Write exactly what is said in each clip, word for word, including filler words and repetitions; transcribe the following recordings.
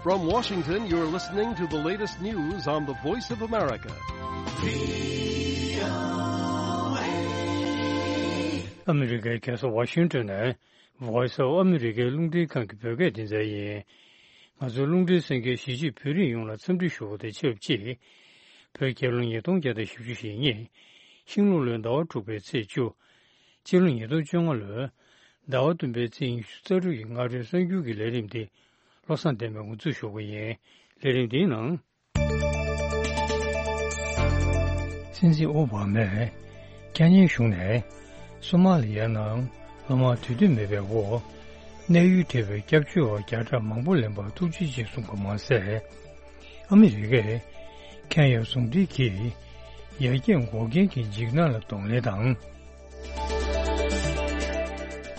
From Washington, you're listening to the latest news on the Voice of America. ཨ་མི་རི་ཀའི་རྒྱལ་ས་ཝ་ཤིང་ཏོན་ནས་Voice of America རླུང་འཕྲིན་ཁང་གི་བོད་སྐད་སྡེ་ཚན་ཡིན། ང་ཚོའི་རླུང་འཕྲིན་གསན་མཁན་གཞིས་བྱེས་བོད་རིགས་ཡོངས་ལ་འཚམས་འདྲི་ཞུ་བ་དང་ཆབས་ཅིག་བོད་རྒྱལ་ལོ་ཉིས་སྟོང་བརྒྱ་དང་བཞི་བཅུ་ཞེ་གཉིས། ཤིང་ལུག་ལོའི་ཟླ་བ་དྲུག་པའི་ཚེས་བཅུ། སྤྱི་ལོ་ཉིས་སྟོང་བཅོ་ལྔ་ལོའི་ཟླ་བ་བདུན་པའི་ཚེས་ཉི་ཤུ་རྩ་དྲུག་གི་སྔ་དྲོའི་གསར་འགྱུར་གྱི་ལས་རིམ་འདི་བློ་བཟང་བསྟན་པས་ངོ་སྤྲོད་ཞུ་གི་ཡིན། ལས་རིམ་འདིའི་ནང་། སྲིད་འཛིན་ཨོ་བྷ་མས་ཁེན་ཡའི་གཞུང་ནས་སོ་མ་ལི་ཡའི་ནང་སློབ་མ་དུས་མཐུན་མེད་པའི་འོག་གནས་ཡུལ་བྲལ་བའི་སྐྱབས་བཅོལ་བ་བརྒྱ་ཕྲག་མང་པོ་ལེན་པར་ཐུགས་རྗེ་ཆེ་གསུང་པ་མ་ཟད། ཨ་མི་རི་ཀས་ཁེན་ཡ་ཟུང་འབྲེལ་གྱིས་ཡར་རྒྱས་འགོག་རྐྱེན་གྱི་འཇིགས་སྣང་ལ་གདོང་ལེན་དང་།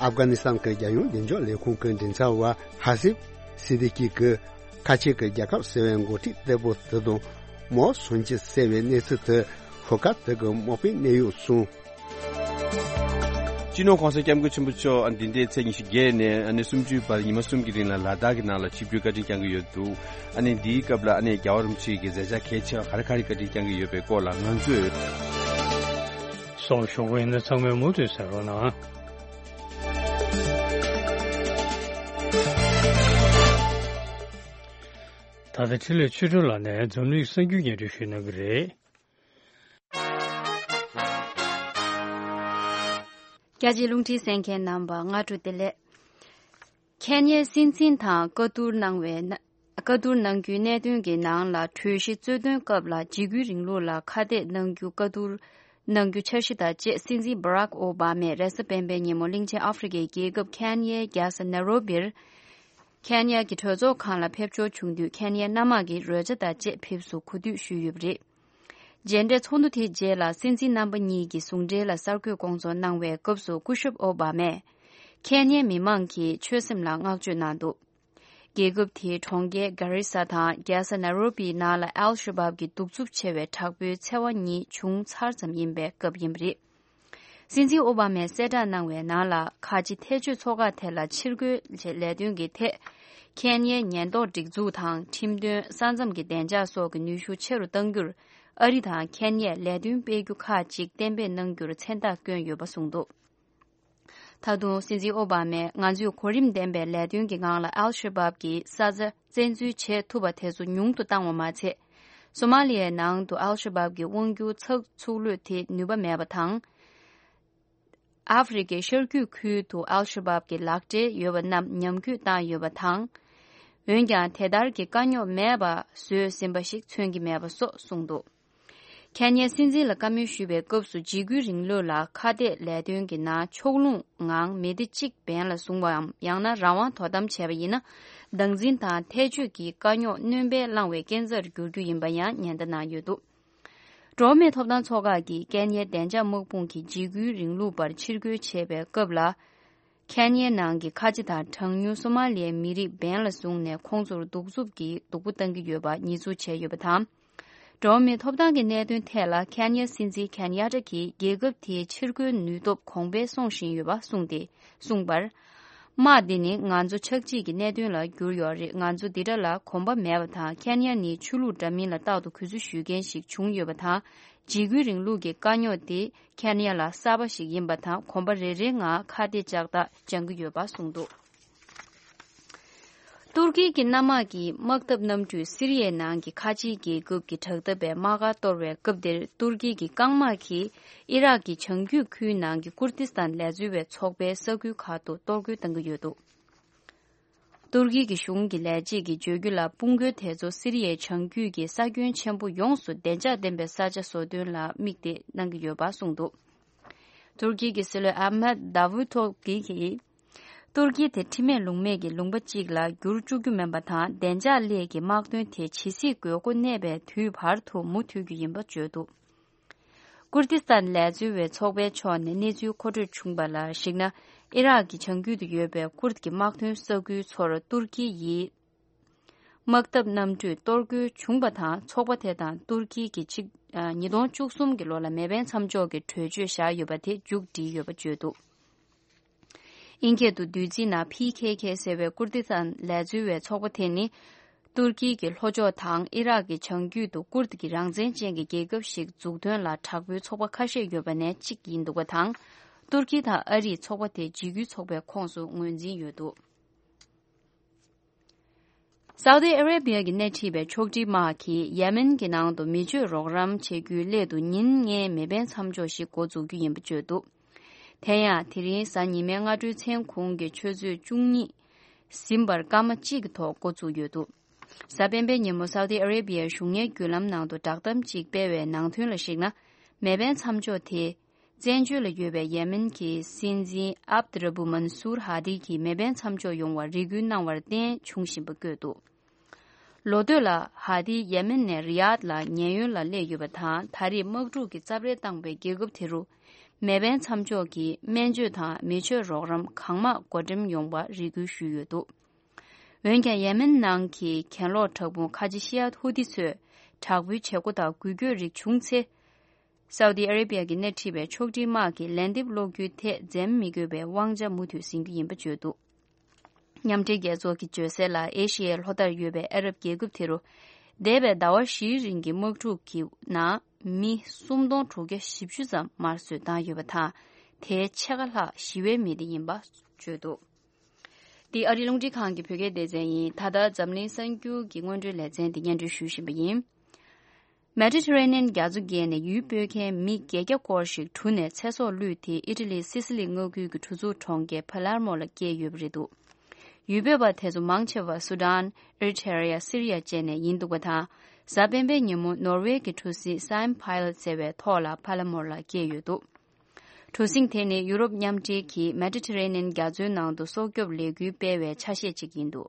ཨབ་གྷ་ནི་སི་ཐན་གྱི་རྒྱལ་ཡོངས་བདེ་འཇགས་ལས་ཁུངས་ཀྱི་མགྲིན་ཚབ་པ་ཧ་སིབ་སི་ཏི་ཀི་གིས་ཁ་ཆེ་གི་རྒྱལ་ཁབ་ཟེར་བའི་འགོ་ཁྲིད་ལྟ་བུ་དེ་དང་མའོ་སུན་ཅི་ཟེར་བའི་གནས་ཚུལ་དེ་ཧུ་ཀ་དེ་གི་མོ་པའི་གནས་ཡུལ་གསུངས། སྤྱི་ནོར་༸གོང་ས་༸སྐྱབས་མགོན་ཆེན་པོ་མཆོག་འདི་ཟླའི་ཚེས་ཉི་ཤུ་བརྒྱད་ནས་ཨ་ནི་སུམ་ཅུའི་བར་ཉི་མ་གསུམ་གྱི་རིང་ལ་ལ་དྭགས་ཀྱི་ནང་ལ་ཆིབས་བསྒྱུར་བཀའ་དྲིན་བསྐྱངས་ཀྱི་ཡོད་འདུག་ཨ་ནི་འདིའི་སྐབས་ལ་ཨ་ནི་རྒྱལ་བ་རིན་པོ་ཆེ་གི་མཛད་འཆར་གལ་ཆེ་བ་ག་རེ་ག་རེ་བཀའ་དྲིན་བསྐྱངས་ཀྱི་ཡོད་པའི་སྐོར་ལ་ང་ཚོས་སོགས་ཞུ་གི་ཡིན་ན་ཚང་མས་མུ་མཐུད་གསན་རོགས་གནང་། ད་ལྟ་འཕྲིན་ལས་ཆོས་སྒྲོན་ལགས་ནས་འཛམ་གླིང་གསར་འགྱུར་སྙན་སྒྲོན་ཞུ་གནང་གི་རེད། རྒྱ་ཆེའི་རླུང་འཕྲིན་གསན་མཁན་རྣམ་པ་སྔ་དྲོ་བདེ་ལེགས། ཁེན་ཡའི་སྲིད་འཛིན་དང་བཀའ་བསྡུར་གནང་བའི་ན། བཀའ་བསྡུར་གནང་རྒྱུའི་གནད་དོན་གྱི་ནང་ལ་གྲོས་གཞི་རྩོད་དོན་སྐབས་ལ་འཇིགས་སྐུལ་རིང་ལུགས་ལ་ཁ་གཏད་གནང་རྒྱུ་བཀའ་བསྡུར་གནང་རྒྱུ་འཆར་གཞི་དང་བཅས་སྲིད་འཛིན་Barack Obama རེས་གཟའ་སྤེན་པའི་ཉིན་མོ་གླིང་ཆེན་ཨ་ཧྥེ་རི་ཁའི་རྒྱལ་ཁབ་ཁེན་ཡའི་རྒྱལ་ས་ནེ་རོ་བིར་ཁེན་ཡ་གི་གྲོས་ཚོགས་ཁང་ལ་ཕེབས་འབྱོར་བྱུང་དུས་ཁེན་ཡའི་གནམ་དམག་གི་རོལ་ཆ་དང་བཅས་ཕེབས་བསུ་གོ་སྒྲིག་ཞུས་ཡོད་པ་རེད། མཇལ་འཕྲད་ཚོགས་འདུ་དེའི་རྗེས་ལ་སྲིད་འཛིན་རྣམ་པ་གཉིས་ཀྱི་ཟུང་འབྲེལ་ལ་གསར་འགོད་སྐོང་ཚོགས་གནང་བའི་སྐབས་སུ་སྐུ་ཞབས་ཨོ་བྷ་མས་ཁེན་ཡའི་མི་མང་གི་ཆོད་སེམས་ལ་བསྔགས་བརྗོད་གནང་འདུག་རྒྱལ་ཁབ་དེའི་གྲོང་ཁྱེར་གྷ་རི་ས་དང་རྒྱལ་ས་ནཱ་རོ་པིའི་ནང་ལ་ཨལ་ཤ་བབ་ཀྱི་གདུག་རྩུབ་ཆེ་བའི་དྲག་པོའི་འཚེ་བ་གཉིས་བྱུང་ཚར་ཙམ་ཡིན་པའི་སྐབས་ཡིན་པ་རེད། སྲིད་འཛིན་ཨོ་བྷ་མས་གསལ་བསྒྲགས་གནང་བའི་ནང་ལ་ཁ་ཆེ་ཐལ་སྤྱོད་ཚོགས་ཁག་ཐད་ལ་ཕྱིར་རྒོལ་ལས་དོན་གྱི་ཐད། ཁེན་ཡའི་ཉེན་རྟོག་སྒྲིག་འཛུགས་དང་ཁྲིམས་དོན་ས་མཚམས་ཀྱི་བདེ་འཇགས་སོགས་ཀྱི་ནུས་ཤུགས་ཆེ་རུ་གཏང་རྒྱུར་ཨ་རི་དང་ཁེན་ཡས་ལས་དོན་སྤེལ་རྒྱུ་ཁག་ཅིག་གཏན་འབེབས་གནང་རྒྱུར་མཚན་རྟགས་བསྐྱོན་ཡོད་པ་གསུངས་འདུག་ད་དུང་སྲིད་འཛིན་ཨོ་བྷ་མས་ང་ཚོས་གོ་རིམ་ལྡན་པའི་ལས་དོན་གྱི་ངང་ལ་ཨལ་ཤ་བབ་ཀྱི་ས་ཆ་བཙན་འཛུལ་བྱེད་ཐུབ་པ་དེ་ཚོ་ཉུང་དུ་བཏང་བ་མ་ཚད། སོ་མ་ལི་ཡའི་ནང་དུ་ཨལ་ཤ་བབ་ཀྱི་དབང་སྒྱུར་ཚགས་ཚུགས་ལུགས་དེ་ནུས་པ་མེད་པ་དང་། ཨ་ཧྥེ་རི་ཁའི་ཤར་རྒྱུད་ཁུལ་དུ་ཨལ་ཤ་བབ་ཀྱི་ལག་འབྲེལ་ཡོད་པ་རྣམས་ཉམས་རྒུད་བཏང་ཡོད་པ་དང་། འོན་ཀྱང་དེ་ལྟར་གྱི་དཀའ་རྙོག་མེད་པ་བཟོས་ཟིན་པ་ཞིག་མཚོན་གྱི་མེད་པ་སོགས་གསུངས་འདུག་ཁེན་ཡའི་སྲིད་འཛིན་ལ་བཀའ་མོལ་ཞུས་པའི་སྐབས་སུ་འཇིགས་སྐུལ་རིང་ལུགས་ལ་ཁ་གཏད་ལས་དོན་གྱི་ནང་ཕྱོགས་ལྷུང་ངང་མི་སྡེ་གཅིག་འབེན་ལ་བཟུང་བའམ་ཡང་ན་རང་དབང་དོ་དམ་བྱས་པ་ཡིན་ན། སྡང་འཛིན་དང་ཐལ་སྤྱོད་ཀྱི་དཀའ་རྙོག་སྣོན་པས་བསླངས་པའི་རྐྱེན་རྩར་འགྱུར་རྒྱུ་ཡིན་པ་ཡང་ཉེན་བརྡ་གནང་ཡོད་འདུག་འགྲོ་བ་མིའི་ཐོབ་ཐང་ཚོགས་ཁག་གིས་ཀན་ཡའི་བདེ་འཇགས་དམག་དཔུང་གིས་འཇིགས་སྐུལ་རིང་ལུགས་པར་ཕྱིར་རྒོལ་བྱས་པའི་སྐབས་ལ། ཁེན་ཡའི་ནང་གི་ཁ་ཆེ་དང་གྲངས་ཉུང་སོ་མ་ལི་ཡའི་མི་རིགས་འབེན་ལ་བཟུང་ནས་ཁོང་ཚོར་གདུག་རྩུབ་ཀྱི་སྡུག་པོ་བཏང་གི་ཡོད་པ་ཉེས་འཛུགས་བྱས་ཡོད་པ་དང་། འགྲོ་བ་མིའི་ཐོབ་ཐང་གི་གནད་དོན་ཐད་ལ་ཁེན་ཡའི་སྲིད་འཛིན་ཁེན་ཡ་ཏྲ་གིས་རྒྱལ་ཁབ་དེའི་ཕྱིར་རྒོལ་ནུས་སྟོབས་གོང་འཕེལ་སོང་བཞིན་ཡོད་པ་གསུངས་ཏེ་གསུངས་པར། དམག་འདི་ནི་ང་ཚོ་ཆགས་འཇིག་གི་གནད་དོན་ལ་གྱུར་ཡོད་རེད། ང་ཚོ་འདི་འདྲ་ལ་གོམས་པ་མེད་པ་དང་། ཁེན་ཡ་ནི་ཆོས་ལུགས་འདྲ་མིན་ལ་རྟག་ཏུ་གུས་བརྩི་ཞུ་མཁན་ཞིག་བྱུང་ཡོད་པ་དང་། འཇིགས་སྐུལ་རིང་ལུགས་ཀྱི་དཀའ་རྙོག་དེ་ཁེན་ཡ་ལ་གསར་པ་ཞིག་ཡིན་པ་དང་། གོམ་པ་རེ་རེའི་ངང་ཁ་གཏད་ལྕགས་ཐག་འགྱངས་ཀྱི་ཡོད་པ་གསུངས་འདུག་ཏུར་ཀི་གི་གནམ་དམག་གིས་དམག་འཐབ་གནམ་གྲུས་སི་རི་ཡའི་ནང་གི་ཁ་ཆེའི་རྒྱལ་ཁབ་ཀྱི་དྲག་འཐབ་པའི་དམག་སྒར་གཏོར་བའི་སྐབས་དེར། ཏུར་ཀི་གི་རྐང་དམག་གིས་ཨི་རག་གི་བྱང་རྒྱུད་ཁུལ་ནང་གི་ཀུར་ཏི་སྟན་ལས་འཛོལ་བའི་ཚོགས་པའི་ས་ཁུལ་ཁག་ཏུ་གཏོར་རྒོལ་བཏང་གི་ཡོད་འདུག་ཏུར་ཀི་གི་གཞུང་གི་ལས་བྱེད་ཀྱིས་བརྗོད་རྒྱུ་ལ། དཔུང་རྒོལ་དེ་ཚོ་སི་རི་ཡའི་བྱང་རྒྱུད་ཀྱི་ས་ཁྱོན་ཆེན་པོ་ཡོངས་སུ་བདེ་འཇགས་ལྡན་པའི་ས་ཆ་བཟོ་དོན་ལ་དམིགས་ཏེ་གནང་གི་ཡོད་པ་གསུངས་འདུག་ཏུར་ཀི་གི་སྲིད་བློན་ཨ་མད་དཱ་ཝུ་ཏོ་གྷི་གིས། ཏུར་ཀི་དེ་ཁྲིམས་མེད་ལུགས་མེད་ཀྱི་ལུང་པ་གཅིག་ལ་འགྱུར་བཅུག་རྒྱུ་མིན་པ་དང་། བདེ་འཇགས་སླད་ཀྱི་དམག་དོན་དེ་ཇི་སྲིད་དགོས་མཁོ་གནས་པའི་དུས་བར་དུ་མུ་མཐུད་རྒྱུ་ཡིན་པ་བརྗོད་འདུག་ཀུར་ཏི་སྟན་ལས་འཛོལ་བའི་ཚོགས་པའི་ཕྱོགས་ནས་གནས་ཚུལ་མཁོ་སྤྲོད་བྱུང་བ་ལ་གཞིགས་ན། ཨི་རག་གི་བྱང་རྒྱུད་དུ་ཡོད་པའི་ཀུར་གྱི་དམག་དོན་ས་ཁུལ་ཚོར་ཏུར་ཀི་ཡིས་དམག་འཐབ་གནམ་གྲུས་གཏོར་རྒོལ་བྱུང་བ་དང་། ཚོགས་པ་དེ་དང་ཏུར་ཀི་གི་གཅིག་ཉིས་སྟོང་བཅུ་གསུམ་གྱི་ལོ་ལ་མེ་འཕེན་མཚམས་འཇོག་གི་གྲོས་ཆོད་བཞག་ཡོད་པ་དེ་མཇུག་བསྒྲིལ་ཡོད་པ་བརྗོད་འདུག་ཨིན་སྐད་དུ་བསྡུས་ཚིག་ནང་ཕི་ཁེ་ཁེ་ཟེར་བའི་ཀུར་ཏི་སྟན་ལས་འཛོལ་བའི་ཚོགས་པ་དེ་ནི། ཏུར་ཀི་གི་ལྷོ་ཕྱོགས་དང་ཨི་རག་གི་བྱང་རྒྱུད་དུ་ཀུར་དི་གི་རང་བཙན་ཅན་གྱི་རྒྱལ་ཁབ་ཞིག་འཛུགས་དོན་ལ་དྲག་པོའི་ཚོགས་པ་ཁ་ཤས་ཡོད་པ་ནས་གཅིག་ཡིན་འདུག་པ་དང་། ཏུར་ཀི་དང་ཨ་རིས་ཚོགས་པ་དེ་འཇིགས་སྐུལ་ཚོགས་པའི་ཁོངས་སུ་ངོས་འཛིན་ཡོད་འདུག། སའུ་ཏི་ཨ་རེ་བྷི་ཡ་གི་སྣེ་ཁྲིད་པའི་ཕྱོགས་སྒྲིག་དམག་གིས་ཡེ་མེན་གྱི་ནང་དུ་མི་སྤྱོད་རོགས་རམ་བྱེད་རྒྱུའི་སླད་དུ་ཉིན་ལྔའི་མེ་འཕེན་མཚམས་འཇོག་ཞིག་འགོ་འཛུགས་རྒྱུ་ཡིན་པ་བརྗོད་འདུག། དེ་ཡང་དེ་རིང་གཟའ་ཉི་མའི་སྔ་དྲོའི་མཚན་གུང་གི་ཆུ་ཚོད་བཅུ་གཉིས་ཟིན་པར་སྐར་མ་གཅིག་གི་ཐོག་འགོ་བཙུགས་ཡོད་འདུག། གཟའ་སྤེན་པའི་ཉིན་མོ་སའུ་ཏི་ཨ་རེ་བྷི་ཡའི་གཞུང་གཉེར་བརྒྱུད་ལམ་ནང་དུ་བསྒྲགས་གཏམ་གཅིག་སྤེལ་བའི་ནང་དོན་ལ་གཞིགས་ན། མེ་འཕེན་མཚམས་འཇོག་དེ། བཙན་བྱོལ་ལ་ཡོད་པའི་ཡེ་མེན་གྱི་སྲིད་འཛིན་ཨབ་ཏི་ར་བུ་མན་སུར་ཧ་དི་གིས་མེ་འཕེན་མཚམས་འཇོག་ཡོང་བར་རེ་སྐུལ་གནང་བར་བརྟེན་བྱུང་བཞིན་པ་བཀོད་འདུག། ལོ་སྟོད་ལ་ཧ་དི་ཡེ་མེན་ནས་རི་ཡཱད་ལ་ཉེན་གཡོལ་ལ་སླེབས་ཡོད་པ་དང་། ད་རེས་དམག་འཁྲུག་གི་རྩབ་རལ་བཏང་པའི་རྒྱལ་ཁབ་དེ་རུ། མེ་འཕེན་མཚམས་འཇོག་གིས་སྨན་བཅོས་དང་མི་ཆོས་རོགས་རམ་གང་མང་བགོ་འགྲེམས་ཡོང་བར་རེ་སྐུལ་ཞུས་ཡོད་འདུག། འོན་ཀྱང་ཡེ་མེན་ནང་གི་གྱེན་ལོག་དྲག་དཔུང་ཁ་ཆེ་ཤི་ཡ་ཧུ་ཏི་ཚོས་དྲག་པོའི་བྱེད་སྒོ་དང་འགུལ་སྐྱོད་རིགས་བྱུང་ཚེ། སའུ་ཏི་ཨ་རེ་བྷི་ཡ་གི་སྣེ་ཁྲིད་པའི་ཕྱོགས་སྒྲིག་དམག་གིས་ལན་འདེབས་སློག་རྒྱུའི་ཐད་འཛེམ་མི་དགོས་པའི་དབང་ཆ་མུ་མཐུད་ཟིན་རྒྱུ་ཡིན་པ་བརྗོད་འདུག། མཉམ་འབྲེལ་རྒྱལ་ཚོགས་ཀྱིས་བརྗོད་གསལ་ལ། ཨེ་ཤི་ཡའི་ལྷོ་མཐར་ཡོད་པའི་ཨ་རབ་རྒྱལ་ཁབ་དེ་རུ། འདས་པའི་ཟླ་བ་བཞིའི་རིང་གི་དམག་འཁྲུག་གི་ནང་མི་སུམ་སྟོང་དྲུག་བརྒྱ་བཞི་བཅུ་ཙམ་དམར་གསོད་བཏང་ཡོད་པ་དང་། དེའི་ཕྱེད་ཀ་ལྷག་ཞི་བའི་མི་སྡེ་ཡིན་པ་བརྗོད་འདུག། འདི་ཨ་རིའི་རླུང་འཕྲིན་ཁང་གི་བོད་སྐད་སྡེ་ཚན་ཡིན། ད་ལྟ་འཛམ་གླིང་གསར་འགྱུར་གྱི་སྔོན་འགྲོའི་ལེ་ཚན་འདི་སྙན་སྒྲོན་ཞུ་བཞིན་པ་ཡིན། མེ་ཌི་ཊ་རེ་ནི་ཡན་རྒྱ་མཚོ་བརྒལ་ནས་ཡུལ་སྤོས་མཁན་མི་བརྒྱད་བརྒྱ་སྐོར་ཞིག་གྲུ་ནས་ཚེ་སྲོག་བློས་ཏེ། ཨི་ཊ་ལིའི་སི་སི་ལི་མངའ་ཁུལ་གྱི་གྲུ་ཚུགས་གྲོང་ཁྱེར་པ་ལར་མོ་ལ་བསྐྱལ་ཡོད་པ་རེད་འདུག། ཡུལ་སྤོས་པ་དེ་ཚོ་མང་ཆེ་བ་སུ་ཌན། ཨེ་རི་ཊེ་རི་ཡ། སི་རི་ཡ་བཅས་ནས་ཡིན་འདུག་པ་དང་། གཟའ་སྤེན་པའི་ཉིན་མོ་ནོར་ཝེ་གྱི་གྲུ་གཟིངས་སའིན་ཕའེ་ལ་ཟེར་བའི་ཐོག་ལ་པ་ལ་མོར་ལ་བསྐྱལ་ཡོད་འདུག། གྲུ་གཟིངས་དེ་ནི་ཡུ་རོབ་མཉམ་འབྲེལ་གྱིས་མེ་ཌི་ཊ་རེ་ནི་ཡན་རྒྱ་མཚོའི་ནང་དུ་སྲོག་སྐྱོབ་ལས་འགུལ་སྤེལ་བའི་ཆ་ཤས་གཅིག་ཡིན་འདུག།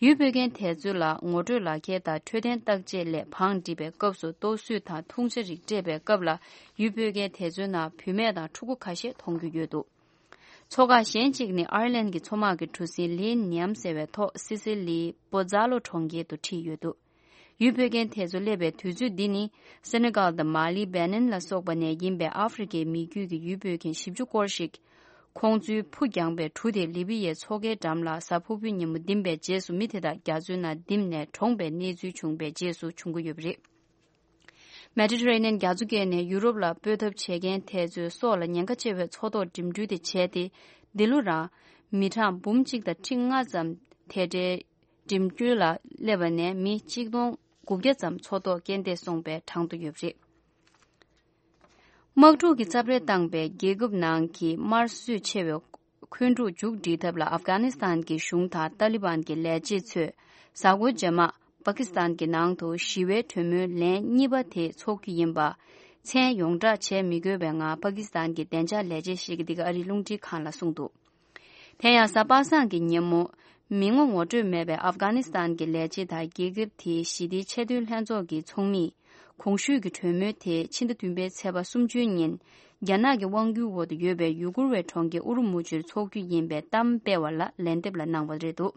ཡུལ་སྤོས་མཁན་དེ་ཚོ་ལ་ངོ་སྤྲོད་ལག་འཁྱེར་དང་འཕྲོད་བསྟེན་བརྟག་དཔྱད་སླད་བང་སྒྲིག་པའི་སྐབས་སུ་ལྟོ་བཟོས་དང་འཐུང་ཆ་རིགས་སྤྲད་པའི་སྐབས་ལ། ཡུལ་སྤོས་མཁན་དེ་ཚོའི་ནང་བུད་མེད་དང་ཕྲུ་གུ་ཁ་ཤས་མཐོང་རྒྱུ་ཡོད་འདུག། མཚོ་ཁག་གཞན་གཅིག་ནི་ཨའི་ལན་གྱི་མཚོ་དམག་གི་གྲུ་གཟིངས་ལི་ནིའམ་ཟེར་བའི་ཐོག་སི་སི་ལིའི་པོ་ཛ་ལོ་གྲོང་ཁྱེར་དུ་ཁྲིད་ཡོད་འདུག། ཡུལ་སྤོས་མཁན་དེ་ཚོ་སླེབས་པའི་དུས་ཚོད་འདི་ནི། སེ་ནེ་གལ་དང་མ་ལི། བེ་ནིན་ལ་སོགས་པ་ནས་ཡིན་པའི་ཨ་ཧྥེ་རི་ཁའི་མི་རྒྱུད་ཀྱི་ཡུལ་སྤོས་མཁན་བཞི་བཅུ་སྐོར་ཞིག། ཁོང་ཚོའི་ཕུ་བརྒྱངས་པའི་གྲུ་དེ་ལི་བི་ཡའི་མཚོ་ཁའི་འགྲམ་ལ་གཟའ་ཕུར་བུའི་ཉིན་མོ་འདིམ་པའི་རྗེས་སུ། མི་དེ་དག་རྒྱ་མཚོའི་ནང་འདིམ་ནས་གྲོངས་པའི་གནས་ཚུལ་བྱུང་བའི་རྗེས་སུ་བྱུང་གི་ཡོད་པ་རེད། མེ་ཌི་ཊ་རེ་ནི་ཡན་རྒྱ་མཚོ་བརྒལ་ནས་ཡུ་རོབ་ལ་སྤོས་ཐབས་བྱེད་མཁན་དེ་ཚོའི་སྲོག་ལ་ཉེན་ཁ་ཆེ་བའི་མཚོ་ཐོག་འགྲིམ་འགྲུལ་དེ་བྱས་ཏེ། འདི་ལོ་རང་མི་གྲངས་འབུམ་གཅིག་དང་ཁྲི་ལྔ་ཙམ་དེ་འདྲའི་འགྲིམ་འགྲུལ་ལ་སླེབས་པ་ནས། མི་གཅིག་སྟོང་དགུ་བརྒྱ་ཙམ་མཚོ་ཐོག་རྐྱེན་འདས་སོང་པའི་གྲངས་ཐོ་ཡོད་པ་རེད། དམག་འཁྲུག་གི་རྩབ་རལ་བཏང་པའི་རྒྱལ་ཁབ་ནང་གི་དམར་གསོད་ཆེ་བའི་འཁོན་འཁྲུག་མཇུག་སྒྲིལ་ཐབས་ལ། ཨབ་གྷ་ནི་སི་ཐན་གྱི་གཞུང་དང་ཏཱ་ལི་བན་གྱི་ལས་བྱེད་ཚོས་གཟའ་འཁོར་རྗེས་མ་པ་ཀི་སི་ཐན་གྱི་ནང་དུ་ཞི་བའི་གྲོས་མོལ་ལན་གཉིས་པ་དེ་འཚོགས་རྒྱུ་ཡིན་པ། མཚན་ཡོངས་བསྒྲགས་བྱས་མི་དགོས་པའི་ངང་པ་ཀི་སི་ཐན་གྱི་བདེ་འཇགས་ལས་བྱེད་ཞིག་གིས་འདི་ག་ཨ་རིའི་རླུང་འཕྲིན་ཁང་ལ་གསུངས་འདུག། དེ་ཡང་གཟའ་པ་སངས་ཀྱི་ཉིན་མོ། མི་ངོ་ངོ་སྤྲོད་མེད་པའི་ཨབ་གྷ་ནི་སི་ཐན་གྱི་ལས་བྱེད་དང་རྒྱལ་ཁབ་དེའི་ཞི་བདེའི་ཆེས་མཐོའི་ལྷན་ཚོགས་ཀྱི་ཚོགས་མིས། གོང་ཞུས་ཀྱི་གྲོས་མོལ་དེ་ཕྱི་ཟླ་བདུན་པའི་ཚེས་པ་སུམ་ཅུའི་ཉིན། རྒྱ་ནག་གི་དབང་སྒྱུར་འོག་ཏུ་ཡོད་པའི་ཡུ་གུར་བའི་གྲོང་ཁྱེར་ཨུ་རུ་མུ་ཆུར་འཚོགས་རྒྱུ་ཡིན་པའི་གཏམ་སྤེལ་བ་ལ་ལན་འདེབས་ལ་གནང་བ་རེད་འདུག།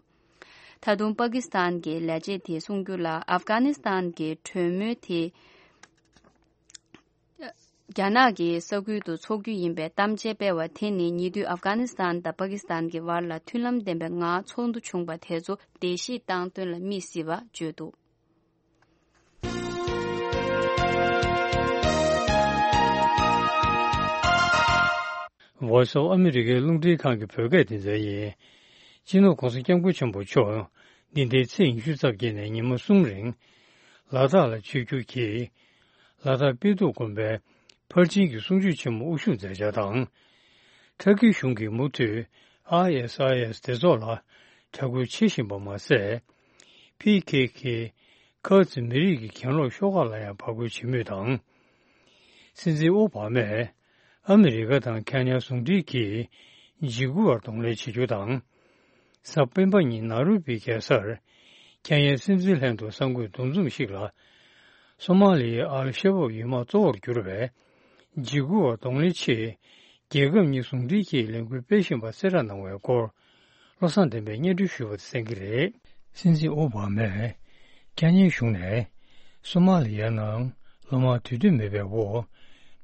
ད་དུང་པ་ཀི་སི་ཐན་གྱི་ལས་བྱེད་དེས་གསུང་རྒྱུ་ལ། ཨབ་གྷ་ནི་སི་ཐན་གྱི་གྲོས་མོལ་དེ་རྒྱ་ནག་གི་ས་ཁུལ་དུ་འཚོགས་རྒྱུ་ཡིན་པའི་གཏམ་འཆལ་སྤེལ་བ་དེ་ནི། ཉེ་དུས་ཨབ་གྷ་ནི་སི་ཐན་དང་པ་ཀི་སི་ཐན་གྱི་བར་ལ་མཐུན་ལམ་ལྡན་པའི་ངང་ཚོགས་འདུ་བྱུང་པ་དེ་ཚོ་བརྡལ་བཤིག་བཏང་དོན་ལ་དམིགས་སྲིད་པ་བརྗོད་འདུག། Voice of America རླུང་འཕྲིན་ཁང་གི་བོད་སྐད་སྡེ་ཚན་ཡིན། སྤྱི་ནོར་༸གོང་ས་༸སྐྱབས་མགོན་ཆེན་པོ་མཆོག་འདི་ཟླའི་ཚེས་ཉི་ཤུ་རྩ་བརྒྱད་ནས་ཉིན་མོ་གསུམ་རིང་ལ་དྭགས་ལ་ཆིབས་བསྒྱུར་གྱིས། ལ་དྭགས་དཔལ་སྟུག་དགོན་པའི་ཕར་ཕྱིན་གྱི་གསུང་ཆོས་ཆེན་མོ་དབུ་བཞུགས་མཛད་འཆར་དང་། ཊར་ཀི་གཞུང་གིས་མུ་མཐུད་ཨའི་ཨེས་ཨའི་ཨེས་སྡེ་ཚོགས་ལ་དྲག་རྒོལ་བྱེད་བཞིན་པ་མ་ཟད། ཕི་ཁེ་ཁེ་ཁ་ཛི་མི་རིགས་ཀྱི་གྱེན་ལོག་ཤོག་ཁག་ལ་ཡང་བར་བརྐོ་བྱེད་མུས་དང་། སྲིད་འཛིན་ཨོ་བྷ་མས་ཨ་མི་རི་ཀ་དང་ཁེན་ཡ་ཟུང་འབྲེལ་གྱིས་འཇིགས་སྐུལ་བར་གདོང་ལེན་བྱེད་རྒྱུ་དང་། གཟའ་སྤེན་པ་ཉིན་ནཱ་རོ་པི་རྒྱལ་སར་ཁེན་ཡའི་སྲིད་འཛིན་ལྷན་དུ་གསར་འགོད་འདུ་འཛོམས་ཤིག་ལ། སོ་མ་ལི་ཡའི་ཨལ་ཤ་བབ་ཡུལ་དམག་གཙོ་བོར་གྱུར་བའི་འཇིགས་སྐུལ་བར་གདོང་ལེན་ཆེད། རྒྱལ་ཁབ་གཉིས་ཟུང་འབྲེལ་གྱིས་ལས་འགུལ་སྤེལ་བཞིན་པ་གསལ་བསྒྲགས་གནང་བའི་སྐོར། བློ་བཟང་བསྟན་པས་སྙན་སྒྲོན་ཞུས་པ་དེ་གསན་གྱི་རེད། སྲིད་འཛིན་ཨོ་བྷ་མས་ཁེན་ཡའི་གཞུང་ནས་སོ་མ་ལི་ཡའི་ནང་ལོ་མང་དུས་སྟོན་མེད་པའི་འོག་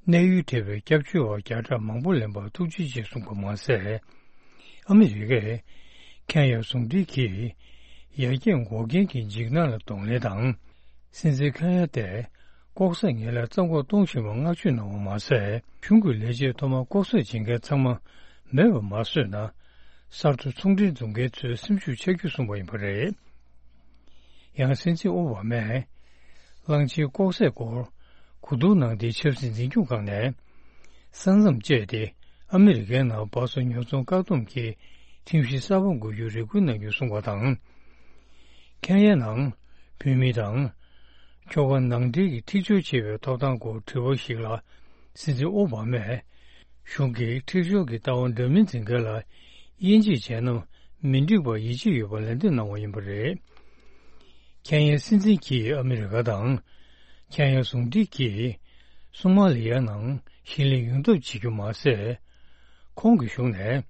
གནས་ཡུལ་བྲལ་བའི་སྐྱབས་བཅོལ་བ་བརྒྱ་ཕྲག་མང་པོ་ལེན་པར་ཐུགས་རྗེ་ཆེ་གསུངས་པ་མ་ཟད། ཨ་མི་རི་ཀས་ཁེན་ཡ་ཟུང་འབྲེལ་གྱིས་ ཡར་རྒྱས་འགོག་རྐྱེན་གྱི་འཇིགས་སྣང་ལ་གདོང་ལེན་དང་། སྲིད་འཛིན་ཁེན་ཡ་ཏས་ལྐོག་ཟ་ངན་ལྷད་རྩ་འགོག་གཏོང་བཞིན་པར་བསྔགས་བརྗོད་གནང་བ་མ་ཟད། གཞུང་གི་ལས་བྱེད་ཐོག་མར་ལྐོག་ཟ་བྱེད་མཁན་ཚང་མ་མེད་པར་མ་བཟོས་ན། གསར་དུ་ཚོང་འབྲེལ་འཛུགས་མཁན་ཚོའི་སེམས་ཤུགས་ཆག་རྒྱུ་གསུངས་པ་ཡིན་པ་རེད། ཡང་སྲིད་འཛིན་ཨོ་བྷ་མས་གླང་ཆེན་ལྐོག་ཟའི་སྐོར་གོ་བསྡུར་གནང་སྟེ། ཆབ་སྲིད་འཛིན་སྐྱོང་ཁང་ནས་ས་མཚམས་བཅད་དེ་ཨ་མི་རི་ཀའི་ནང་སྦགས་བཙོག་ཉོ་ཚོང་བཀག་སྡོམ་གྱི་ཁྲིམས་གཞི་གསར་པ་འགོད་རྒྱུའི་རེ་སྐུལ་གནང་རྒྱུ་གསུངས་པ་དང་། ཁེན་ཡའི་ནང་བོད་མི་དང་ཁྱོ་ག་ནང་འདྲེན་གྱི་འཁྲིག་སྦྱོར་བྱེད་པའི་ཐོབ་ཐང་སྐོར་དྲི་བ་ཞིག་ལ། སྲིད་འཛིན་ཨོ་བྷ་མས། གཞུང་གིས་འཁྲིག་སྦྱོར་གྱི་ལྟ་བ་འདྲ་མིན་འཛིན་མཁན་ལ་དབྱེ་འབྱེད་བྱས་ན་མི་འགྲིག་པར་ཡིད་ཆེས་ཡོད་པར་ལན་འདེབས་གནང་བ་ཡིན་པ་རེད། ཁེན་ཡའི་སྲིད་འཛིན་གྱིས་ཨ་མི་རི་ཀ་དང་ཁེན་ཡ་ཟུང་འབྲེལ་གྱིས་སོ་མ་ལི་ཡའི་ནང་ཞིང་ལས་ཡོང་ཐབས་བྱེད་རྒྱུ་མ་ཟད། ཁོང་གི་གཞུང་ནས་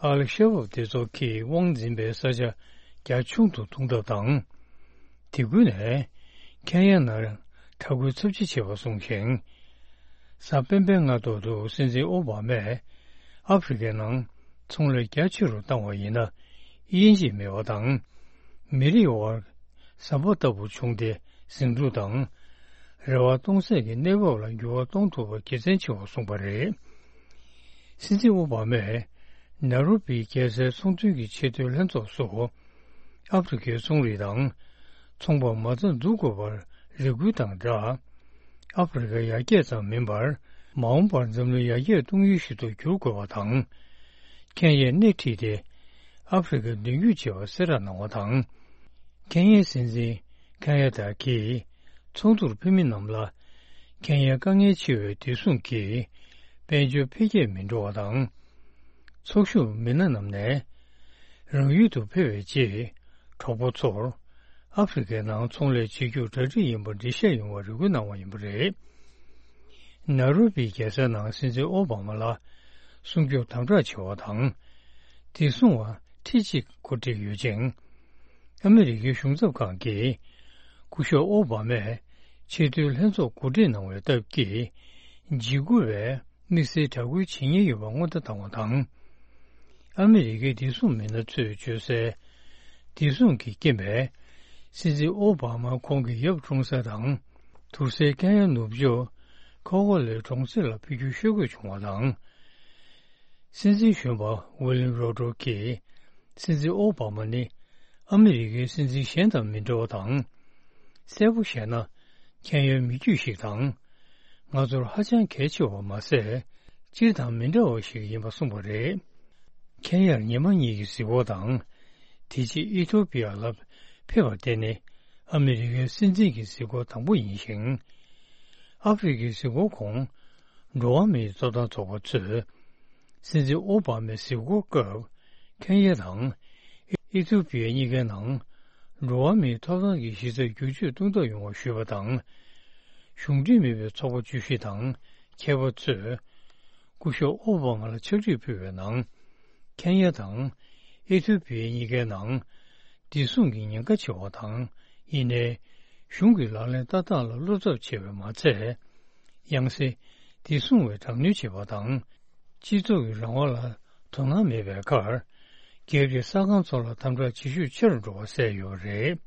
ཨལ་ཤ་བབ་སྡེ་ཚོགས་ཀྱིས་དབང་འཛིན་པའི་ས་ཆ་རྒྱ་ཆུང་དུ་གཏོང་ཐབས་དང་། དེ་ཁུལ་ནས་ཁེན་ཡ་ནང་དྲག་རྒོལ་ཚབས་ཆེ་བྱས་པ་གསུངས་ཤིང་། གཟའ་སྤེན་པའི་སྔ་ཐོག་ཏུ་སྲིད་འཛིན་ཨོ་བྷ་མས་ཨ་ཧྥེ་རི་ཁའི་ནང་ཚོང་ལས་རྒྱ་ཆེ་རུ་བཏང་བ་ཡིན་ན་དབྱེ་འབྱེད་མེད་པ་དང་། མི་རིགས་དབར་ཟམ་པ་ལྟ་བུ་བྱུང་སྟེ་ཟིང་འཁྲུག་དང་རེ་བ་གཏོང་སའི་གནས་བབ་ལ་འགྱུར་བ་གཏོང་ཐུབ་པ་དགེ་མཚན་ཆེ་བ་གསུངས་པ་རེད། སྲིད་འཛིན་ཨོ་བྷ་མས་ནཱ་རོ་པིའི་རྒྱལ་སའི་ཚོང་དོན་གྱི་ཆེས་མཐོའི་ལྷན་ཚོགས་སུ། ཨ་ཧྥེ་རི་ཁའི་ཚོང་རིགས་དང་ཚོང་པ་མ་རྩ་འཛུགས་དགོས་པར་རེ་སྐུལ་དང་སྦྲགས། ཨ་ཧྥེ་རི་ཁ་ཡར་རྒྱས་ཙམ་མིན་པར་མ་འོངས་པར་འཛམ་གླིང་ཡར་རྒྱས་གཏོང་ཡུལ་ཞིག་ཏུ་འགྱུར་དགོས་པ་དང་། ཁེན་ཡའི་སྣེ་ཁྲིད་དེ་ཨ་ཧྥེ་རི་ཁ་མདུན་སྐྱོད་བྱེད་པར་གསལ་བསྒྲགས་གནང་བ་དང་། ཁེན་ཡའི་སྲིད་འཛིན་ཁེན་ཡ་ཏ་གིས་ཚོགས་འདུར་ཕེབས་མི་རྣམས་ལ་ཁེན་ཡའི་དཀའ་ངལ་ཆེ་བའི་བདེ་སྲུང་གི་དཔལ་འབྱོར་འཕེལ་རྒྱས་མི་འགྲོ་བ་དང་། ཚོགས་ཞུགས་མི་སྣ་རྣམས་ནས་རང་ཡུལ་དུ་ཕེབས་པའི་རྗེས་གྲོགས་པོ་ཚོར་ཨ་ཧྥེ་རི་ཁའི་ནང་ཚོང་ལས་བྱེད་རྒྱུར་གྲ་སྒྲིག་ཡིན་པར་འགྲེལ་བཤད་ཡོང་བར་རེ་སྐུལ་གནང་བ་ཡིན་པ་རེད། ནཱ་རོ་པིའི་རྒྱལ་ས་ནང་སྲིད་འཛིན་ཨོ་བྷ་མ་ལ་སྲུང་སྐྱོབ་དམ་དྲག་བྱེད་པ་དང་། བདེ་སྲུང་བ་ཁྲི་གཅིག་གོ་སྒྲིག་ཡོད་ཅིང་། ཨ་མི་རི་ཀའི་གཞུང་ཚབ་ཁང་གིས་སྐུ་ཞབས་ཨོ་བྷ་མས་ཆེས་མཐོའི་ལྷན་ཚོགས་གོ་སྒྲིག་གནང་བའི་སྟབས་ཀྱིས་འཇིགས་སྐུལ་བས། དམིགས་བསལ་དྲག་རྒོལ་བྱེད་ཉེན་ཡོད་པ་སྔོན་བརྡ་བཏང་བ་དང་། ཨ་མི་རི་ཀའི་བདེ་སྲུང་མི་སྣ་ཚོས་བརྗོད་གསལ། བདེ་སྲུང་གི་རྐྱེན་པས། སྲིད་འཛིན་ཨོ་བྷ་མ་ཁོང་གི་ཡབ་གྲོངས་ས་དང་། དུར་སའི་ཁེན་ཡ་ནུབ་ཕྱོགས་ཁོ་ཀོ་ལའི་གྲོང་གསེབ་ལ་ཕེབས་རྒྱུ་ཤོད་དགོས་བྱུང་བ་དང་། སྲིད་འཛིན་གཞོན་པ་ཝི་ལིམ་རོ་ཏྲོ་གིས། སྲིད་འཛིན་ཨོ་བྷ་མ་ནི་ཨ་མི་རི་ཀའི་སྲིད་འཛིན་གཞན་དང་མི་འདྲ་བ་དང་། གསལ་པོ་བཤད་ན། ཁེན་ཡའི་མི་རྒྱུད་ཞིག་དང་། ང་ཚོར་ཧ་ཅང་གལ་ཆེ་བ་མ་ཟད། སྤྱིར་བཏང་མི་འདྲ་བ་ཞིག་ཡིན་པ་གསུངས་པ་རེད། ཁེན་ཡར་ཉི་མ་གཉིས་ཀྱི་གཟིགས་སྐོར་དང་། དེ་རྗེས་ཨི་ཐོ་པི་ཡ་ལ་ཕེབས་པ་དེ་ནི་ཨ་མི་རི་ཀའི་སྲིད་འཛིན་གྱི་གཟིགས་སྐོར་དང་པོ་ཡིན་ཞིང་། ཨ་ཧྥེ་རི་ཁའི་གཟིགས་སྐོར་གོང་འགྲོ་བ་མིའི་ཐོབ་ཐང་ཚོགས་པ་ཚོས། སྲིད་འཛིན་ཨོ་བྷ་མའི་གཟིགས་སྐོར་སྐབས། ཁེན་ཡ་དང་ཨི་ཐི་ཡོ་པི་ཡ་གཉིས་ཀའི་ནང་འགྲོ་བ་མིའི་ཐོབ་ཐང་གི་གཞི་རྩར་བསྒྱུར་བཅོས་གཏོང་ཐབས་ཡོང་བ་ཞུས་པ་དང་། གཞུང་འབྲེལ་མིན་པའི་ཚོགས་པ་བཅུ་བཞི་དང་མཁས་པ་ཚོས་སྐུ་ཞབས་ཨོ་བྷ་མ་ལ་ཕྱག་བྲིས་ཕུལ་བའི་ནང་། ཁེན་ཡ་དང་ཨི་ཐི་ཡོ་པི་ཡ་གཉིས་ཀའི་ནང་བདེ་སྲུང་གི་ཉེན་ཁ་ཆེ་བ་དང་། ཡིན་ནའི་གཞུང་གི་ལག་ལེན་བསྟར་སྟངས་ལ་བློ་འཚབ་ཆེ་བས་མ་ཚད། ཡང་སེ་བདེ་སྲུང་བས་དྲག་གནོན་བྱེད་པ་དང་། སྤྱི་ཚོགས་ཀྱི་རང་དབང་ལ་དོ་སྣང་མེད་པའི་ཁར། སྒེར་གྱི་གསར་ཁང་ཚོ་ལ་དམ་དྲག་བྱེད་ཤུགས་ཆེ་རུ་འགྲོ་བ་གསལ་ཡོད་པ་རེད།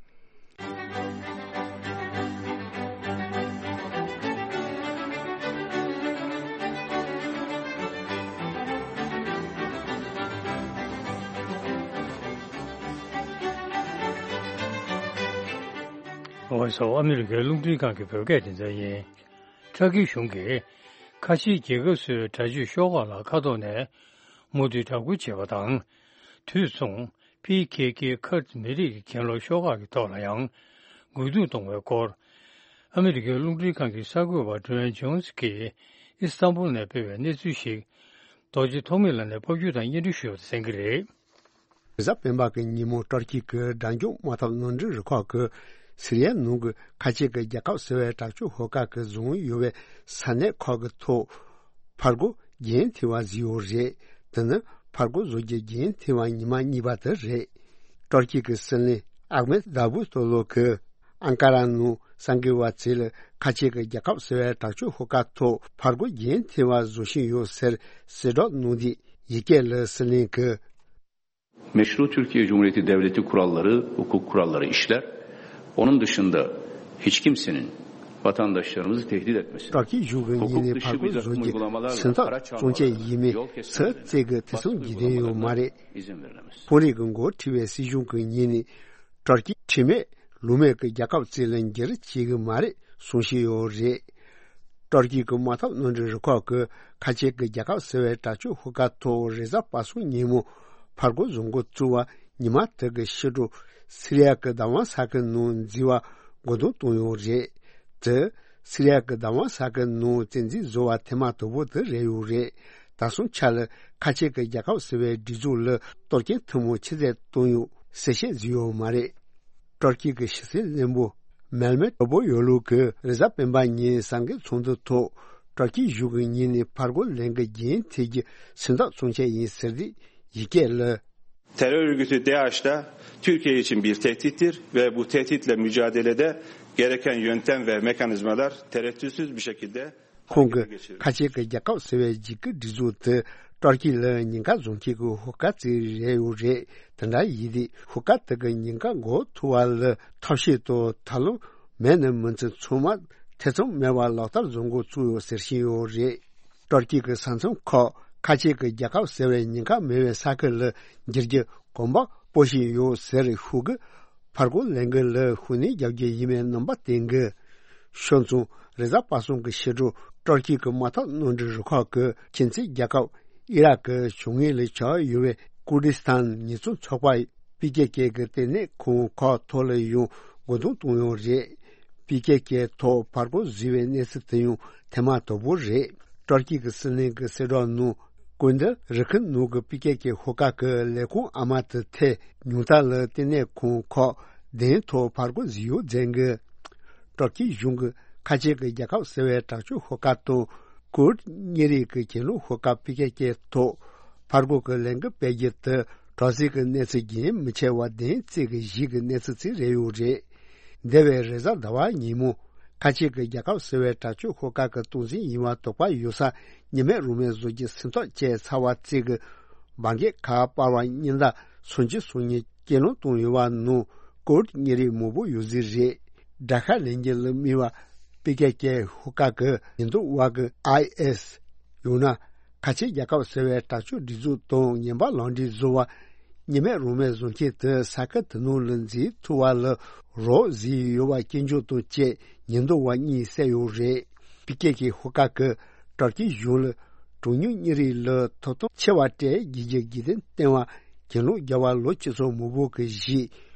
འོ་སོ། ཨ་མི་རི་ཀའི་རླུང་འཕྲིན་ཁང་གི་བོད་སྐད་སྡེ་ཚན་ཡིན། ཏྲ་ཀི་གཞུང་གིས་ཁ་ཆེའི་རྒྱལ་ཁབ་སུའི་དྲག་སྤྱོད་ཤོག་ཁག་ལ་མཁའ་ཐོག་ནས་མུ་མཐུད་དྲག་རྒོལ་བྱས་པ་དང་། དུས་མཚུངས་པི་ཁེ་ཁེ་ཁུར་མི་རིགས་ཀྱི་གྱེན་ལོག་ཤོག་ཁག་གི་ཐོག་ལ་ཡང་རྒོལ་རྡུང་གཏོང་བའི་སྐོར། ཨ་མི་རི་ཀའི་རླུང་འཕྲིན་ཁང་གི་གསར་འགོད་པ་ཌི་ཝེན་ཇོན་སི་གིས་ཨི་སི་ཐན་བུལ་ནས་སྤེལ་བའི་གནས་ཚུལ་ཞིག་རྡོ་རྗེ་ཐོགས་མེད་ལགས་ནས་ཕབ་སྒྱུར་དང་སྙན་སྒྲོན་ཞུ་བར་གསན་གྱི་རེད། གཟའ་སྤེན་པ་གི་ཉིན་མོ་ཏུར་ཀི་གི་དྲག་འཇུག་དམག་འཐབ་ནོར་འཁྲུལ་རུ་ཁག་གིས་སི་རི་ཡ་ནང་གི་ཁ་ཆེ་གི་རྒྱལ་ཁབ་ཟེར་བའི་དྲག་སྤྱོད་ཤོག་ཁག་གི་བཟུང་ཡོད་པའི་ས་གནས་ཁག་གི་ཐོག་ཕར་རྒོལ་རྒྱུན་མཐུད་པ་བཟོས་ཡོད་རེད། དེ་ནི་ཕར་རྒོལ་བཟོ་རྒྱུ་རྒྱུན་མཐུད་པ་ཉི་མ་གཉིས་པ་དེ་རེད། ཏུར་ཀི་གི་སྲིད་བློན་ཨག་མེད་དཱ་བུ་ཏོ་ལོ་གིས་ཨན་ཀ་ར་ནང་གསར་འགོད་པ་ཚོ་ལ་ཁ་ཆེ་གི་རྒྱལ་ཁབ་ཟེར་བའི་དྲག་སྤྱོད་ཤོག་ཁག་ཐོག་ཕར་རྒོལ་རྒྱུན་མཐུད་པ་བཟོ་བཞིན་ཡོད་ཟེར་གསལ་བསྒྲགས་གནང་དུས། ཡི་གེ་ལ་སྲིད་བློན་གྱིས། Meşru Türkiye Cumhuriyeti devleti kuralları, hukuk kuralları işler. Onun dışında hiç kimsenin vatandaşlarımızı tehdit etmesine, སྤྲོ་སྐྱིད་གཞུང་གི་ངོས་ནས་ཕར་རྒོལ་བཟོ་རྒྱུ་སེམས་ཐག་བཙོང་བྱེད་ཡིན་མིན་སུ་གཅིག་གིས་ཐེ་ཚོམ་བགྱིད་དོན་ཡོད་མ་རེད། དཔོན་རིགས་ཀྱི་འགོ་ཁྲིད་པའི་སྲིད་གཞུང་གི་ངོས་ནས་སྤྲོ་སྐྱིད་ཁྲིམས་མེད་ལུགས་མེད་ཀྱི་རྒྱལ་ཁབ་ཅིག་ལ་འགྱུར་བྱེད་ཀྱི་མ་རེད་གསུང་བཞིན་ཡོད་རེད། སྤྲོ་སྐྱིད་ཀྱི་དམག་འཐབ་མནའ་འབྲེལ་རུ་ཁག་གིས་ཁ་ཆེ་གི་རྒྱལ་ཁབ་ཟེར་བའི་དྲག་སྤྱོད་ཤོག་ཁག་ཐོག་རེས་གཟའ་པ་སངས་ཉིན་མོ་ཕར་རྒོལ་བཟོ་འགོ་བཙུགས་པ་ཉི་མ་དེ་གི་ཕྱི་དྲོ་སི་རི་ཡ་གི་བདག་དབང་ས་ཁུལ་ནང་འཛུལ་བ་མགོ་རྟིང་བཏང་ཡོད་རེད། དེ་སི་རི་ཡ་གི་བདག་དབང་ས་ཁུལ་ནང་བཙན་འཛུལ་བཟོ་བ་ཐེངས་མ་དང་པོ་དེ་རེད་ཡོད་རེད། ད་སོང་ཆ་ལ་ཁ་ཆེ་གི་རྒྱལ་ཁབ་ཟེར་བའི་སྒྲིག་འཛུགས་ལ་གཏོར་སྐྱོན་ཐུན་མོང་ཆུ་ཚད་བཏང་ཡོད་གསལ་བཤད་བཟོས་ཡོད་མ་རེད། སྤྲོ་སྐྱིད་ཀྱི་ཕྱི་སྲིད་བློན་པོ་མེལ་མེ་ཏོ་པོ་ཡོ་ལུ་གིས་རེས་གཟའ་སྤེན་པ་ཉིན་གསར་འགོད་ཚོགས་འདུ་ཐོག་སྤྲོ་སྐྱིད་གཞུང་གི་ངོས་ནས་ཕར་རྒོལ་ལས་འགུལ་རྒྱུན་མཐུད་རྒྱུ་སེམས་ཐག་བཙོང་བྱ་ཡིན་ཟེར་དུས་ཡི་གེ་ལ། Terör örgütü DAEŞ da Türkiye için bir tehdittir ve bu tehditle mücadelede gereken yöntem ve mekanizmalar tereddütsüz bir şekilde ཁོང་གིས་ཁ་ཆེ་གི་རྒྱལ་ཁབ་ཟེར་བའི་འཇིགས་སྐུལ་སྒྲིག་འཛུགས་དེ་སྤྲོ་སྐྱིད་ལ་ཉེན་ཁ་བཟོ་མཁན་གྱི་ཤོག་ཁག་ཅིག་རེད་ཡོད་རེད། དེ་འདྲ་ཡིན་དུས་ཤོག་ཁག་དེ་གི་ཉེན་ཁ་འགོག་ཐུབ་པ་ལ་ཐབས་ཤེས་དང་ཐབས་ལམ་མེད་ན་མི་ཚེ་ཚང་མ་ཐེ་ཚོམ་མེད་པར་ལག་བསྟར་བཟོ་འགོ་བཙུགས་ཡོད་ཟེར་བཞིན་ཡོད་རེད། སྤྲོ་སྐྱིད་ཀྱི་ས་མཚམས་ཁག་ཁ་ཆེ་གི་རྒྱལ་ཁབ་ཟེར་བའི་ཉེན་ཁ་མེད་པའི་ས་ཁུལ་ལ་འགྱུར་རྒྱུ་གོམ་པ་སྤོ་བཞིན་ཡོད་ཟེར་ཤོག་གུ་ཕར་རྒོལ་ལས་འགུལ་ལ་ཤུགས་སྣོན་རྒྱག་རྒྱུ་ཡིན་པའི་རྣམ་པ་བསྟན་གི། ཤོད་ཙང་རེས་གཟའ་པ་སངས་ཀྱི་ཕྱི་དྲོ་སྤྲོ་སྐྱིད་ཀྱི་དམག་འཐབ་མནའ་འབྲེལ་རུ་ཁག་གིས་ཁྱིམ་མཚེས་རྒྱལ་ཁབ་ཨི་རག་གི་བྱང་ངོས་ལ་ཆགས་ཡོད་པའི་ཀུར་དི་སི་ཐན་ཉེས་བཙུན་ཚོགས་པ་པི་ཀེ་ཀེ་གི་ལྟེ་གནས་ཁང་ཁག་ཐོག་ལ་ཡང་རྒོལ་རྡུང་བཏང་ཡོད་རེད། པི་ཀེ་ཀེ་ཐོག་ཕར་རྒོལ་བཟོས་པའི་གནས་ཚུལ་དེ་ཡང་ཐེངས་མ་དང་པོ་རེད། སྤྲོ་སྐྱིད་ཀྱི་སྲིད་བློན་གྱི་གསལ་བསྒྲགས་ནང་ཀུན་ཏུ་རི་ཁུལ་ནང་གི་པི་ཀེ་ཀེ་ཤོག་ཁག་གི་ལས་ཁུངས་ཨ་མ་དེ་ཐད་ཉུང་མཐའ་ལ་ལྟེ་གནས་ཁང་ཁག་གདན་ཐོག་ཕར་རྒོལ་བཟོས་ཡོད་ཟེར་གི། སྤྲོ་སྐྱིད་གཞུང་གི་ཁ་ཆེ་གི་རྒྱལ་ཁབ་ཟེར་བའི་དྲག་སྤྱོད་ཤོག་ཁག་དང་ཀུར་དི་གཉེར་རིགས་ཀྱི་གྱེན་ལོག་ཤོག་ཁག་པི་ཀེ་ཀེ་ཐོག་ཕར་རྒོལ་གྱི་ལས་འགུལ་སྤེལ་རྒྱུ་དེ་དྲག་ཟིང་གི་གནས་ཚུལ་རྒྱུན་མི་ཆད་པར་བདུན་ཚིགས་ཀྱི་གཞིག་གི་གནས་ཚུལ་ཅིག་རེད་ཡོད་རེད། འདས་པའི་རེས་གཟའ་ཟླ་བ་ཉིན་མོ་ཁ་ཆེ་གི་རྒྱལ་ཁབ་ཟེར་བའི་དྲག་སྤྱོད་ཤོག་ཁག་གི་སྟངས་འཛིན་ཡིན་པ་དོགས་པ་ཡོད་ས་གཉིས་མེད་རང་མེད་བཟོ་རྒྱུ་སེམས་ཐག་བཅད་ཚར་བ་ཅིག་གི་འབར་གས་ཁ་པར་བ་གཉིས་ཟླ་སུམ་ཅུ་སོ་གཉིས་སྐྱེལ་སློང་བཏང་ཡོད་པ་ནང་ཀོ་ཝིཌ་གཉན་རིམས་མང་པོ་ཡོད་རྩིས་རེད། དགྲ་ཤ་ལེན་རྒྱུ་ལ་དམིགས་པ་པི་ཀེ་ཀེ་ཤོག་ཁག་གི་ཉེན་རྟོག་པ་གི་ཨའི་ཨེས་ཡང་ན་ཁ་ཆེ་རྒྱལ་ཁབ་ཟེར་བའི་དྲག་སྤྱོད་སྒྲིག་འཛུགས་དང་ངན་པ་ལག་འབྲེལ་བཟོ་བ་གཉིས་མེད་རང་མེད་བཟོ་མཁན་དེ་ས་ཁུལ་དེ་ནང་ལ་འཛུལ་ཐུབ་པ་ལ་རོགས་བཟོས་ཡོད་པ་སྐྱོན་བརྗོད་དང་བཅས་ཉེན་རྟོག་པ་གཉིས་བསད་ཡོད་རེད། པི་ཀེ་ཀེ་ཤོག་ཁག་གིས་དྲག་སྤྱོད་གཞུང་ལ་གྲངས་ཉུང་གཉན་རིམས་ལ་ཐོབ་ཐང་ཆེ་བ་སྤྲད་རྒྱུ་གི་རྒྱུ་རྐྱེན་བསྟན་པ་གྱེན་ལོག་བརྒྱབ་པ་ལོ་བཅུ་ཚོ་མང་པོ་གི་གཞིས་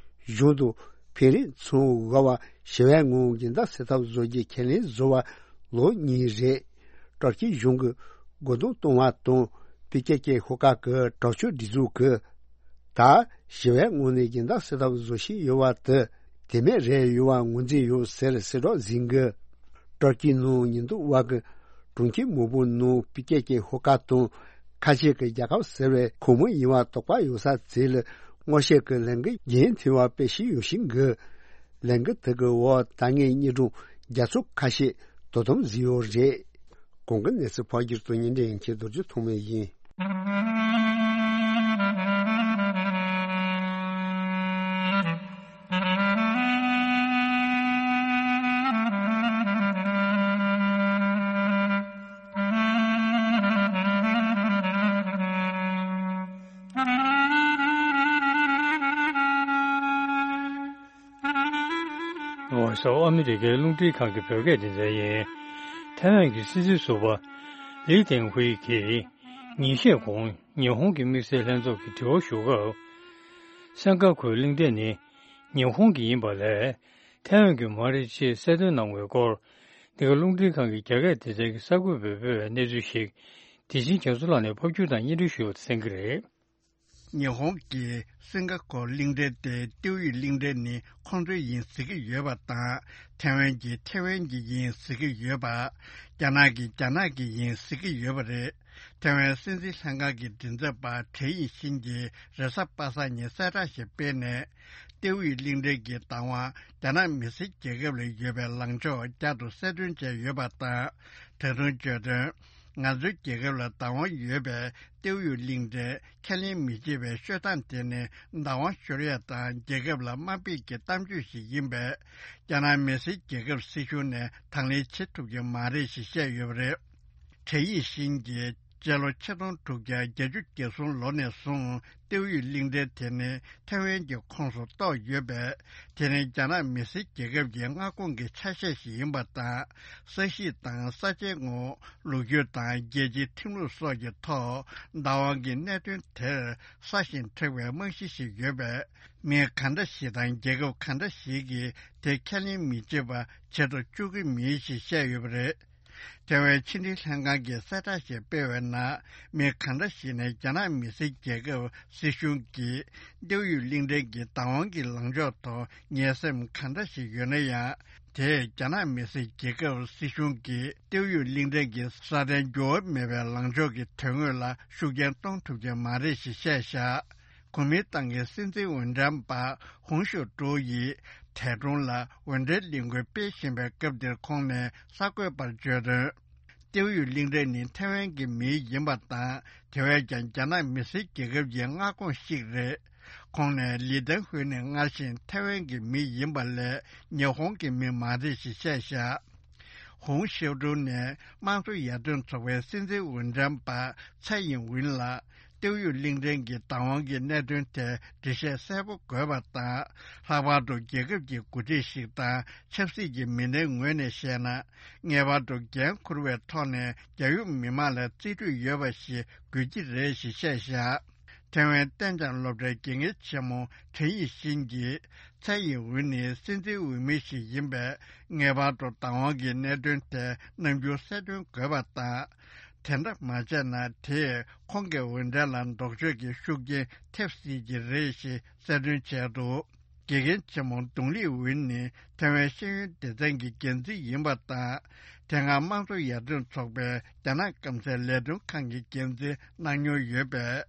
གཞུང་དང་ཕན་རེས་མཚོན་དགོས་པ་ཞི་བའི་ངང་སྦྱིན་བདག་སེལ་ཐབས་བཟོ་རྒྱུ་ཁས་ལེན་བཟོ་བ་ལོ་གཉིས་རེད། དྲག་སྤྱོད་གཞུང་གི་རྒོལ་རྡུང་གཏོང་བ་དང་པི་ཀེ་ཀེ་ཤོག་ཁག་གི་དྲག་སྤྱོད་སྒྲིག་འཛུགས་ཀྱིས་ད་ཞི་བའི་ངང་ནས་སྦྱིན་བདག་སེལ་ཐབས་བཟོ་བཞིན་ཡོད་པ་དེ་དེ་མེད་རེད་ཡོད་པ་ངོས་འཛིན་ཡོད་ཟེར་གསལ་བསྒྲགས་ཟིན་གི། དྲག་སྤྱོད་ནང་ཉེན་རྟོག་པ་གི་གྲོང་ཁྱེར་མང་པོ་ནང་པི་ཀེ་ཀེ་ཤོག་ཁག་དང་ཁ་ཆེ་གི་རྒྱལ་ཁབ་ཟེར་བའི་ཁོངས་མི་ཡིན་པ་དོགས་པ་ཡོད་ས་ཚོ་ལ་སྔོག་བཤེར་གྱི་ལས་འགུལ་རྒྱུན་མཐུད་པ་སྤེལ་བཞིན་ཡོད་བཞིན་གི། ལས་འགུལ་དེ་གི་འོག་ད་སྔའི་གཉེན་དྲུང་རྒྱ་མཚོ་ཁ་ཤས་དོ་དམ་བཟོས་ཡོད་རེད། གོང་གི་གནས་ཚུལ་ཕལ་སྐྱེས་དང་བརྙན་འཕྲིན་ཡན་ཆད་རྡོ་རྗེ་ཐོགས་མེད་ཡིན། ཨ་མི་རི་ཀའི་རླུང་འཕྲིན་ཁང་གི་བོད་སྐད་སྡེ་ཚན་ཡིན། ཐའེ་ཝན་གྱི་སྲིད་འཛིན་ཟུར་པ་ལི་ཏེང་ཧུའེ་ཡིས་ཉིན་ཤས་གོང་ཉི་ཧོང་གི་དམིགས་བསལ་ལྷན་ཚོགས་ཀྱི་དྲི་བ་ཞུ་སྐབས། སེང་ག་གྷོའི་གླིང་ཕྲན་ནི་ཉི་ཧོང་གི་ཡིན་པ་ལས། ཐའེ་ཝན་གྱི་མ་རེད་ཅེས་གསལ་སྟོན་གནང་བའི་སྐོར། འདི་ག་རླུང་འཕྲིན་ཁང་གི་རྒྱ་སྐད་སྡེ་ཚན་གྱི་གསར་འགོད་པས་སྤེལ་བའི་གནས་ཚུལ་ཞིག་དེ་བཞིན་རྒྱ་མཚོ་ལགས་ནས་ཕབ་སྒྱུར་དང་སྙན་སྒྲོན་ཞུས་པ་དེ་གསན་གྱི་རེད། ཉི་ཧོང་གིས་སིང་ག་གྷོར་གླིང་ཕྲན་དེ་ཏེའུ་ཡི་གླིང་ཕྲན་ནི་ཁོང་ཚོའི་ཡིན་ཟེར་གྱི་ཡོད་པ་དང་། ཐའེ་ཝན་གྱིས་ཐའེ་ཝན་གྱི་ཡིན་ཟེར་གྱི་ཡོད་པ། རྒྱ་ནག་གིས་རྒྱ་ནག་གི་ཡིན་ཟེར་གྱི་ཡོད་པ་རེད། ཐའེ་ཝན་སྲིད་འཛིན་ལྷན་ཁང་གི་མགྲིན་ཚབ་པ་ཁྲེན་ཡིང་ཤིན་གྱིས་རེས་གཟའ་པ་སངས་ཉིན་གསལ་བསྒྲགས་ཤིག་སྤེལ་ནས། ཏེའུ་ཡི་གླིང་ཕྲན་གྱི་བདག་དབང་རྒྱ་ནག་མི་སེར་རྒྱལ་ཁབ་ལ་ཡོད་པའི་ལངས་ཕྱོགས་བསྐྱར་དུ་གསལ་སྟོན་བྱས་ཡོད་པ་དང་། ད་དུང་བརྗོད་དོན། ང་ཚོའི་རྒྱལ་ཁབ་ལ་བདག་དབང་ཡོད་པའི་ཏེའུ་ཡུས་གླིང་ཕྲན་ཁས་ལེན་མི་བྱེད་པའི་ཤོད་སྟངས་དེ་ནི་བདག་དབང་ཤོར་ཡ་དང་རྒྱལ་ཁབ་ལ་དམའ་འབེབས་ཀྱི་གཏམ་བརྗོད་ཞིག་ཡིན་པས། རྒྱ་ནག་མི་སེར་རྒྱལ་ཁབ་སྲིད་གཞུང་ནས་དང་ལེན་བྱེད་ཐུབ་ཀྱི་མ་རེད་ཞེས་བཤད་ཡོད་པ་རེད། ཁྲེ་ཡི་ཤིན་གྱིས་སྤྱི་ལོ་ཆིག་སྟོང་དྲུག་བརྒྱ་བརྒྱད་ཅུ་གྱ་གསུམ་ལོ་ནས་བཟུང་ཏེའུ་ཡུས་གླིང་ཕྲན་དེ་ནི་ཐེ་ཝན་གྱི་ཁོངས་སུ་གཏོགས་ཡོད་པས། དེ་ནི་རྒྱ་ནག་མི་སེར་རྒྱལ་ཁབ་ཀྱི་མངའ་ཁོངས་ཀྱི་ཆ་ཤས་ཤིག་ཡིན་པ་དང་། ས་གཤིས་དང་ས་ཆའི་ངོ་བོ། ལོ་རྒྱུས་དང་རྒྱལ་སྤྱིའི་ཁྲིམས་ལུགས་སོགས་ཀྱི་ཐོག་བདག་དབང་གི་གནད་དོན་དེར་སྲ་ཞིང་མཁྲེགས་པའི་རྨང་གཞི་ཞིག་ཡོད་པས། མི་གང་འདྲ་ཞིག་དང་རྒྱལ་ཁབ་གང་འདྲ་ཞིག་གིས་དེ་ཁས་ལེན་མི་བྱེད་པ་བྱེད་དུ་བཅུག་གི་མིན་ཞེས་བཤད་ཡོད་པ་རེད། ཐེ་ཝན་ཕྱི་འབྲེལ་ལྷན་ཁང་གིས་གསལ་བསྒྲགས་ཤིག་སྤེལ་བའི་ནང་། མི་གང་འདྲ་ཞིག་ནས་རྒྱ་ནག་མི་སེར་རྒྱལ་ཁབ་སྲིད་གཞུང་གིས་ཏེའུ་ཡུས་གླིང་ཕྲན་གྱི་བདག་དབང་གི་ལངས་ཕྱོགས་ཐོག་ངན་སེམས་གང་འདྲ་ཞིག་ཡོད་ན་ཡང་། དེས་རྒྱ་ནག་མི་སེར་རྒྱལ་ཁབ་སྲིད་གཞུང་གིས་ཏེའུ་ཡུས་གླིང་ཕྲན་གྱི་སྲ་བརྟན་འགྱུར་བ་མེད་པའི་ལངས་ཕྱོགས་ཀྱི་དོན་དངོས་ལ་ཤུགས་རྐྱེན་གཏོང་ཐུབ་ཀྱི་མ་རེད་ཞེས་བཤད་བཞག་གོ་མིན་ཏང་གི་སྲིད་འཛིན་འོས་འགྲན་པ་ཧུང་ཞུ་ཀྲུའུ་ཡིས་ཐེ་ཀྲུང་ལ་འོས་འགྲན་ལས་འགུལ་སྤེལ་བཞིན་པའི་སྐབས་འདིར་ཁོང་ནས་གསར་འགོད་པར་བརྗོད་དོན། ཏེའུ་ཡུས་གླིང་ཕྲན་ནི་ཐེ་ཝན་གྱི་མིང་ཡིན་པ་དང་། དེ་བས་ཀྱང་རྒྱ་ནག་མི་སེར་རྒྱལ་ཁབ་ཀྱི་མངའ་ཁོངས་ཤིག་རེད། ཁོང་ནས་ལི་ཏན་ཧུའེ་ནི་སྔར་བཞིན་ཐེ་ཝན་གྱི་མི་ཡིན་པ་ལས་ཉི་ཧོང་གི་མི་མ་རེད་ཞེས་བཤད་བཞག་ཧུང་ཤེའུ་ཀྲུའུ་ནས་དམངས་གཙོ་ཡར་ཐོན་ཚོགས་པའི་སྲིད་འཛིན་འོས་འགྲན་པ་ཚའེ་ཡིན་ཝུན་ལ། ཏེའུ་ཡུས་གླིང་ཕྲན་གྱི་བདག་དབང་གི་གནད་དོན་ཐད་འགྲེལ་བཤད་གསལ་པོ་དགོས་པ་དང་། ལྷག་པར་དུ་རྒྱལ་ཁབ་ཀྱི་འགོ་ཁྲིད་ཞིག་དང་ཆབ་སྲིད་ཀྱི་མི་སྣའི་ངོས་ནས་བཤད་ན། ངེས་པར་དུ་འགན་འཁུར་བའི་ཐོག་ནས་རྒྱལ་ཡོངས་མི་མང་ལ་རྩིས་སྤྲོད་ཡོད་པ་ཞིག་དགོས་ཀྱི་རེད་ཞེས་བཤད་བཞག་ཐེ་ཝན་ཏན་ཅང་སློབ་གྲྭའི་དགེ་རྒན་ཆེན་མོ་ཁྲེན་ཡི་ཤིན་གྱིས། ཚའེ་ཡིན་ཝུན་ནི་སྲིད་འཛིན་འོས་མི་ཞིག་ཡིན་པས། ངེས་པར་དུ་བདག་དབང་གི་གནད་དོན་ཐད་རྣམ་འགྱུར་གསལ་སྟོན་དགོས་པ་དང་། དེ་འདྲ་མ་བྱས་ན། དེས་ཁོང་གི་འོས་འགྲན་ལ་ལྡོག་ཕྱོགས་ཀྱི་ཤུགས་རྐྱེན་ཐེབས་སྲིད་ཀྱི་རེད་ཞེས་གསལ་སྟོན་བྱས་འདུག་དགེ་རྒན་ཆེན་མོ་ཏུང་ལི་ཝུན་ནི་ཐེ་ཝན་ཤེས་ཡོན་སྡེ་ཚན་གྱི་འགན་འཛིན་ཡིན་པ་དང་། དེ་སྔ་དམངས་གཙོ་ཡར་ཐོན་ཚོགས་པའི་རྒྱ་ནག་སྐམ་སའི་ལས་དོན་ཁང་གི་འགན་འཛིན་གནང་མྱོང་ཡོད་པས།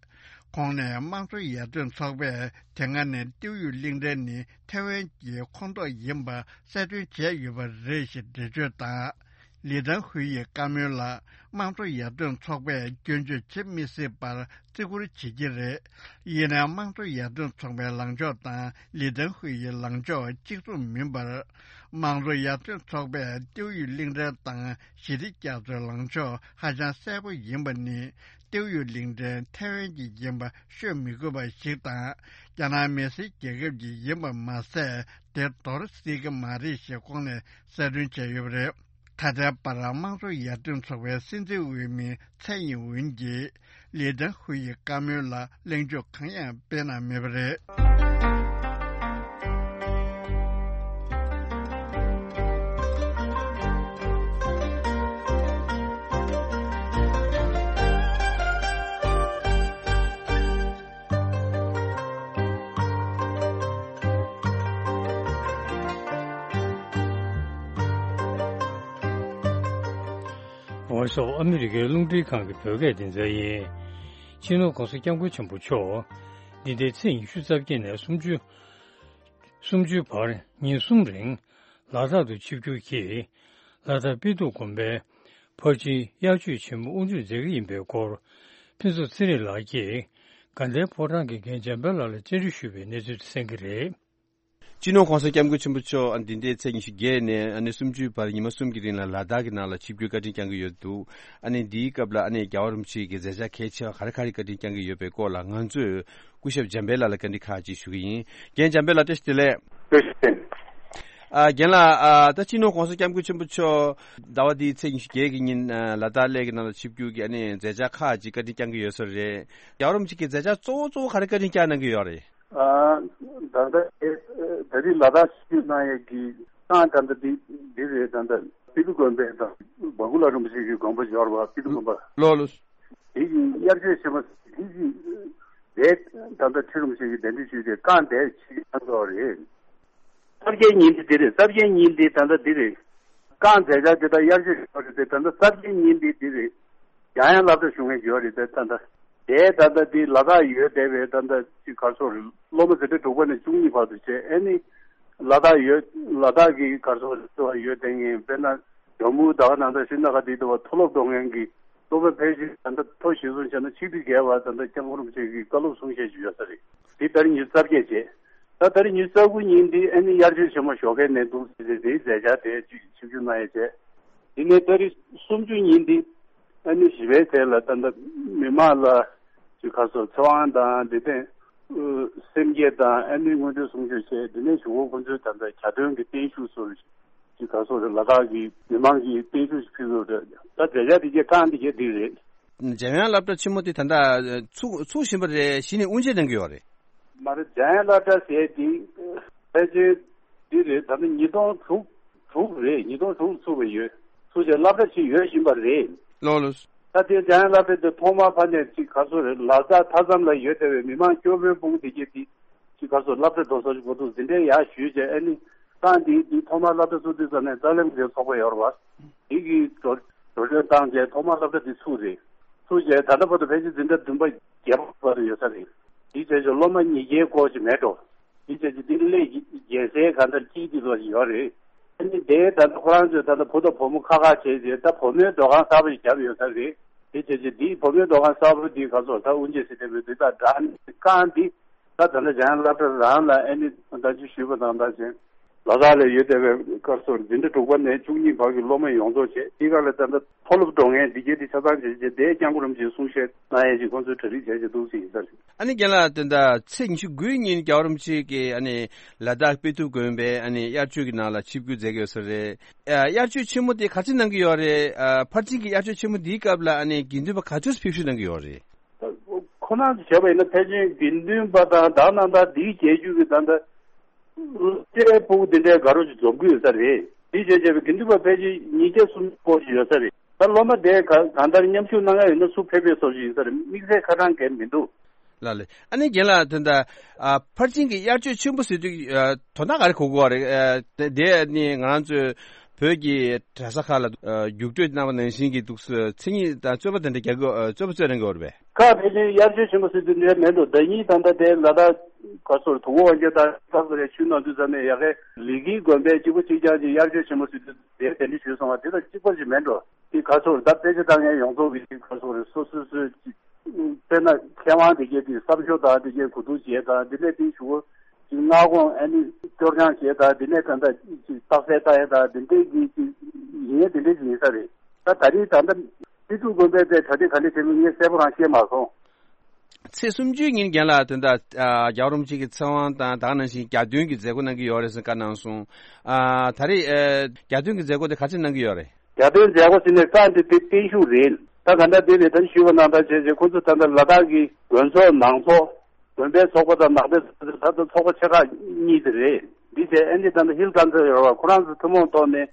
ཁོང་ནས་དམངས་གཙོ་ཡར་ཐོན་ཚོགས་པས་དེ་སྔ་ནས་ཏེའུ་ཡུས་གླིང་ཕྲན་ནི་ཐེ་ཝན་གྱི་ཁོངས་གཏོགས་ཡིན་པ་གསལ་སྟོན་བྱས་ཡོད་པ་རེད་ཞེས་འགྲེལ་བརྗོད་དང་། ལི་ཏན་ཧུའེ་ཡི་བཀའ་མོལ་ལ། དམངས་གཙོ་ཡར་ཐོན་ཚོགས་པས་སྐྱོན་བརྗོད་བྱེད་མི་སྲིད་པར་བརྩི་བཀུར་བྱེད་ཀྱི་རེད། ཡིན་ནའང་། དམངས་གཙོ་ཡར་ཐོན་ཚོགས་པའི་ལངས་ཕྱོགས་དང་ལི་ཏན་ཧུའེ་ཡི་ལངས་ཕྱོགས་གཅིག་མཚུངས་མིན་པར། དམངས་གཙོ་ཡར་ཐོན་ཚོགས་པས་ཏེའུ་ཡུས་གླིང་ཕྲན་དང་ཞི་བདེ་རྒྱ་མཚོའི་ལངས་ཕྱོགས་ཧ་ཅང་གསལ་པོ་ཡིན་པ་ནི། ཏེའུ་ཡུས་གླིང་ཕྲན་ཐེ་ཝན་གྱི་ཡིན་པ་ཤོད་མི་དགོས་པ་ཞིག་དང་། རྒྱ་ནག་མི་སེར་རྒྱལ་ཁབ་ཀྱི་ཡིན་པ་མ་ཟད། དེ་འདོར་སྲིད་ཀྱི་མ་རེད་ཞེས་ཁོང་ནས་གསལ་སྟོན་བྱས་ཡོད་པ་རེད། ད་ལྟའི་བར་དམངས་གཙོ་ཡར་ཐོན་ཚོགས་པའི་སྲིད་འཛིན་འོས་མི་ཚའེ་ཡིན་ཝུན་གྱིས་ལི་ཏན་ཧུའེ་ཡི་བཀའ་མོལ་ལ་གླེང་བརྗོད་གང་ཡང་སྤེལ་གནང་མེད་པ་རེད། འོང་སོགས་ཨ་མི་རི་ཀའི་རླུང་འཕྲིན་ཁང་གི་བོད་སྐད་སྡེ་ཚན་ཡིན། སྤྱི་ནོར་༸གོང་ས་༸སྐྱབས་མགོན་ཆེན་པོ་མཆོག་འདི་ཟླའི་ཚེས་ཉི་ཤུ་རྩ་བརྒྱད་ནས་སུམ་ཅུ། སུམ་ཅུའི་བར་ཉིན་གསུམ་རིང་ལ་དྭགས་སུ་ཆིབས་བསྒྱུར་གྱིས། ལ་དྭགས་དཔལ་སྟུག་དགོན་པའི་ཕར་ཕྱིན་དབྱར་ཆོས་ཆེན་མོ་དབུ་འཛུགས་མཛད་ཀྱི་ཡིན་པའི་སྐོར། ཕུན་ཚོགས་ཚེ་རིང་ལགས་ཀྱིས་དགའ་ལྡན་ཕོ་བྲང་གི་རྒན་འཇམ་དཔལ་ལགས་ལ་བཅར་འདྲི་ཞུས་པའི་གནས་ཚུལ་དེ་གསན་གྱི་རེད། སྤྱི་ནོར་༸གོང་ས་༸སྐྱབས་མགོན་ཆེན་པོ་མཆོག་ཨ་འདི་ཟླའི་ཚེས་ཉི་ཤུ་བརྒྱད་ནས་ཨ་ནི་སུམ་ཅུའི་བར་ཉི་མ་གསུམ་གྱི་རིང་ལ་ལ་དྭགས་ཀྱི་ནང་ལ་ཆིབས་བསྒྱུར་བཀའ་དྲིན་བསྐྱངས་ཀྱི་ཡོད་འདུག་ཨ་ནི་འདིའི་སྐབས་ལ་ཨ་ནི་རྒྱལ་བ་རིན་པོ་ཆེ་གི་མཛད་འཆར་གལ་ཆེ་བ་ག་རེ་ག་རེ་བཀའ་དྲིན་བསྐྱངས་ཀྱི་ཡོད་པའི་སྐོར་ལ་ང་ཚོས་སྐུ་ཞབས་འཇམ་དཔལ་ལགས་ལ་བཀའ་འདྲི་ཁག་ཅིག་ཞུ་གི་ཡིན། རྒན་འཇམ་དཔལ་ལགས་བཀྲ་ཤིས་བདེ་ལེགས། བཀྲ་ཤིས་བདེ་ལེགས། ཨ་རྒན་ལགས། ཨ་ད་སྤྱི་ནོར་༸གོང་ས་༸སྐྱབས་མགོན་ཆེན་པོ་མཆོག་ཟླ་བ་འདིའི་ཚེས་ཉི་ཤུ་བརྒྱད་ཀྱི་ཉིན་ཨ་ལ་དྭགས་གླེ་གི་ནང་ལ་ཆིབས་བསྒྱུར་གྱི་ཨ་ནི་མཛད་འཆར་ཁག་ཅིག་བཀའ་དྲིན་བསྐྱངས་ཀྱི་ཡོད་ས་རེད། རྒྱལ་བ་རིན་པོ་ཆེ་གི་མཛད་འཆར་གཙོ་བོ་གཙོ་བོ་ག་རེ་བཀའ་དྲིན་བསྐྱངས་གནང་གི་ཡོད་རེད། ཨ་ད་ལྟ་ཨེ་ད་རེས་ལ་དྭགས་ཆིབས་བསྒྱུར་གནང་ཡས་ཀྱི་རྐང་ད་ལྟ་འདི་འདི་རེད། ད་ལྟ་སྤི་ཏི་དགོན་པའི་དང་བ་གུ་ལ་རིན་པོ་ཆེ་གི་དགོན་པ་འབྱོར་བ་སྤི་ཏི་དགོན་པ། ལོ་ལོ། དེ་གི་དབྱར་ཆོས་ཆེན་མོ་དེ་གི་དེ་ད་ལྟ་ཁྲི་རིན་པོ་ཆེ་གི་གདན་འདྲེན་ཞུས་ཏེ་རྐང་དེ་ཆིབས་བསྒྱུར་གནང་གི་ཡོད་རེད། གསར་བརྗེའི་ཉིན་དེ་འདི་རེད། གསར་བརྗེའི་ཉིན་འདི་ད་ལྟ་འདི་རེད། རྐང་མཛད་འཆར་དེ་དག་དབྱར་ཆོས་ཞུ་བ་རེད་དེ། ད་ལྟ་གསར་བརྗེའི་ཉིན་འདི་འདི་རེད། ཡང་ཡང་སློབ་གྲྭ་ཞུ་མཁན་ཡོད་རེད་དེ། ད་ལྟ་དེ་ད་ལྟ་འདི་ལ་དྭགས་ཡོད་བསྡད་པའི་ད་ལྟ་ཅིག་ག་རེ་ཟེར་དགོས་རེད། སློབ་མ་འཛིན་གྲྭ་དྲུག་པ་ནས་བཅུ་གཉིས་བར་དུ་བྱས། ཨ་ནི་ལ་དྭགས་ཡོད། ལ་དྭགས་ཀྱི་ག་རེ་ཟེར་དགོས་རེད། ཡོད་བསྡད་མཁན་དཔེར་ན་ཇོ་མུ་ད་ག་ནང་ད་ཤི་ན་ག་དེ་དུ་བ་མཐོ་སློབ་འགྲོ་མཁན་གྱི་ སློབ་མ་ཕལ་ཆེར་ད་ལྟ་མཐོ་ཞིང་སུ་བྱས་ན་ཆིག་ཁྲི་བརྒལ་བ་ད་ལྟ་སྐྱབས་མགོན་རིན་པོ་ཆེ་གི་བཀའ་སློབ་གསུང་བཤད་ཅིག་ཡོད་ས་རེད། འདི་ད་རེས་ཉི་ཤུ་རྩ་བརྒྱད་བྱས། ད་ད་རེས་ཉི་ཤུ་རྩ་དགུ་ཉིན་འདི་ཨ་ནི་དབྱར་ཆོས་ཆེན་མོ་ཞོགས་ཀའི་ནས་འདུག་ཟེར་ཏེ་འདིའི་མཛད་འཆར་དེ་ཅིག་ཆིབས་བསྒྱུར་གནང་ཡས་བྱས། འདི་ནས་ད་རེས་སུམ་ཅུ་ཉིན་འདི་ཨ་ནི་ཞི་བའི་ཚལ་ལ་ད་ལྟ་མི་མང་ལ་ཅིག་ཁ་སོ་ཚེ་དབང་དང་འདི་ཐེངས་སེམས་བསྐྱེད་དང་ཨ་ནི་མངོན་འདོད་གསུང་ཆོས་བྱས། འདི་ནས་གཞུག་གུ་ཁོང་ཚོས་ད་ལྟ་གྱ་སྟོན་གྱི་བརྟན་བཞུགས་སོགས་ཅིག་ཁ་སོ་རེ་ལ་དྭགས་ཀྱི་མི་མང་གི་བརྟན་བཞུགས་ཤིག་ཕུལ་དགོས་རེད། ད་མཛད་འཆར་འདི་གས་རྐང་འདི་གས་འདི་རེད། འཇམ་དབྱངས་སློབ་གྲྭ་ཆེན་མོ་དེ་ད་ལྟ་ཚུགས་ཚུགས་བཞིན་པ་རེད། གཞི་ནས་དབུ་འབྱེད་གནང་གི་ཡོད་རེད། མ་རེད། འཇམ་དབྱངས་སློབ་གྲྭ་ཟེར་དེ་ཕལ་ཆེར་འདི་རེད། ད་ལྟ་ཉིས་སྟོང་དྲུག་དྲུག་རེད། ཉིས་སྟོང་དྲུག་ཚུགས་པ་ཡོད། ཚུགས་རྗེས་སློབ་གྲྭ་ཞིག་ཡོད་བཞིན་པ་རེད། ལགས་ལགས། ད་དེ་འཇམ་དབྱངས་སློབ་གྲྭ་དེ་ཐོག་མར་ཕ་ནས་ཅིག་ག་ཚོད་རེད། ལ་དྭགས་མཐའ་མཚམས་ལ་ཡོད་བསྡད་པའི་མི་མང་སྐྱོ་པོའི་དཔུང་དེ་གྱད་དེ་ཅིག་ག་ཚོད་སློབ་གྲྭ་འགྲོ་ས་ཞིག་དགོས་འདུག་འཛིན་གྲྭ་ཡར་ཞུས་བྱས། ཨ་ནི་ཏང་དེ་དེ་ཐོག་མར་སློབ་གྲྭ་ཚུགས་དུས་ཙམ་ནས་ཏཱ་ལའི་མུ་ཁེལ་ཚོགས་པ་ཡོད་རེད་པ། དེ་གི་འགྲོ་འགྲོ་གྲོན་བཏང་བྱས་ཐོག་མར་སློབ་གྲྭ་དེ་ཚུགས་རེད། ཚུགས་བྱས་ད་ལྟ་བར་དུ་ཕལ་ཆེར་འཛིན་གྲྭ་བདུན་པ་བརྒྱད་པ་བར་དུ་ཡོད་ས་རེད། དེ་བྱས་ཙང་སློབ་མ་ཉིས་བརྒྱའི་སྐོར་ཞིག་མེད་འགྲོ། དེ་བྱས་ཙང་དེ་གླེང་རྒྱལ་སའི་གང་ལྟར་སྐྱིད་དེ་ལོ་ཞིག་ཡོད་རེད། ཨ་ནི་དེ་ད་ལྟ་ཁོ་རང་ཚོས་ད་ལྟ་བུ་དང་བུ་མོ་ཁ་ཁ་བྱས་རྗེས་ད་བུ་མོའི་སྡོད་ཁང་གསར་པ་ཞིག་བརྒྱབ་ཡོད་ས་རེད། དེ་བྱས་ཙང་དེའི་བུ་མོའི་སྡོད་ཁང་གསར་པ་དེ་ག་ཚོད་ད་དབུ་འབྱེད་ཟེར་བསྡད་པའི་དེ་དག་འདྲ་ནི་རྐང་འདི་ད་ད་ལྟ་འཇམ་དབྱངས་སློབ་གྲྭ་རང་ལ་ཨ་ནི་ད་ཅི་ཞུས་པ་དང་འདྲ་ཞིང་། ལ་དྭགས་ལ་ཡོད་བསྡད་པའི་སྐབས་སུ་འཛིན་གྲྭ་དྲུག་པ་ནས་བཅུ་གཉིས་བར་གྱི་སློབ་མ་ཡོངས་རྫོགས་བྱས། དེ་ག་ལ་ད་ལྟ་མཐོ་སློབ་འགྲོ་མཁན་འདི་གའི་དེ་ཆ་ཚང་བྱས་རྗེས་དེའི་སྐྱབས་མགོན་རིན་པོ་ཆེའི་གསུང་བཤད་གནང་ཡས་ཀྱི་ཁོང་ཚོས་གྲ་སྒྲིག་བྱས་བྱས་འདུག་ཟེར་ཡིན་ས་རེད། ཨ་ནི་རྒན་ལགས། དེ་འདྲ་ཚེས་ཉི་ཤུ་དགུའི་ཉིན་རྒྱལ་བ་རིན་པོ་ཆེ་གིས་ཨ་ནི་ལ་དྭགས་དཔེ་ཐུབ་དགོན་པའི་ཨ་ནི་དབྱར་ཆོས་ཀྱི་ནང་ལ་ཆིབས་བསྒྱུར་མཛད་ཀྱི་ཡོད་ས་རེད། ཨ། དབྱར་ཆོས་ཆེན་མོ་དེ་ག་ཚོད་གནང་གི་ཡོད་རེད། ཨ། ཕར་ཕྱིན་གྱི་དབྱར་ཆོས་ཆེན་མོ་འདིའི་སྐབས་ལ་ཨ་ནི་དགེ་འདུན་པ་ག་ཚོད་ཕེབས་བསུ་གནང་གི་ཡོད་རེད། ཁོ་རང་ཚོ་བྱས་པ་ཡིན་ན་ཕལ་ཆེར་དགེ་འདུན་པ་དང་དག་སྣང་དང་འདིའི་རྒྱལ་བརྒྱུད་ཀྱི་ད་ལྟ་སློབ་གྲྭའི་ཕྲུ་གུ་འདི་འདྲའི་དགའ་རབ་ཅིག་འཛོམས་ཀྱི་ཡོད་ས་རེད། འདི་བྱས་བྱས་པའི་དགེ་འདུན་པ་ཕལ་ཆེར་ཉིས་བརྒྱ་སུམ་བརྒྱ་སྐོར་ཞིག་ཡོད་ས་རེད། ད་སློབ་མ་དེ་ག་གང་ལྟར་མཉམ་ཞུགས་གནང་ཡ་ཡོད་ན་སུ་ཕེབས་པའི་བཟོ་ཞིག་ཡིན་ས་རེད། དམིགས་བསལ་ཁ་གྲངས་གལ་མི་འདུག་ལགས་ལགས། ཨ་ནི་རྒན་ལགས། དེ་འདྲ། ཨ། ཕར་ཕྱིན་གྱི་དབྱར་ཆོས་ཆེན་པོ་ཟེར་དུས། ཨ། དོ་སྣང་ག་རེ་གོ་དགོས་པ་རེད། ཨ། དེ་དེ་ནི་ང་རང་ཚོའི་བོད་ཀྱི་གྲྭ་ས་ཁག་ལ། ཨ། རྒྱུགས་སྤྲོད་གནང་བ་ནང་བཞིན་གྱི་འདུག་སེ་མཚན་ཉིད་དང་རྩོད་པ་དེ་འདྲ་རྒྱག་གི། ཨ། རྩོད་པ་རྩོད་གནང་གི་ཡོད་རེད་པས། ཁག་ཕལ་ཆེར་དབྱར་ཆོས་ཆེན་པོ་ཟེར་དུས་འདྲ་མེད་འགྲོ། ཟླ་གཉིས་ད་ལྟ་དེ་ལ་དྭགས་ག་ཚོད་དུ་གོ་བ་རྒྱ་དང་ས་སུ་རེ་ཆུ་ནང་དུས་ཙམ་ནས་ཡ་གི་ལི་ཀིའི་དགོན་པའི་གཅིག་པ་གཅིག་རྐྱང་གཅིག་དབྱར་ཆོས་ཆེན་པོ་ཟེར་དུས་དེ་དེ་འདྲ་ཞུས་སོང་བ་དེ་དང་གཅིག་པ་ཞིག་མེད་འགྲོ། དེ་ག་ཚོད་ད་དཔེ་ཆ་ལྟ་མཁན་ཡོངས་རྫོགས་ཀྱི་ག་ཚོད་རེད། སོ་སོ་སོའི་ཅིག་དཔེར་ན་མཁས་དབང་དེ་གས་དེ་བསམ་ཤོག་དང་དེ་གས་གོ་བསྡུར་བྱས་དང་དེ་ནས་དེའི་གཞུག་གུ་ཅིག་སྔ་དགོང་ཨ་ནི་སྐྱོར་སྦྱང་བྱས་དང་དེ་ནས་ད་ལྟ་ཅིག་རྟགས་གསལ་བཏང་ཡས་དང་དེ་འདྲས་ཀྱི་ཅིག་ཡིན་ཡས་དེ་འདྲས་ཅིག་ཡིན་ས་རེད། ད་ད་རེས་ད་ལྟ་སྤྱི་འཐུས་དགོན་པའི་དེ་གྲ་སྒྲིག་ག་འདྲས་བྱས་མིན་ངས་གསལ་པོ་རང་ཤེས་མ་སོང་། ཚེས་སུམ་ཅུའི་ཉིན་རྒན་ལགས། དེ་འདྲ། ཨ། རྒྱལ་བ་རིན་པོ་ཆེ་གི་ཚེ་དབང་དང་དེ་ནང་བཞིན་གྱ་སྟོན་གྱི་མཛད་སྒོ་གནང་གི་ཡོད་རེད་ཟེར་བཀའ་གནང་སོང་། ཨ། ད་རེས། ཨ། གྱ་སྟོན་གྱི་མཛད་སྒོ་དེ་ག་ཚོད་གནང་གི་ཡོད་རེད། གྱ་སྟོན་མཛད་སྒོ་ཟེར་ནས་བཀའ་འདི་དེ་བརྟན་བཞུགས་རེད། ད་ག་འདྲ་དེ་རེད། ད་ཞུས་པ་ནང་ལྟར་བྱས་བྱས་ཁོ་ཚོ་ད་ལྟ་ལ་དྭགས་ཀྱི་དགོན་ཚོགས་ནང་ཚོགས། དགོན་པའི་ཚོགས་པ་དང་ནང་པའི་ཚོགས་པ་ད་ལྟ་ཚོགས་པ་ཆེ་ཁག་གཉིས་དེ་རེད། འདི་བྱས་ཨ་ནི་ད་ལྟ་ཧིལ་ཀོན་སལ་ཡོད་རེད་པ། ཁོ་རང་ཚོ་ཐུན་མོང་ཐོག་ནས་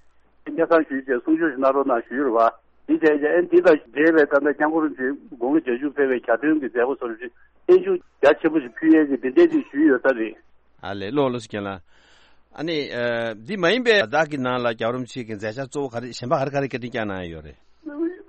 སྙན་སེང་ཞུས་བྱས་གསུང་ཆོས་ཞིག་གནང་རོགས་གནང་ཞུས་རེད་པ། འདི་བྱས་བྱས་ཨ་ནི་འདི་དང་འབྲེལ་བའི་ད་ལྟ་སྐྱབས་མགོན་རིན་པོ་ཆེ་དགུང་ལོ་བརྒྱད་ཅུ་ཕེབས་པའི་གྱ་སྟོན་གྱི་མཛད་སྒོ་སོགས་ཀྱི་བརྟན་བཞུགས་རྒྱ་ཆེན་པོ་ཞིག་ཕུལ་ཡས་ཀྱི་འདི་འདྲས་ཅིག་ཞུས་ཡོད་ས་རེད། ཨ་ལས། ལགས་ལགས་སོ་རྒན་ལགས། ཨ་ནི། ཨ། འདི་མ་ཡིན་པའི་ལ་དྭགས་ཀྱི་ནང་ལ་རྒྱལ་བ་རིན་པོ་ཆེ་གི་མཛད་འཆར་གཙོ་བོ་ག་རེ་གཞན་པ་ག་རེ་ག་རེ་བཀའ་དྲིན་བསྐྱངས་གནང་ཡོད་རེད།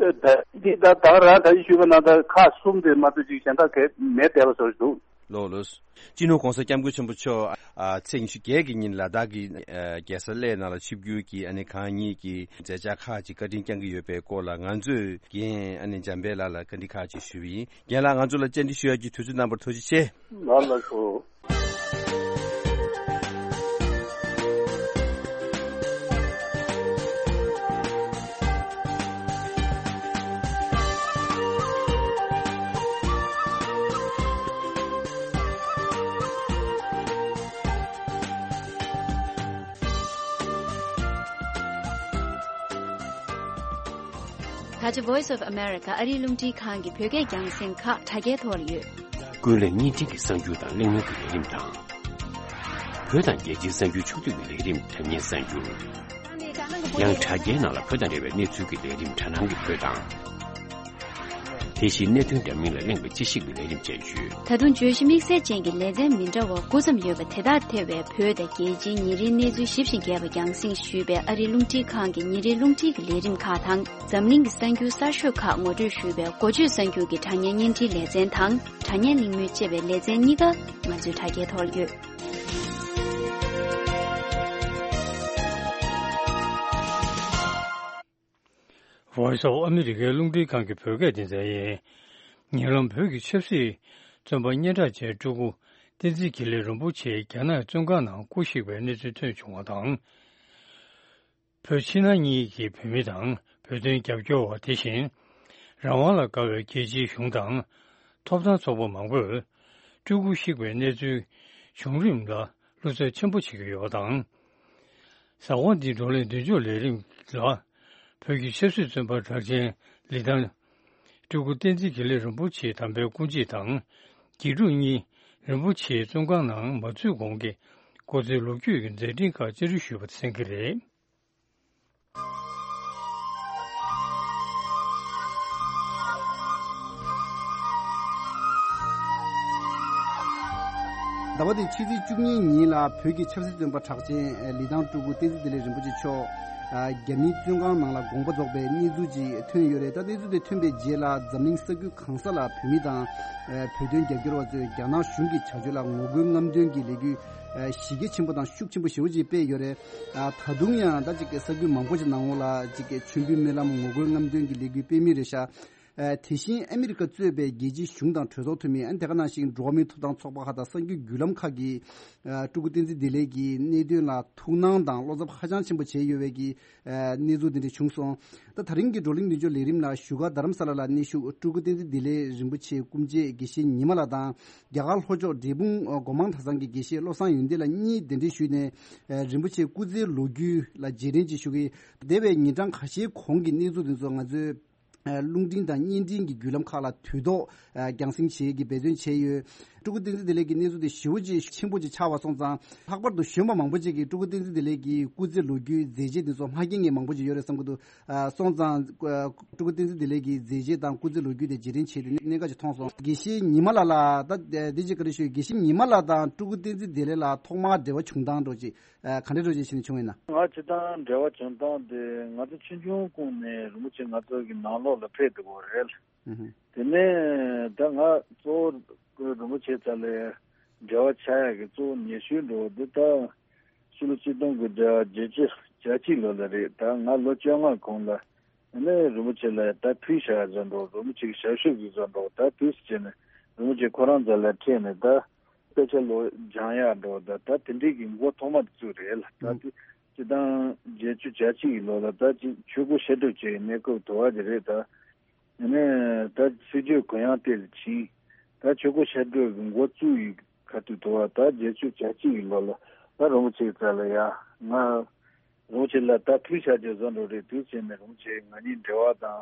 ད་འདི་ད་ད་རང་ད་ཅི་ཞུས་པ་ནང་ལྟར་ཁག་གསུམ་དེ་མ་གཏོགས་ཅིག་གཞན་དག་གས་མེད་བསྡད་པ་བཟོ་ཞིག་འདུག་ལགས་ལགས། སྤྱི་ནོར་༸གོང་ས་༸སྐྱབས་མགོན་ཆེན་པོ་མཆོག་ཨ། ཚེས་ཉི་ཤུ་བརྒྱད་ཀྱི་ཉིན་ལ་དྭགས་ཀྱི། ཨ། རྒྱལ་ས་གླེ་ནང་ལ་ཆིབས་བསྒྱུར་གྱིས་ཨ་ནི་གང་ཉིད་ཀྱི་མཛད་འཆར་ཁག་ཅིག་བཀའ་དྲིན་བསྐྱངས་ཀྱི་ཡོད་པའི་སྐོར་ལ་ང་ཚོས་རྒན་ཨ་ནི་འཇམ་དཔལ་ལགས་ལ་བཀའ་འདྲི་ཁག་ཅིག་ཞུས་པ་ཡིན། རྒན་ལགས། ང་ཚོ་ལ་བཅར་འདྲི་ཞུ་ཡག་གི་དུས་ཚོད་གནང་བར་ཐུགས་རྗེ་ཆེ། ལགས་ལགས་སོ། ད་ཆ་Voice of America ཨ་རིའི་རླུང་འཕྲིན་ཁང་གི་བོད་སྐད་རྒྱང་སྲིང་ཁག་དྲ་རྒྱའི་ཐོག་ལ་ཡོད། ཀུན་གླེང་བརྙན་འཕྲིན་གྱི་གསར་འགྱུར་དང་གླེང་མོལ་གྱི་ལས་རིམ་དང་། བོད་དང་རྒྱལ་སྤྱིའི་གསར་འགྱུར་ཕྱོགས་བསྡུས་ཀྱི་ལས་རིམ་དྲ་བརྙན་གསར་འགྱུར། ཡང་དྲ་རྒྱའི་ནང་ལ་བོད་དང་འབྲེལ་བའི་གནས་ཚུལ་གྱི་ལས་རིམ་དྲ་སྣང་གི་བོད་དང་། དེ་བཞིན་གནད་དོན་འདྲ་མིན་ལ་གླེང་བའི་དཔྱད་ཞིབ་ཀྱི་ལས་རིམ་བཅས་ཡོད། ད་དུང་བརྗོད་གཞི་དམིགས་བསལ་ཅན་གྱི་ལེ་ཚན་མི་འདྲ་བ་དགུ་ཙམ་ཡོད་པ་དེ་དག་ཐེ་བའི་བོད་དང་རྒྱལ་སྤྱིའི་ཉིན་རེའི་གནས་ཚུལ་ཞིབ་ཅིང་རྒྱས་པ་རྒྱང་སྲིང་ཞུས་པའི་ཨ་རིའི་རླུང་འཕྲིན་ཁང་གི་ཉིན་རེའི་རླུང་འཕྲིན་གྱི་ལས་རིམ་ཁག་དང་། འཛམ་གླིང་གི་གསར་འགྱུར་གསར་ཤོས་ཁག་ངོ་སྤྲོད་ཞུས་པའི་འགོ་བརྗོད་གསར་འགྱུར་གྱི་དྲ་བརྙན་བརྙན་འཕྲིན་ལེ་ཚན་དང་། དྲ་བརྙན་གླེང་མོལ་ཅེས་པའི་ལེ་ཚན་གཉིས་ཀ་ང་ཚོའི་དྲ་རྒྱའི་ཐོག་ལ་ཡོད། Voice of America རླུང་འཕྲིན་ཁང་གི་བོད་སྐད་སྡེ་ཚན་ཡིན། ཉེ་ལམ་བོད་ཀྱི་ཆབ་སྲིད་བཙོན་པ་སྙན་གྲགས་ཅན་སྤྲུལ་སྐུ་བསྟན་འཛིན་དགེ་ལེགས་རིན་པོ་ཆེ་རྒྱ་ནག་བཙོན་ཁང་ནང་སྐུ་གཤེགས་པའི་གནས་ཚུལ་ཐོན་བྱུང་བ་དང་། བོད་ཕྱི་ནང་གཉིས་ཀྱི་བོད་མི་དང་བོད་དོན་རྒྱབ་སྐྱོར་བ། དེ་བཞིན་རང་དབང་ལ་དགའ་བའི་རྒྱལ་སྤྱིའི་གཞུང་དང་ཐོབ་ཐང་ཚོགས་པ་མང་པོས་སྤྲུལ་སྐུ་གཤེགས་པའི་གནས་ཚུལ་བྱུང་རིམ་ལ་བློ་འཚབ་ཆེན་པོ་བྱེད་ཀྱི་ཡོད་པ་དང་། གཟའ་འཁོར་འདིའི་བགྲོ་གླེང་མདུན་ལྕོག་ལས་རིམ་ལ་བོད་ཀྱི་ཆབ་སྲིད་བཙོན་པ་གྲགས་ཅན་ལི་ཐང་སྤྲུལ་སྐུ་བསྟན་འཛིན་དགེ་ལེགས་རིན་པོ་ཆེའི་དམ་པའི་སྐུ་མཆེད་དང་དགེ་ཕྲུག་གཉིས་རིན་པོ་ཆེའི་བཙོན་ཁང་ནང་མ་ཚུད་གོང་གི་སྐུ་ཚེའི་ལོ་རྒྱུས་ཀྱི་མཛད་འཕྲིན་ཁག་བཅར་འདྲི་ཞུས་པ་གསན་གྱི་རེད། ཟླ་བ་འདིའི་ཕྱི་ཚེས་བཅུ་གཉིས་ཉིན་ལ་བོད་ཀྱི་ཆབ་སྲིད་བཙོན་པ་གྲགས་ཅན་ལི་ཐང་སྤྲུལ་སྐུ་བསྟན་འཛིན་བདེ་ལེགས་རིན་པོ་ཆེ་མཆོག་རྒྱ་མིའི་བཙོན་ཁང་ནང་ལ་དགོངས་པ་རྫོགས་པའི་གནས་ཚུལ་ཅིག་ཐོན་ཡོད་རེད། ད་གནས་ཚུལ་དེ་ཐོན་པའི་རྗེས་ལ་འཛམ་གླིང་ས་ཁུལ་གང་ས་ལ་བོད་མི་དང་བོད་དོན་རྒྱབ་སྐྱོར་བ་ཚོས་རྒྱ་ནག་གཞུང་གི་བྱ་སྤྱོད་ལ་ངོ་རྒོལ་རྔམ་སྟོན་གྱི་ལས་འགུལ་གཞི་རྒྱ་ཆེན་པོ་དང་ཤུགས་ཆེན་པོ་ཞེ་པོ་ཅིག་སྤེལ་ཡོད་རེད། ད་དུང་ཡང་ད་ཅིག་ས་ཁུལ་མང་པོ་ཅིག་ནང་ལ་ཅིག་མཆོད་འབུལ་སྨོན་ལམ་ངོ་རྒོལ་རྔམ་སྟོན་གྱི་ལས་འགུལ་སྤེལ་མུས་རེད་ཤག་དེ་བཞིན་ཨ་མི་རི་ཀ་གཙོས་པའི་རྒྱལ་སྤྱིའི་གཞུང་དང་གྲོས་ཚོགས་འཐུས་མི། ཨ་ནི་དེ་ག་ནང་བཞིན་འགྲོ་བ་མིའི་ཐོབ་ཐང་ཚོགས་པ་ཁག་དང་གསར་འགྱུར་བརྒྱུད་ལམ་ཁག་གིས་སྤྲུལ་སྐུ་བསྟན་འཛིན་བདེ་ལེགས་ཀྱི་གནད་དོན་ལ་ཐུགས་སྣང་དང་བློ་འཚབ་ཧ་ཅང་ཆེན་པོ་བྱས་ཡོད་པའི་གི་གནས་ཚུལ་འདི་འདྲ་བྱུང་སོང་། ད་ད་རིང་གི་བགྲོ་གླེང་མདུན་ལྕོག་ལས་རིམ་ལ་བཞུགས་སྒར་རྡ་རམ་ས་ལ་ལ་གནས་བཞུགས་སྤྲུལ་སྐུ་བསྟན་འཛིན་བདེ་ལེགས་རིན་པོ་ཆེའི་སྐུ་མཆེད་དགེ་བཤེས་ཉི་མ་ལགས་དང་རྒྱ་གར་ལྷོ་ཕྱོགས་འབྲས་སྤུངས་སྒོ་མང་གྲྭ་ཚང་གི་དགེ་བཤེས་བློ་བཟང་ཡོན་ཏན་ལགས་གཉིས་གདན་འདྲེན་ཞུས་ནས་རིན་པོ་ཆེའི་སྐུ་ཚེའི་ལོ་རྒྱུས་ལ་རྗེས་དྲན་ཅིག་ཞུ་གི། འདས་པའི་ཉིན་གྲངས་ཁ་ཤས་གོང་གི་གནས་ཚུལ་འདི་ཚོ་ང་ཚོའི་རླུང་འཕྲིན་དང་བརྙན་འཕྲིན་གྱི་བརྒྱུད་ལམ་ཁག་ལ་དུས་ཐོག་རྒྱང་སྲིང་བྱེད་ཀྱི་འབད་བརྩོན་བྱས་ཡོད། སྤྲུལ་སྐུ་བསྟན་འཛིན་བདེ་ལེགས་ཀྱི་གནས་ཚུལ་དེ་ཞེ་པོ་ཅིག་ཆེན་པོ་ཅིག་ཆགས་པ་སོང་ཙང་། ལྷག་པར་དུ་གཞོན་པ་མང་པོ་ཅིག་གིས་སྤྲུལ་སྐུ་བསྟན་འཛིན་བདེ་ལེགས་ཀྱི་སྐུ་ཚེའི་ལོ་རྒྱུས་མཛད་རྗེས་དེ་ཚོ་མ་མཁྱེན་མཁན་མང་པོ་ཅིག་ཡོད་རེད་བསམ་གྱི་འདུག་སོང་ཙང་། སྤྲུལ་སྐུ་བསྟན་འཛིན་བདེ་ལེགས་ཀྱི་མཛད་རྗེས་དང་སྐུ་ཚེའི་ལོ་རྒྱུས་དེ་རྗེས་དྲན་བྱས་ཏེ་གནད་འགག་ཅིག་མཐོང་སོང་། དགེ་བཤེས་ཉི་མ་ལགས་ལ་ད་འདི་ཅིག་བཀའ་འདྲི་ཞུ། དགེ་བཤེས་ཉི་མ་ལགས་དང་སྤྲུལ་སྐུ་བསྟན་འཛིན་བདེ་ལེགས་ལ་ཐོག་མར་འབྲེལ་བ་བྱུང་སྟངས་འདྲ་ཅིག་ག་འདྲ་འདྲ་ཅིག་བྱས་ནས་བྱུང་ཡིན་ན། ང་སྤྱིར་བཏང་འབྲེལ་བ་བྱུང་སྟངས་དེ་ང་ཚོ་ཆུང་ཆུང་སྒང་ནས་རིན་པོ་ཆེ་ང་ཚོ་གི་ནང་ལོགས་ལ་ཕེབས་འདུག་གོ་རེད། དེ་ནས་ད་ང་གཙོ་བོ་རིན་པོ་ཆེ་རྩ་ལ་འབྲེལ་བ་ཆགས་ཡག་གི་གཙོ་བོ་ཉེ་ཤོས་འགྲོ་བ་འདི་ད་ཕྱི་ལོ་ཆིག་སྟོང་དགུ་བརྒྱ་བརྒྱད་ཅུ་གྱ་གཅིག་ལོ་ལ་རེད། ད་ང་ལོ་བཅོ་ལྔ་གོང་ལ་ནས་རིན་པོ་ཆེ་ལ་ད་ཕུལ་བཞག་བཟོ་འགྲོ། རིན་པོ་ཆེ་གི་ཞབས་ཞུ་གི་བཟོ་འགྲོ། ད་དུས་སུ་བྱས་ནས་རིན་པོ་ཆེ་ཁོ་རང་རྩ་ལ་ཕེབས་ནས་ད་དཔེ་ཆ་ལོ་སྦྱང་ཡག་འགྲོ། ད་ད་དེ་འདྲའི་གི་འགོ་ཐོག་མ་དེ་ཚོ་རེད་ལ། ད་དེ་སྤྱིར་བཏང་བརྒྱད་ཅུ་གྱ་གཅིག་གི་ལོ་ལ་ད་ཅིག་ཆོས་སྒོ་ཕྱག་སྒྲུབ་བྱས་གནས་སྐབས་དུ་བ་དེ་རེད། ད་ཡིན་ནའི་ད་སྲིད་བྱུས་གུ་ཡངས་ཏོག་ཙམ་ཕྱིན། ད་ཆོས་སྒོ་ཕྱག་སྒྲུབ་ཀྱི་འགོ་བཙུགས་ཡི་ཁ་ཐུག་དུ་བ་ད་བརྒྱད་ཅུ་གྱ་གཅིག་གི་ལོ་ལ་ད་རིན་པོ་ཆེ་རྩ་ལ་ཡ་ང་རིན་པོ་ཆེ་ལ་ད་ཕུལ་བྱ་རྒྱུ་བཟོ་འགྲོ་རེད། དུས་ཕྱིན་ནས་རིན་པོ་ཆེ་ང་གཉིས་འབྲེལ་བ་དང་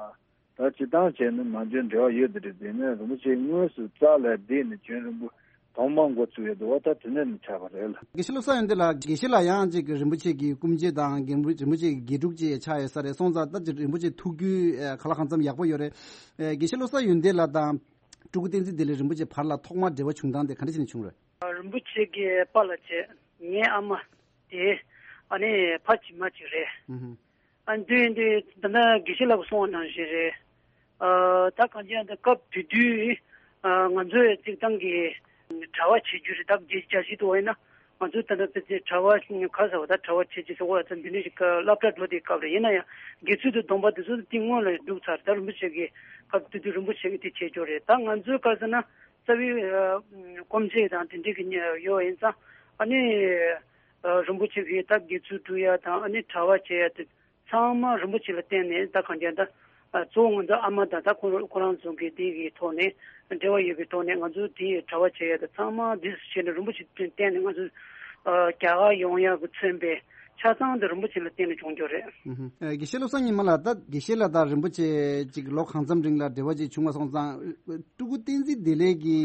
ད་སྤྱིར་བཏང་བྱས་ན་མ་འཇོན་འབྲེལ་བ་ཡོད་དེ་རེད། དེ་ནས་རིན་པོ་ཆེ་དངོས་སུ་རྩ་ལ་བསྡད་ནས་རྒྱུན་རིང་པོ་ཐོག་མ་འགོ་བཙུགས་ཡོད་དུ་བ་ད་དེ་ནས་ནས་ཆགས་པ་རེད་ལ། དགེ་བཤེས་བློ་བཟང་ཡོན་ཏན་ལགས། དགེ་བཤེས་ལགས་ཡང་ཅིག་རིན་པོ་ཆེ་གི་སྐུ་མཆེད་དང་རྒན་པོ་རིན་པོ་ཆེ་གི་དགེ་ཕྲུག་ཅིག་ཆགས་ཡོད་ས་རེད། སོང་ཙང་ད་ཅིག་རིན་པོ་ཆེ་ཐུགས་རྒྱུས་ག་ལ་གང་འཚམ་ཡག་པོ་ཡོད་རེད། དགེ་བཤེས་བློ་བཟང་ཡོན་ཏན་ལགས་དང་སྤྲུལ་སྐུ་བསྟན་འཛིན་བདེ་ལེགས་རིན་པོ་ཆེ་བར་ལ་ཐོག་མར་འབྲེལ་བ་བྱུང་སྟངས་དེ་ག་འདྲ་བྱས་ནས་བྱུང་རེད། རིན་པོ་ཆེ་གི་པཱ་ལགས་བྱས། ངའི་ཨ་མ་དེ་ཨ་ནི་ཕ་གཅིག་མ་གཅིག་རེད། ཨ་འདུས་འདུས་ད་ལྟ་དགེ་བཤེས་ལགས་གསུངས་པ་ནང་བཞིན་རེད། ཨ་ད་གང་ཅི་ཡང་ད་སྐབས་དེ་དུས་ཨ་ང་ཚོའི་རྩིག་ཐང་གི་གྲྭ་བ་བྱེད་རྒྱུ་རེད། ད་རྒྱལ་རྒྱལ་སྤྱི་དུ་བ་ཡིན་ན་ང་ཚོ་ད་ལྟ་ཕལ་ཆེར་གྲྭ་བ་ག་ཟེར་བ་ད་གྲྭ་བ་བྱེད་ཀྱི་ཟེར་བ་ད་འདི་འདྲ་ཞིག་སློབ་གྲྭ་འགྲོ་དེའི་སྐབས་རེད། ཡིན་ན་ཡང་དགེ་ཚུལ་དུ་སྡོམ་པ་དེ་ཚོ་དེ་སྔོན་ལ་འདུག་ཚར། ད་རིན་པོ་ཆེ་གི་སྐབས་དེ་དུས་རིན་པོ་ཆེ་གི་དེ་བྱེད་རྒྱུ་རེད། ད་ང་ཚོའི་ག་ཟེར་ན་རྩ་བའི་སྐུ་མཆེད་དང་དེ་འདྲ་གི་ཡོད་ཡིན་ཙང་ཨ་ནི། རིན་པོ་ཆེ་གིས་ད་དགེ་ཚུལ་སྒྲུབ་ཡ་དང་ཨ་ནི་གྲྭ་བ་བྱེད་ཡ་དེ་ཚང་མ་རིན་པོ་ཆེ་ལ་བརྟེན་ནས་ད་གང་ཅི་ད་གཙོ་བོ་ང་ཚོ་ཨ་མ་དང་ད་ཁོ་ཁོ་རང་ཚོ་གི་དེ་གི་ཐོག་ནས་འབྲེལ་བ་ཡོད་པའི་ཐོག་ནས་ང་ཚོ་དེ་གྲྭ་བ་བྱེད་ཡ་དེ་ཚང་མ་འདི་བྱས་ནས་རིན་པོ་ཆེ་བརྟེན་ནས་ང་ཚོ་རྒྱ་གར་ཡོང་ཡ་གི་མཚོན་པའི་ཆ་ཚང་དེ་རིན་པོ་ཆེ་ལ་བརྟེན་ནས་བྱུང་རྒྱུ་རེད། ཨུ་ཧུ། ཨ་དགེ་བཤེས་བློ་བཟང་ཉི་མ་ལགས། ད་དགེ་བཤེས་ལགས་དང་རིན་པོ་ཆེ་ཅིག་ལོ་གང་འཚམ་རིང་ལ་འབྲེལ་བ་ཅིག་བྱུང་བ་སོང་ཙང་སྤྲུལ་སྐུ་བསྟན་འཛིན་བདེ་ལེགས་ཀྱི་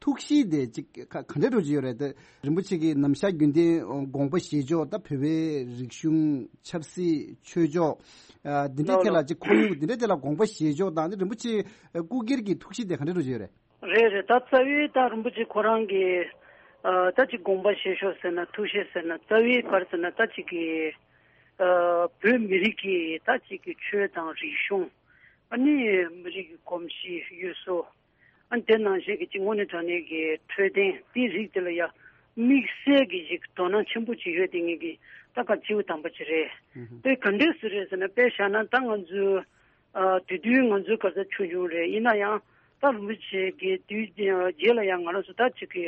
ཐུགས་གཤིས་དེ་ཅིག་ག་ག་འདྲ་འདྲ་ཅིག་ཡོད་རེད་དེ། རིན་པོ་ཆེ་གི་ནམ་ཞག་རྒྱུན་ལྡན་དགོངས་པ་བཞེས་ཕྱོགས། ད་བོད་པའི་རིག་གཞུང་ཆབ་སྲིད་ཆོས་ཕྱོགས་ཨ་འདི་འདྲའི་ཐད་ལ་ཅིག་ཁོར་ཡུག་འདི་འདྲའི་ཐད་ལ་དགོངས་པ་བཞེས་ཕྱོགས་དང་ནི་རིན་པོ་ཆེ་སྐུ་སྒེར་གྱི་ཐུགས་གཤིས་དེ་ག་འདྲ་འདྲ་ཅིག་ཡོད་རེད། རེད་རེད། ད་རྩ་བའི་ད་རིན་པོ་ཆེ་ཁོ་རང་གི་ཨ་ད་ཅིག་དགོངས་པ་བཞེས་ཕྱོགས་ཟེར་ན་ཐུགས་གཤིས་ཟེར་ན་རྩ་བའི་བར་ཟེར་ན་ད་ཅིག་གི་ཨ་བོད་མི་རིགས་ཀྱི་ད་ཅིག་གི་ཆོས་དང་རིག་གཞུང་ཨ་ནི་མི་རིགས་ཀྱི་གོམས་གཤིས་ཡུལ་སྲོལ། ཨ་ནི་དེ་ནང་བཞིན་གྱི་གཅིག་དངོས་གནས་དྲང་གནས་ཀྱི་འཕྲོད་བསྟེན་དེའི་རིགས་དེ་ལ་ཡང་དམིགས་བསལ་གྱི་ཞིག་དོ་སྣང་ཆེན་པོ་ཅིག་ཡོད་དེ་ངེད་ཀྱི་ད་ག་སྤྱི་བོ་དམ་པ་ཅིག་རེད། དེ་ག་འདྲས་སུ་རེད་ཟེར་ན་དཔེ་བཞག་ན་ད་ང་ཚོའི་ ཨ་དེ་དུས་ང་ཚོའི་ག་ས་ཆུང་ཆུང་རེད། ཡིན་ན་ཡང་ད་རིན་པོ་ཆེ་གི་དུས་རྗེས་ལ་ཡང་ང་རང་ཚོ་ད་ཅིག་གི་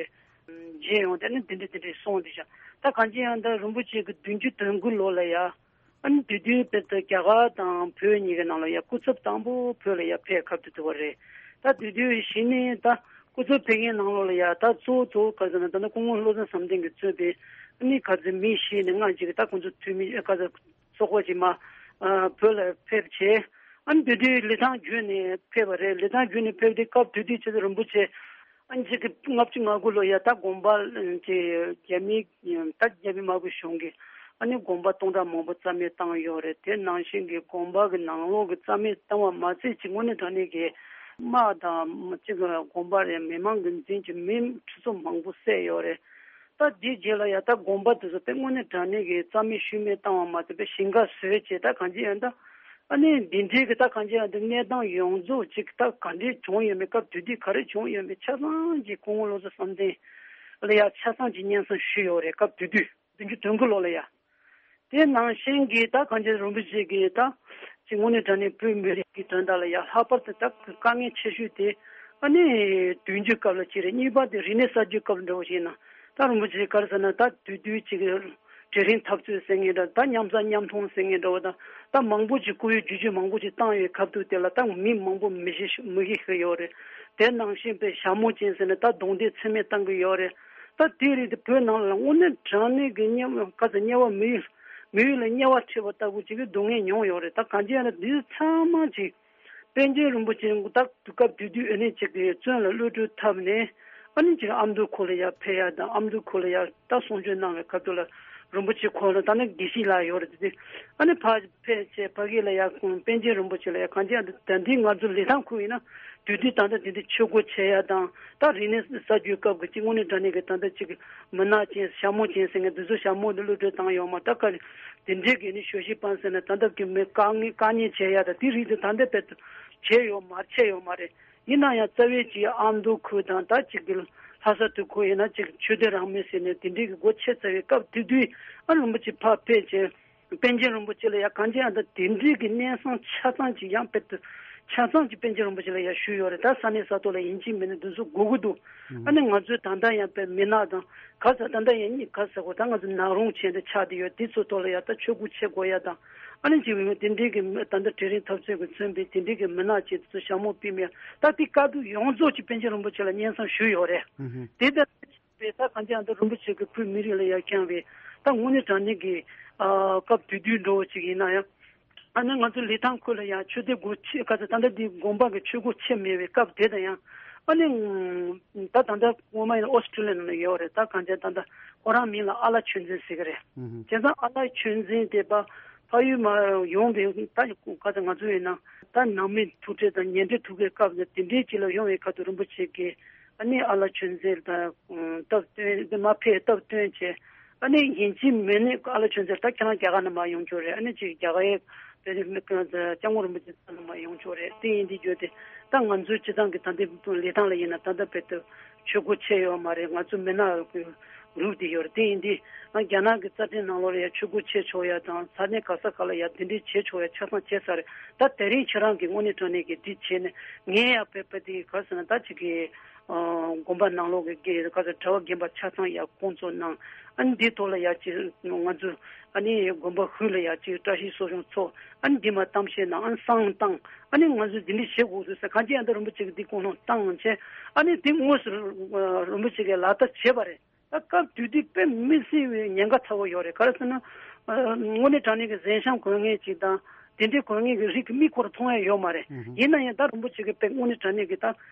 མཇལ་ཡོང་དེ་ནི་འདི་འདྲ་འདི་འདྲ་སོང་དེ་བཞག་ད་གང་ཅི་ཡང་ད་རིན་པོ་ཆེ་གི་བདུན་ཅུ་དོན་དགུ་ལོ་ལ་ཡ། ཨ་ནི་དེ་དུས་དཔེར་ན་རྒྱ་གར་དང་བོད་གཉིས་ཀྱི་ནང་ལ་ཡ་སྐུ་ཚབ་དང་པོ་བོད་ལ་ཡ་ཕེབས་ཁ་ཐུག་ཐུབ་པ་རེད། ད་དེ་དུས་གཞི་ནས་ད་སྐུ་ཚབ་ཕེབས་མཁན་ནང་ལོགས་ལ་ཡ་ད་གཙོ་བོ་གཙོ་བོ་ག་ཟེར་ན་ད་ནི་སྐུ་ངོ་བློ་བཟང་བསམ་གཏན་གྱིས་གཙོས་པའི་ཨ་ནི་ག་ཚོད་མི་ཤེས་ནས་ང་ཅིག་ད་ཁོང་ཚོ་འཐུས་མི་ག་ཚོད་ཚོགས་པ་ཅིག་མ་ཨ་བོད་ལ་ཕེབས་བྱས། ཨ་ནི་དེ་དུས་ལི་ཐང་བརྒྱུད་ནས་ཕེབས་པ་རེད། ལི་ཐང་བརྒྱུད་ནས་ཕེབས་དུས་སྐབས་དེ་དུས་ཆེ་ཚེ་རིན་པོ་ཆེ་ཨ་ནི་ཅིག་གི་ལྔ་བཅུ་ང་དགུ་ལོ་ཡ་ད་དགོངས་པ་ཅིག་རྒྱ་མི་ད་རྒྱ་མི་དམར་པོ་གཞུང་གིས་ཨ་ནི་དགོངས་པ་སྟོང་ཕྲག་མང་པོ་རྩ་མེད་བཏང་ཡོད་རེད། དེ་ནང་བཞིན་གྱི་དགོངས་པ་གི་ནང་ལོགས་ཀྱི་རྩ་མེད་བཏང་བ་མ་ཚད་ཅིག་དངོས་གནས་དྲང་གནས་ཀྱི་དམག་དང་ཅིག་དགོངས་པ་རེད་མི་མང་གི་འཛིན་གྱི་མི་ཁྲི་ཚོ་མང་པོ་བསད་ཡོད་རེད། ད་དེའི་རྗེས་ལ་ཡ་ད་དགོངས་པ་དེ་ཚོ་དཔེ་དངོས་གནས་དྲང་གནས་ཀྱི་རྩ་མེད་ཤུལ་མེད་བཏང་བ་མ་ཚད་དཔེ་ཞིང་ཁ་བཟོས་བྱས་ད་གང་ཅི་ཡང་ད། ཨ་ནི་འདི་འདྲའི་གི་ད་གང་ཅི་ཡང་འདི་གནས་སྟངས་ཡོངས་རྫོགས་ཅིག་ད་ག་འདྲའི་བྱུང་ཡོད་མེད་སྐབས་དེ་དུས་ག་རེ་བྱུང་ཡོད་མེད་ཆ་ཚང་གི་སྐུ་ངོ་བློ་བཟང་བསམ་གཏན་ལ་ཡ་ཆ་ཚང་གི་སྙན་སེང་ཞུས་ཡོད་རེད། སྐབས་དེ་དུས་བདུན་ཅུ་དོན་དགུ་ལོ་ལ་ཡ། དེ་ནང་བཞིན་གྱི་ད་གང་ཅི་རིན་པོ་ཆེ་གི་ད་ཅིག་དངོས་གནས་དྲང་གནས་བོད་མི་རིགས་ཀྱི་དོན་དག་ལ་ཡ་ལྷག་པར་དུ་ད་དཀའ་ངལ་ཆེ་ཤོས་དེ་ཨ་ནི་བདུན་ཅུ་སྐབས་ལ་ཅིག་རེད། གཉིས་པ་དེ་རིག་གནས་གསར་བརྗེ་སྐབས་འདྲ་བོ་ཞིག་ཡིན་ན་ད་རིན་པོ་ཆེ་ག་རེ་ཟེར་ན་ད་དུས་དུས་ཅིག་གྲལ་རིམ་འཐབ་རྩོད་ཟེར་མཁན་འདྲ་ད་མཉམ་ཟ་མཉམ་འཐུང་ཟེར་མཁན་འདྲ་བོ་དང་ད་མང་པོ་ཅིག་སྐུ་ཡོད་བརྗོད་བརྗོད་མང་པོ་ཅིག་བཏང་ཡོད་སྐབས་དུས་དེ་ལ་ད་མི་མང་པོ་མི་ཤི་མི་ཤི་ཤི་ཡོད་རེད། དེ་ནང་བཞིན་པའི་ཞྭ་མོ་ཅན་ཟེར་ནས་ད་རྡུང་རྡེག་ཚད་མེད་བཏང་གི་ཡོད་རེད། ད་དེ་རིགས་དེ་བོད་ནང་ལ་དངོས་གནས་དྲང་གནས་ཀྱི་དམྱལ་བ་ག་ཚོད་དམྱལ་བ་མི་ཡུལ་མི་ཡུལ་ལ་དམྱལ་བ་ཁྲིད་པ་ལྟ་བུ་ཅིག་གི་སྡུག་བསྔལ་མྱོང་ཡོད་རེད། ད་གང་ཅི་ཡང་ན་འདི་ཚང་མ་ཅིག་པཎ་ཆེན་རིན་པོ་ཆེ་ད་དུས་སྐབས་དེ་དུས་ཨ་ནི་ཅིག་གི་བཙོན་ལ་གློད་གྲོལ་ཐབས་ནས་ཨ་ནི་ཅིག་ཨ་མདོ་ཁུལ་ལ་ཡར་ཕེབས་ཡ་དང་ཨ་མདོ་ཁུལ་ལ་ཡར་ད་གསུང་ཆོས་གནང་བའི་སྐབས་དུ་ལ་རིན་པོ་ཆེ་ཁོང་ལ་ད་ནི་དགེ་བཤེས་ལགས་ཡོད་རེད་དེ། ཨ་ནི་ཕ་ཕལ་ཆེར་ཕ་གི་ལ་ཡ་ཁོང་པཎ་ཆེན་རིན་པོ་ཆེ་ལ་ཡ་གང་ཅི་ཡང་ད་འདི་ང་ཚོ་ལི་ཐང་ཁུལ་ཡིན་ན་དུས་དུས་ད་ལྟ་དེ་འདྲ་ཆོས་སྒོ་ཕྱེ་ཡ་དང་ད་རིག་གནས་གསར་བརྗེའི་སྐབས་ཀྱི་གཅིག་དངོས་གནས་དྲང་གནས་ཀྱི་ད་ལྟ་གཅིག་མི་ནག་ཅན་ཞྭ་མོ་ཅན་ཟེར་མཁན་འདི་ཚོ་ཞྭ་མོ་འདི་གློད་གྲོལ་བཏང་ཡོད་མ་ད་ག་དེ་འདྲའི་གི་ནི་ཞོ་ཤི་པན་ཟེར་ན་ད་ལྟ་གི་མི་དཀའ་ངལ་དཀའ་ཉེན་བྱེད་ཡ་ད་དེ་རིགས་དེ་ད་ལྟ་དཔེ་བྱས་ཡོད་མ་བྱས་ཡོད་མ་རེད། ཡིན་ན་ཡང་རྩ་བའི་གཅིག་ཨ་མདོ་ཁུལ་དང་ད་གཅིག་གི་ལྷ་ས་དུ་ཁུལ་ཡིན་ན་གཅིག་ཆོས་སྡེ་རང་མོས་ཟེར་ནས་དེ་འདྲའི་གི་སྒོ་ཕྱེ་ཚར་བའི་སྐབས་དེ་དུས་ཨ་རིན་པོ་ཆེ་ཕར་ཕེབས་བྱས། པཎ་ཆེན་རིན་པོ་ཆེ་ལ་ཡང་གང་ཅི་ཡང་ད་དེ་འདྲའི་གི་གནས་སྟངས་ཆ་ཚང་ཅིག་ཡང་དཔེ་དུ་ཆ་ཚང་ཅིག་པཎ་ཆེན་རིན་པོ་ཆེ་ལ་ཡང་ཞུས་ཡོད་རེད། ད་ས་གནས་ས་ཐོག་ལ་ཡིན་གཅིག་མིན་གཅིག་འདི་ཚོ་དགོས་ཀྱི་འདུག་ཨ་ནི་ང་ཚོའི་ད་ལྟ་ཡང་དཔེ་མི་ནག་དང་ག་ས་ད་ལྟ་ཡང་གཉིས་ག་ས་གོ་ད་ང་ཚོ་ནག་རོང་ཅན་དུ་ཆགས་བསྡད་ཡོད། དེ་ཚོ་ཐོག་ལ་ཡང་ད་ཆོས་སྒོ་ཕྱེ་དགོས་ཡ་དང་ཨ་ནི་ཅིག་ཡོད་དེ་འདྲའི་གི་མི་ད་ལྟ་གྲལ་རིམ་འཐབ་རྩོད་ཀྱི་མཚོན་པའི་དེ་འདྲའི་གི་མི་ནག་ཅན་དེ་ཚོ་ཞྭ་མོ་པི་མེ་ད་དེ་བཀའ་བསྡུ་ཡོངས་རྫོགས་ཀྱི་པཎ་ཆེན་རིན་པོ་ཆེ་ལ་སྙན་སེང་ཞུས་ཡོད་རེད། དེ་ལྟར། པས་ད་གང་ཅི་ཡང་ད་རིན་པོ་ཆེ་གི་བོད་མི་རིགས་ལ་ཡ་བསྐྱངས་པའི་ད་དངོས་གནས་དྲང་གནས་ཀྱི་ཨ་སྐབས་དེ་དུས་འགྲོ་བ་ཅིག་ཡིན་ན་ཡང་ཨ་ནི་ང་ཚོ་ལི་ཐང་ཁུལ་ལ་ཡང་ཆོས་སྡེ་སྒོ་ཕྱེ་ག་ཚོད་ད་ལྟ་འདི་དགོན་པ་གི་ཆོས་སྒོ་ཕྱེ་མེད་པའི་སྐབས་དེ་དང་ཡང་ཨ་ནི་ད་ད་ལྟ་སྔོན་མ་ཡིན་ན་ཨོ་སི་ཀྲི་ལི་ཡ་ནང་ལ་ཡོད་རེད། ད་གང་ཅི་ད་ལྟ་ཁོ་རང་མིང་ལ་ཨ་ལ་ཆོས་འཛིན་ཟེར་གི་རེད། བྱས་ཙང་ཨ་ལ་ཆོས་འཛིན་དེ་པ་ཕ་ཡུལ་མ་ཡོང་བའི་ད་ག་ཚོད་ང་ཚོ་ཡིན་ན་ད་ནང་མི་ཐུག་འཕྲད་དང་ཉེ་འབྲེལ་ཐུག་པའི་སྐབས་དེ་འདྲའི་ཅིག་ལ་ཡོང་བའི་ཁ་ཐུག་རིན་པོ་ཆེ་གིས། ཨ་ནི་ཨ་ལ་ཆོས་འཛིན་དང་སྟབས་བསྟུན་དེ་མ་ཕེབས་སྟབས་བསྟུན་བྱས། ཨ་ནི་ཡིན་གཅིག་མིན་ནི་ཨ་ལ་ཆོས་འཛིན་ད་ཁྱེད་རང་རྒྱ་གར་ནས་མར་ཡོང་ཆོག་རེད། ཨ་ནི་ཅིག་རྒྱ་གར་ཡའི་དཔེ་དེ་སྐྱབས་མགོན་རིན་པོ་ཆེ་ཚང་ནས་མར་ཡོང་ཆོག་རེད། དེ་ཡིན་དུས་རྒྱུ་དེ་ད་ང་ཚོའི་སྤྱི་བཏང་གི་ད་ལྟའི་ལི་ཐང་ལ་ཡིན་ན་ད་ལྟ་དཔེ་དེ་ཆོས་སྒོ་ཕྱེ་ཡོད་མ་རེད། ང་ཚོ་མི་ནག་གི་རུབ་དེ་ཡོད་རེད། དེ་ཡིན་དུས་ང་རྒྱ་ནག་གི་རྩ་ཁྲིམས་ནང་ལོགས་ལ་ཡ་ཆོས་སྒོ་ཕྱེ་ཆོག་ཡ་དང་ས་གནས་ག་ས་ག་ལ་ཡ་དེ་འདྲའི་བྱེད་ཆོག་ཡ་ཆ་ཚང་བྱེད་ས་རེད། ད་དེ་རིང་ཁྱེད་རང་གི་དངོས་གནས་དྲང་གནས་ཀྱི་དེ་བྱས་ནས་ངས་ཡ་དཔེ་དཔེ་དེ་ག་ཟེར་ན་ད་ཅིག་གི་དགོན་པ་ནང་ལོགས་ཀྱི་དགེ་ག་ཚོད་གྲྭ་པ་རྒན་པ་ཆ་ཚང་ཡར་བསྐོང་ཚོགས་གནང་། ཨ་ནི་འདི་ཐོག་ལ་ཡར་ཅིག་ང་ཚོ་ཨ་ནི་དགོན་པ་ཧུད་ལ་ཡར་ཅིག་བཀྲ་ཤིས་གསོ་སྦྱོང་ཚོགས། ཨ་ནི་འདི་མ་གཏམ་བཤད་གནང་། ཨ་ནི་བསང་བཏང་། ཨ་ནི་ང་ཚོ་འདི་འདྲ་བྱེད་དགོས་འདུག་ཟེར་གང་ཅི་ཡང་ད་རིན་པོ་ཆེ་གི་འདི་དགོངས་དོན་བཏང་བྱས། ཨ་ནི་འདི་དངོས་སུ་རིན་པོ་ཆེ་གིས་ལག་བསྟར་བྱས་པ་རེད། ད་སྐབས་དེ་དུས་དཔེ་མི་སྲིད་པའི་ཉེན་ཁ་ཚ་བོ་ཡོད་རེད། ག་རེ་ཟེར་ན། ཨ་དངོས་གནས་དྲང་གནས་ཀྱི་གཟན་ཤམ་གོན་མཁན་ཅིག་དང་དེ་འདྲའི་གོན་མཁན་གྱི་རིགས་ཀྱི་མིག་ཁོ་རང་མཐོང་ཡ་ཡོད་མ་རེད། ཨུ་ཧུ། ཡིན་ན་ཡང་ད་རིན་པོ་ཆེ་གིས་དཔེ་དངོས་གནས་དྲང་གནས་ཀྱི་ད་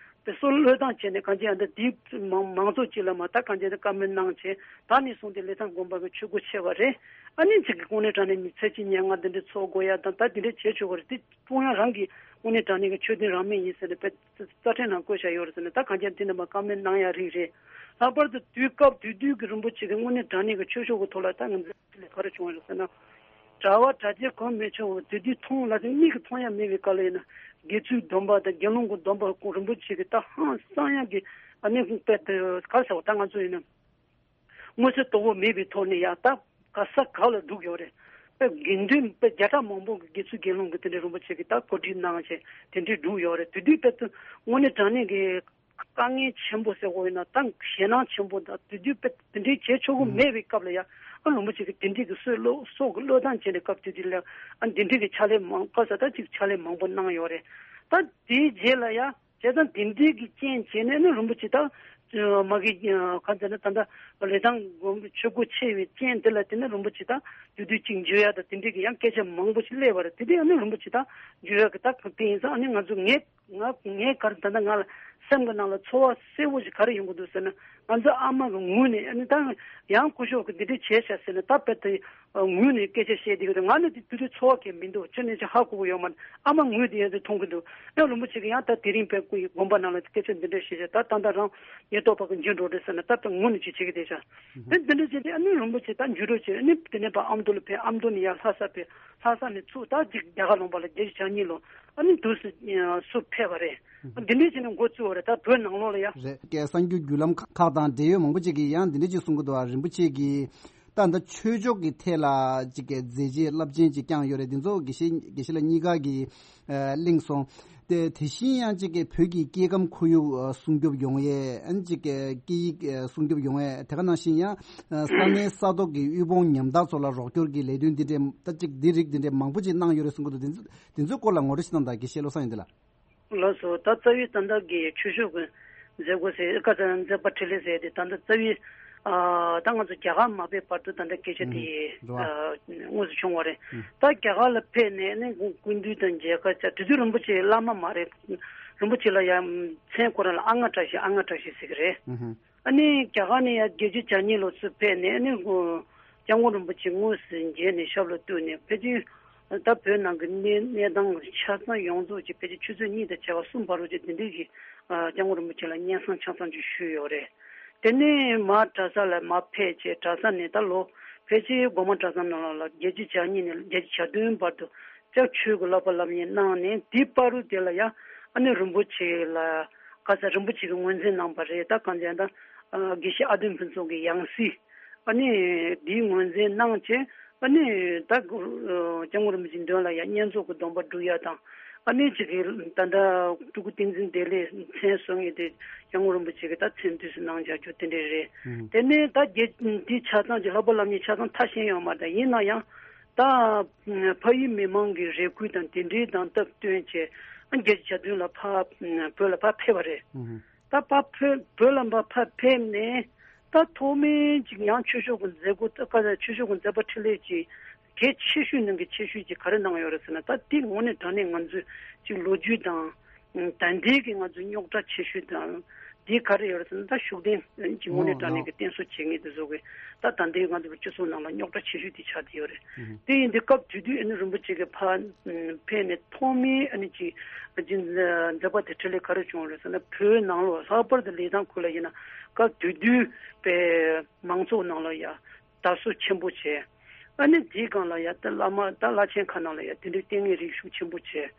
དཔེ་སྲོལ་བློས་བཏང་བྱས་ནས་གང་ཅི་ཡང་ད་དེའི་མང་མང་ཚོགས་ཅིག་ལ་མ་ད་གང་ཅི་ཡང་ད་བཀའ་མོལ་གནང་བྱས་ད་ནས་བཟུང་སྟེ་ལི་ཐང་དགོན་པ་གི་ཆོས་སྒོ་ཕྱེ་བ་རེད། ཨ་ནི་ཅིག་གི་དངོས་གནས་དྲང་གནས་མི་ཚེ་གཅིག་ཉེར་ལྔ་འདི་འདྲའི་འཚོ་དགོས་ཡ་དང་ད་འདི་འདྲའི་བྱེད་ཆོག་གི་རེད། དེ་ཀྲུང་དབྱང་རང་གི་དངོས་གནས་དྲང་གནས་ཀྱི་ཆོས་དོན་རང་མོས་ཡིན་ཟེར་ནས་དཔེ་རྩ་ཁྲིམས་ནང་བཀོད་བཞག་ཡོད་རེད་ཟེར་ནས་ད་གང་ཅི་དེ་འདྲ་མ་བཀའ་མོལ་གནང་ཡ་རིགས་རེད། ལྷག་པར་དུ་དུས་སྐབས་དེ་དུས་ཀྱི་རིན་པོ་ཆེ་གི་དངོས་གནས་དྲང་གནས་ཀྱི་ཆོས་ཕྱོགས་ཀྱི་ཐོག་ལ་ད་ང་ཚོས་ལས་ག་རེ་བྱུང་བ་རེད་ཟེར་ན། གྲྭ་པ་གྲྭ་ཆས་གོན་མི་ཆོག་པ་དེ་དུས་མཐོང་ལ་དེ་མིག་གིས་མཐོང་ཡ་མེད་པའི་སྐབས་ལ་ཡིན་ན་དགེ་ཚུལ་སྡོམ་པ་དང་དགེ་སློང་གི་སྡོམ་པ་ཁོང་རིན་པོ་ཆེ་གི་ད་ཧང་སང་ཡ་གི་ཨ་ནི་དཔེ་དེ་ག་རེ་ཟེར་བ་ད་ང་ཚོ་ཡིན་ན། མངོན་གསལ་དོད་པོ་མེད་པའི་ཐོག་ནས་ཡང་ད་ག་ས་ག་ལ་འདུག་ཡོད་རེད། དཔེ་དགེ་འདུན་དཔེ་བརྒྱ་ཕྲག་མང་པོ་གི་དགེ་ཚུལ་དགེ་སློང་གི་དེ་འདྲའི་རིན་པོ་ཆེ་གི་ད་གོ་སྒྲིག་གནང་བྱས་དེ་འདྲའི་བསྒྲུབས་ཡོད་རེད། དེ་དུས་དཔེ་དུ་དངོས་གནས་དྲང་གནས་ཀྱི་དཀའ་ངལ་ཆེན་པོ་ཟེར་དགོས་ཡིན་ན་ད་ཞེད་སྣང་ཆེན་པོ་དང་དེ་དུས་དཔེ་དེ་འདྲའི་བྱེད་ཆོག་གི་མེད་པའི་སྐབས་ལ་ཡ། ཨ་རིན་པོ་ཆེ་གི་དེ་འདྲའི་གི་སྲོག་བློ་སྲོག་གི་བློས་བཏང་བྱས་ནས་སྐབས་དེ་དུས་ལ་ཨ་འདི་འདྲའི་གི་ཕྱག་ལས་མང་སྐབས་ས་ད་ཅིག་ཕྱག་ལས་མང་པོ་གནང་ཡོད་རེད། ད་དེའི་རྗེས་ལ་ཡ། བྱས་ཙང་དེ་འདྲའི་གི་རྐྱེན་བྱས་ནས་ནི་རིན་པོ་ཆེ་དང་། མ་གི་གང་ཟེར་ན་ད་ལྟ་ལི་ཐང་དགོན་པའི་ཆོས་སྒོ་ཕྱེ་བའི་རྐྱེན་དེ་ལ་བརྟེན་ནས་རིན་པོ་ཆེ་དང་དུས་དུས་གཅིག་འཇུ་ཡ་དང་དེ་འདྲའི་གི་ཡང་སྐད་ཆ་མང་པོ་ཞིག་སླེབས་པ་རེད། དེ་དུས་ཨ་ནི་རིན་པོ་ཆེ་དང་འཇུ་ཡ་གི་ད་དེ་ཡིན་ཙང་ཨ་ནི་ང་ཚོ་ངས་ང་ངས་ག་རེ་ད་ལྟ་ང་ལ་སེམས་ཀྱི་ནང་ལ་ཚོར་བ་གསལ་པོ་ཞིག་ག་རེ་ཡོང་གི་འདུག་ཟེར་ན། ང་ཚོ་ཨ་མ་གི་ངོས་ནས་ཨ་ནི་ད་ཡང་སྐུ་ཞབས་ཀྱི་འདི་འདྲ་བྱས་ཤག་ཟེར་ན་ད་དཔེ་དེ། ངོས་ནས་སྐད་ཆ་བཤད་བསྡད་ཀྱི་འདུག་ང་ནི་དེ་དུས་དུས་ཚོར་བ་གང་མི་འདུག་ཅི་ནས་ཅི་ཧ་གོ་གི་ཡོད་མ་རེད། ཨ་མ་ངོས་དེ་ཡང་དེ་མཐོང་གི་འདུག་ཡང་རིན་པོ་ཆེ་གི་ཡང་ད་དེ་རིང་བས་ཁོ་ཡི་དགོན་པ་ནང་ལ་སྐད་ཆ་འདི་འདྲ་བཤད་བྱས་ད་ད་ལྟ་རང་ཉེན་རྟོག་པ་གི་འཇུ་འགྲོ་རེད་ཟེར་ན་ད་ད་ངོས་ནས་ཅི་བྱེད་ཀྱི་བསྡད་ཤག་དེ་འདི་འདྲ་བྱས་ཏེ་ཨ་ནི་རིན་པོ་ཆེ་ད་འཇུ་འགྲོ་བྱས་ཨ་ནི་དེ་ནས་ཕར་ཨ་མདོ་ལ་ཕེབས། ཨ་མདོ་ནས་ཡར་ལྷ་ས་ཕེབས། ལྷ་ས་ནས་ཚུར་ད་ཅིག་རྒྱ་གར་ལུང་པ་ལ་བརྒྱད་ཅུ་གྱ་གཉིས་ལོ་ཨ་ནི་དུས་སུ་སུ་ཕེབས་པ་རེད། འདི་འདྲ་བྱས་ནས་འགོ་བཙུགས་པ་རེད། ད་བོད་ནང་ལོགས་ལ་ཡ། རེད། གསར་འགྱུར་བརྒྱུད་ལམ་ཁག་དང་འབྲེལ་ཡོད་མང་པོ་ཅིག་གིས་ཡང་འདི་འདྲ་ཅིག་གསུང་གི་འདུག་ཨ་རིན་པོ་ཆེ་གིས། ད་ལྟ་ཆོས་ཕྱོགས་ཀྱི་ཐད་ལ་ཅིག་གི་མཛད་རྗེས་རླབས་ཆེན་ཅིག་བསྐྱངས་ཡོད་རེད། འདི་ཚོ་དགེ་བཤེས་དགེ་བཤེས་ལགས་གཉིས་ཀ་གིས་ཨ་གླེང་སོང་། དེ་དེ་བཞིན་ཡང་ཅིག་གི་བོད་ཀྱི་སྐྱེ་ཁམས་ཁོར་ཡུག་ཨ་སྲུང་སྐྱོབ་ཡོང་ཡས། ཨ་ཅིག་གི་སྐད་ཡིག་ཨ་སྲུང་སྐྱོབ་ཡོང་ཡས། དེ་ག་ནང་བཞིན་ཡང་ཨ་ས་གནས་ས་ཐོག་གི་དབུལ་ཕོངས་ཉམ་ཐག་ཚོ་ལ་རོགས་སྐྱོར་གྱི་ལས་དོན་འདི་འདྲའི་ད་ཅིག་འདི་རིགས་འདི་འདྲའི་མང་པོ་ཅིག་གནང་ཡོད་རེད་གསུང་གི་འདུག་འདི་ཚོ་འདི་ཚོའི་སྐོར་ལ་ངོ་སྤྲོད་ཅིག་གནང་དང་། དགེ་བཤེས་བློ་བཟང་ཡོན་ཏན་ལགས། ལགས་སོ། ད་རྩ་བའི་ད་ལྟ་གི་ཆོས་ཕྱོགས་ཀྱི་མཛད་སྒོ་ཟེར་ཀ་ཙ་མཛད་པ་འཕྲིན་ལས་ཟེར་དེ་ད་ལྟ་རྩ་བའི་ཨ་ད་ང་ཚོ་རྒྱ་གར་མ་ཕེབས་བར་དུ་ད་ལྟ་སྐད་ཆ་དེ་ཨ་དངོས་སུ་བྱུང་བ་རེད། ད་རྒྱ་གར་ལ་ཕེབས་ནས་ནི་སྐུ་མདུན་དང་མཇལ་ཁ་བྱ། དེ་དུས་རིན་པོ་ཆེ་བླ་མ་མ་རེད། རིན་པོ་ཆེ་ལ་ཡང་མཚན་ཁོ་རང་ལ་ཨ་ལྔ་བཀྲ་ཤིས་ཨ་ལྔ་བཀྲ་ཤིས་ཟེར་གི་རེད། ཨ་ནི་རྒྱ་གར་ནས་ཡང་བརྒྱད་ཅུ་གྱ་གཉིས་ལོ་ཚུར་ཕེབས་ནས་ཨ་ནི་སྐྱབས་མགོན་རིན་པོ་ཆེ་དངོས་སུ་མཇལ་ནས་ཞབས་ལ་གཏུགས་ནས་ཕལ་ཆེར་ད་བོད་ནང་གི་གནས་གནས་སྟངས་ཆ་ཚང་ཡོངས་རྫོགས་ཀྱི་ཕལ་ཆེར་ཆུ་ཚོད་གཉིས་དང་བྱ་བ་གསུམ་བར་དུ་ཅིག་འདི་འདྲའི་གི་སྐྱབས་མགོན་རིན་པོ་ཆེ་ལ་སྙན་སེང་ཆ་ཚང་ཅིག་ཞུས་ཡོད་རེད། དེ་ནས་མར་གྲྭ་ས་ལ་མར་ཕེབས་བྱས་གྲྭ་ས་ནས་ད་ལོ་ཕལ་ཆེར་སྒོ་མང་གྲྭ་ཚང་ནང་ལ་བརྒྱད་ཅུ་གྱ་གཉིས་ནས་བརྒྱད་ཅུ་གྱ་བདུན་བར་དུ་སྐྱབས་ཆོས་ཀྱི་བསླབ་པ་སློབ་གཉེར་གནང་ནས་དེའི་བར་དུ་དེ་ལ་ཡང་ཨ་ནི་རིན་པོ་ཆེ་ལ་ག་ས་རིན་པོ་ཆེ་གིས་ངོས་འཛིན་གནང་བ་རེད། ད་གང་ཟེར་ན་ད་དགེ་བཤེས་ཨ་དོན་ཕུན་ཚོགས་ཀྱི་ཡང་སྲིད། ཨ་ནི་འདིའི་ངོས་འཛིན་གནང་བྱས། ཨ་ནི་ད་སྐྱབས་མགོན་རིན་པོ་ཆེའི་མདུན་ལ་ཡང་བསྙེན་རྫོགས་ཀྱི་སྡོམ་པ་སྒྲུབ་ཡ་དང་། ཨ་ནི་ཅིག་གི་ད་ལྟ་སྤྲུལ་སྐུ་བསྟན་འཛིན་བདེ་ལེགས་མཚན་གསོལ་མཁན་དེ་སྐྱབས་མགོན་རིན་པོ་ཆེ་གིས་ད་མཚན་དུས་སུ་གནང་བཞག་རྒྱུ་དེ་འདྲས་རེད། དེ་ནས་ད་རྒྱལ་འདི་ཆ་ཚང་གི་བསླབ་པ་སློབ་གཉེར་ཆ་ཚང་མཐར་ཕྱིན་ཡོད་མ་རེད། ཡིན་ན་ཡང་ད་ཕ་ཡུལ་མི་མང་གི་རེ་སྐུལ་དང་དེ་འདྲའི་དང་སྟབས་བསྟུན་བྱས། ཨ་བརྒྱད་ཅུ་གྱ་བདུན་ལ་ཕ་བོད་ལ་ཕར་ཕེབས་པ་རེད། ད་ཕར་བོད་བོད་ལ་ཕར་ཕེབས་ནས་ད་ཐོག་མའི་ཅིག་ཡང་ཆོས་ཕྱོགས་ཀྱི་མཛད་སྒོ་ད་ག་ཆོས་ཕྱོགས་ཀྱི་མཛད་པ་འཕྲིན་ལས་ཀྱི་གལ་ཆེ་ཤོས་ནང་གི་ཆེ་ཤོས་ཀྱི་ག་རེ་གནང་ཡོད་རེད་ཟེར་ན། ད་དེ་དངོས་གནས་དྲང་གནས་ང་ཚོས་ཅིག་ལོ་རྒྱུས་དང་ད་ལྟའི་གི་ང་ཚོའི་རྙོག་དྲ་ཆེ་ཤོས་དང་དེ་ག་རེ་ཡོད་རེད་ཟེར་ན། ད་ཤུགས་ལྡན་ཅིག་དངོས་གནས་དྲང་གནས་ཀྱི་བསྟེན་གསོལ་བྱེད་མཁན་དེ་ཚོ་གི་ད་ད་ལྟའི་ང་ཚོ་གི་སྤྱི་ཚོགས་ནང་ལ་རྙོག་དྲ་ཆེ་ཤོས་དེ་ཆགས་བསྡད་ཡོད་རེད། དེ་ཡིན་དུས་སྐབས་དེ་དུས་ཨ་ནི་རིན་པོ་ཆེ་གི་ཕར་ཕེབས་ནས་ཐོག་མའི་ཨ་ནི་ཅིག་མཛད་པ་དེ་འཕྲིན་ལས་ག་རེ་བྱུང་རེད་ཟེར་ན། བོད་ནང་ལོགས་ལྷག་པར་དུ་ལི་ཐང་ཁུལ་ལ་ཡིན་ན་སྐབས་དེ་དུས་པའི་མང་ཚོགས་ནང་ལ་ཡ་དར་སྲོལ་ཆེན་པོ་བྱས། ཨ་ནི་དེའི་སྒང་ལ་ཡ་ད་བླ་མ་ད་བླ་ཆེན་ཁག་ནང་ལ་ཡ་དེ་འདྲའི་ལྟས་ངན་རིགས་ཤུགས་ཆེན་པོ་བྱས།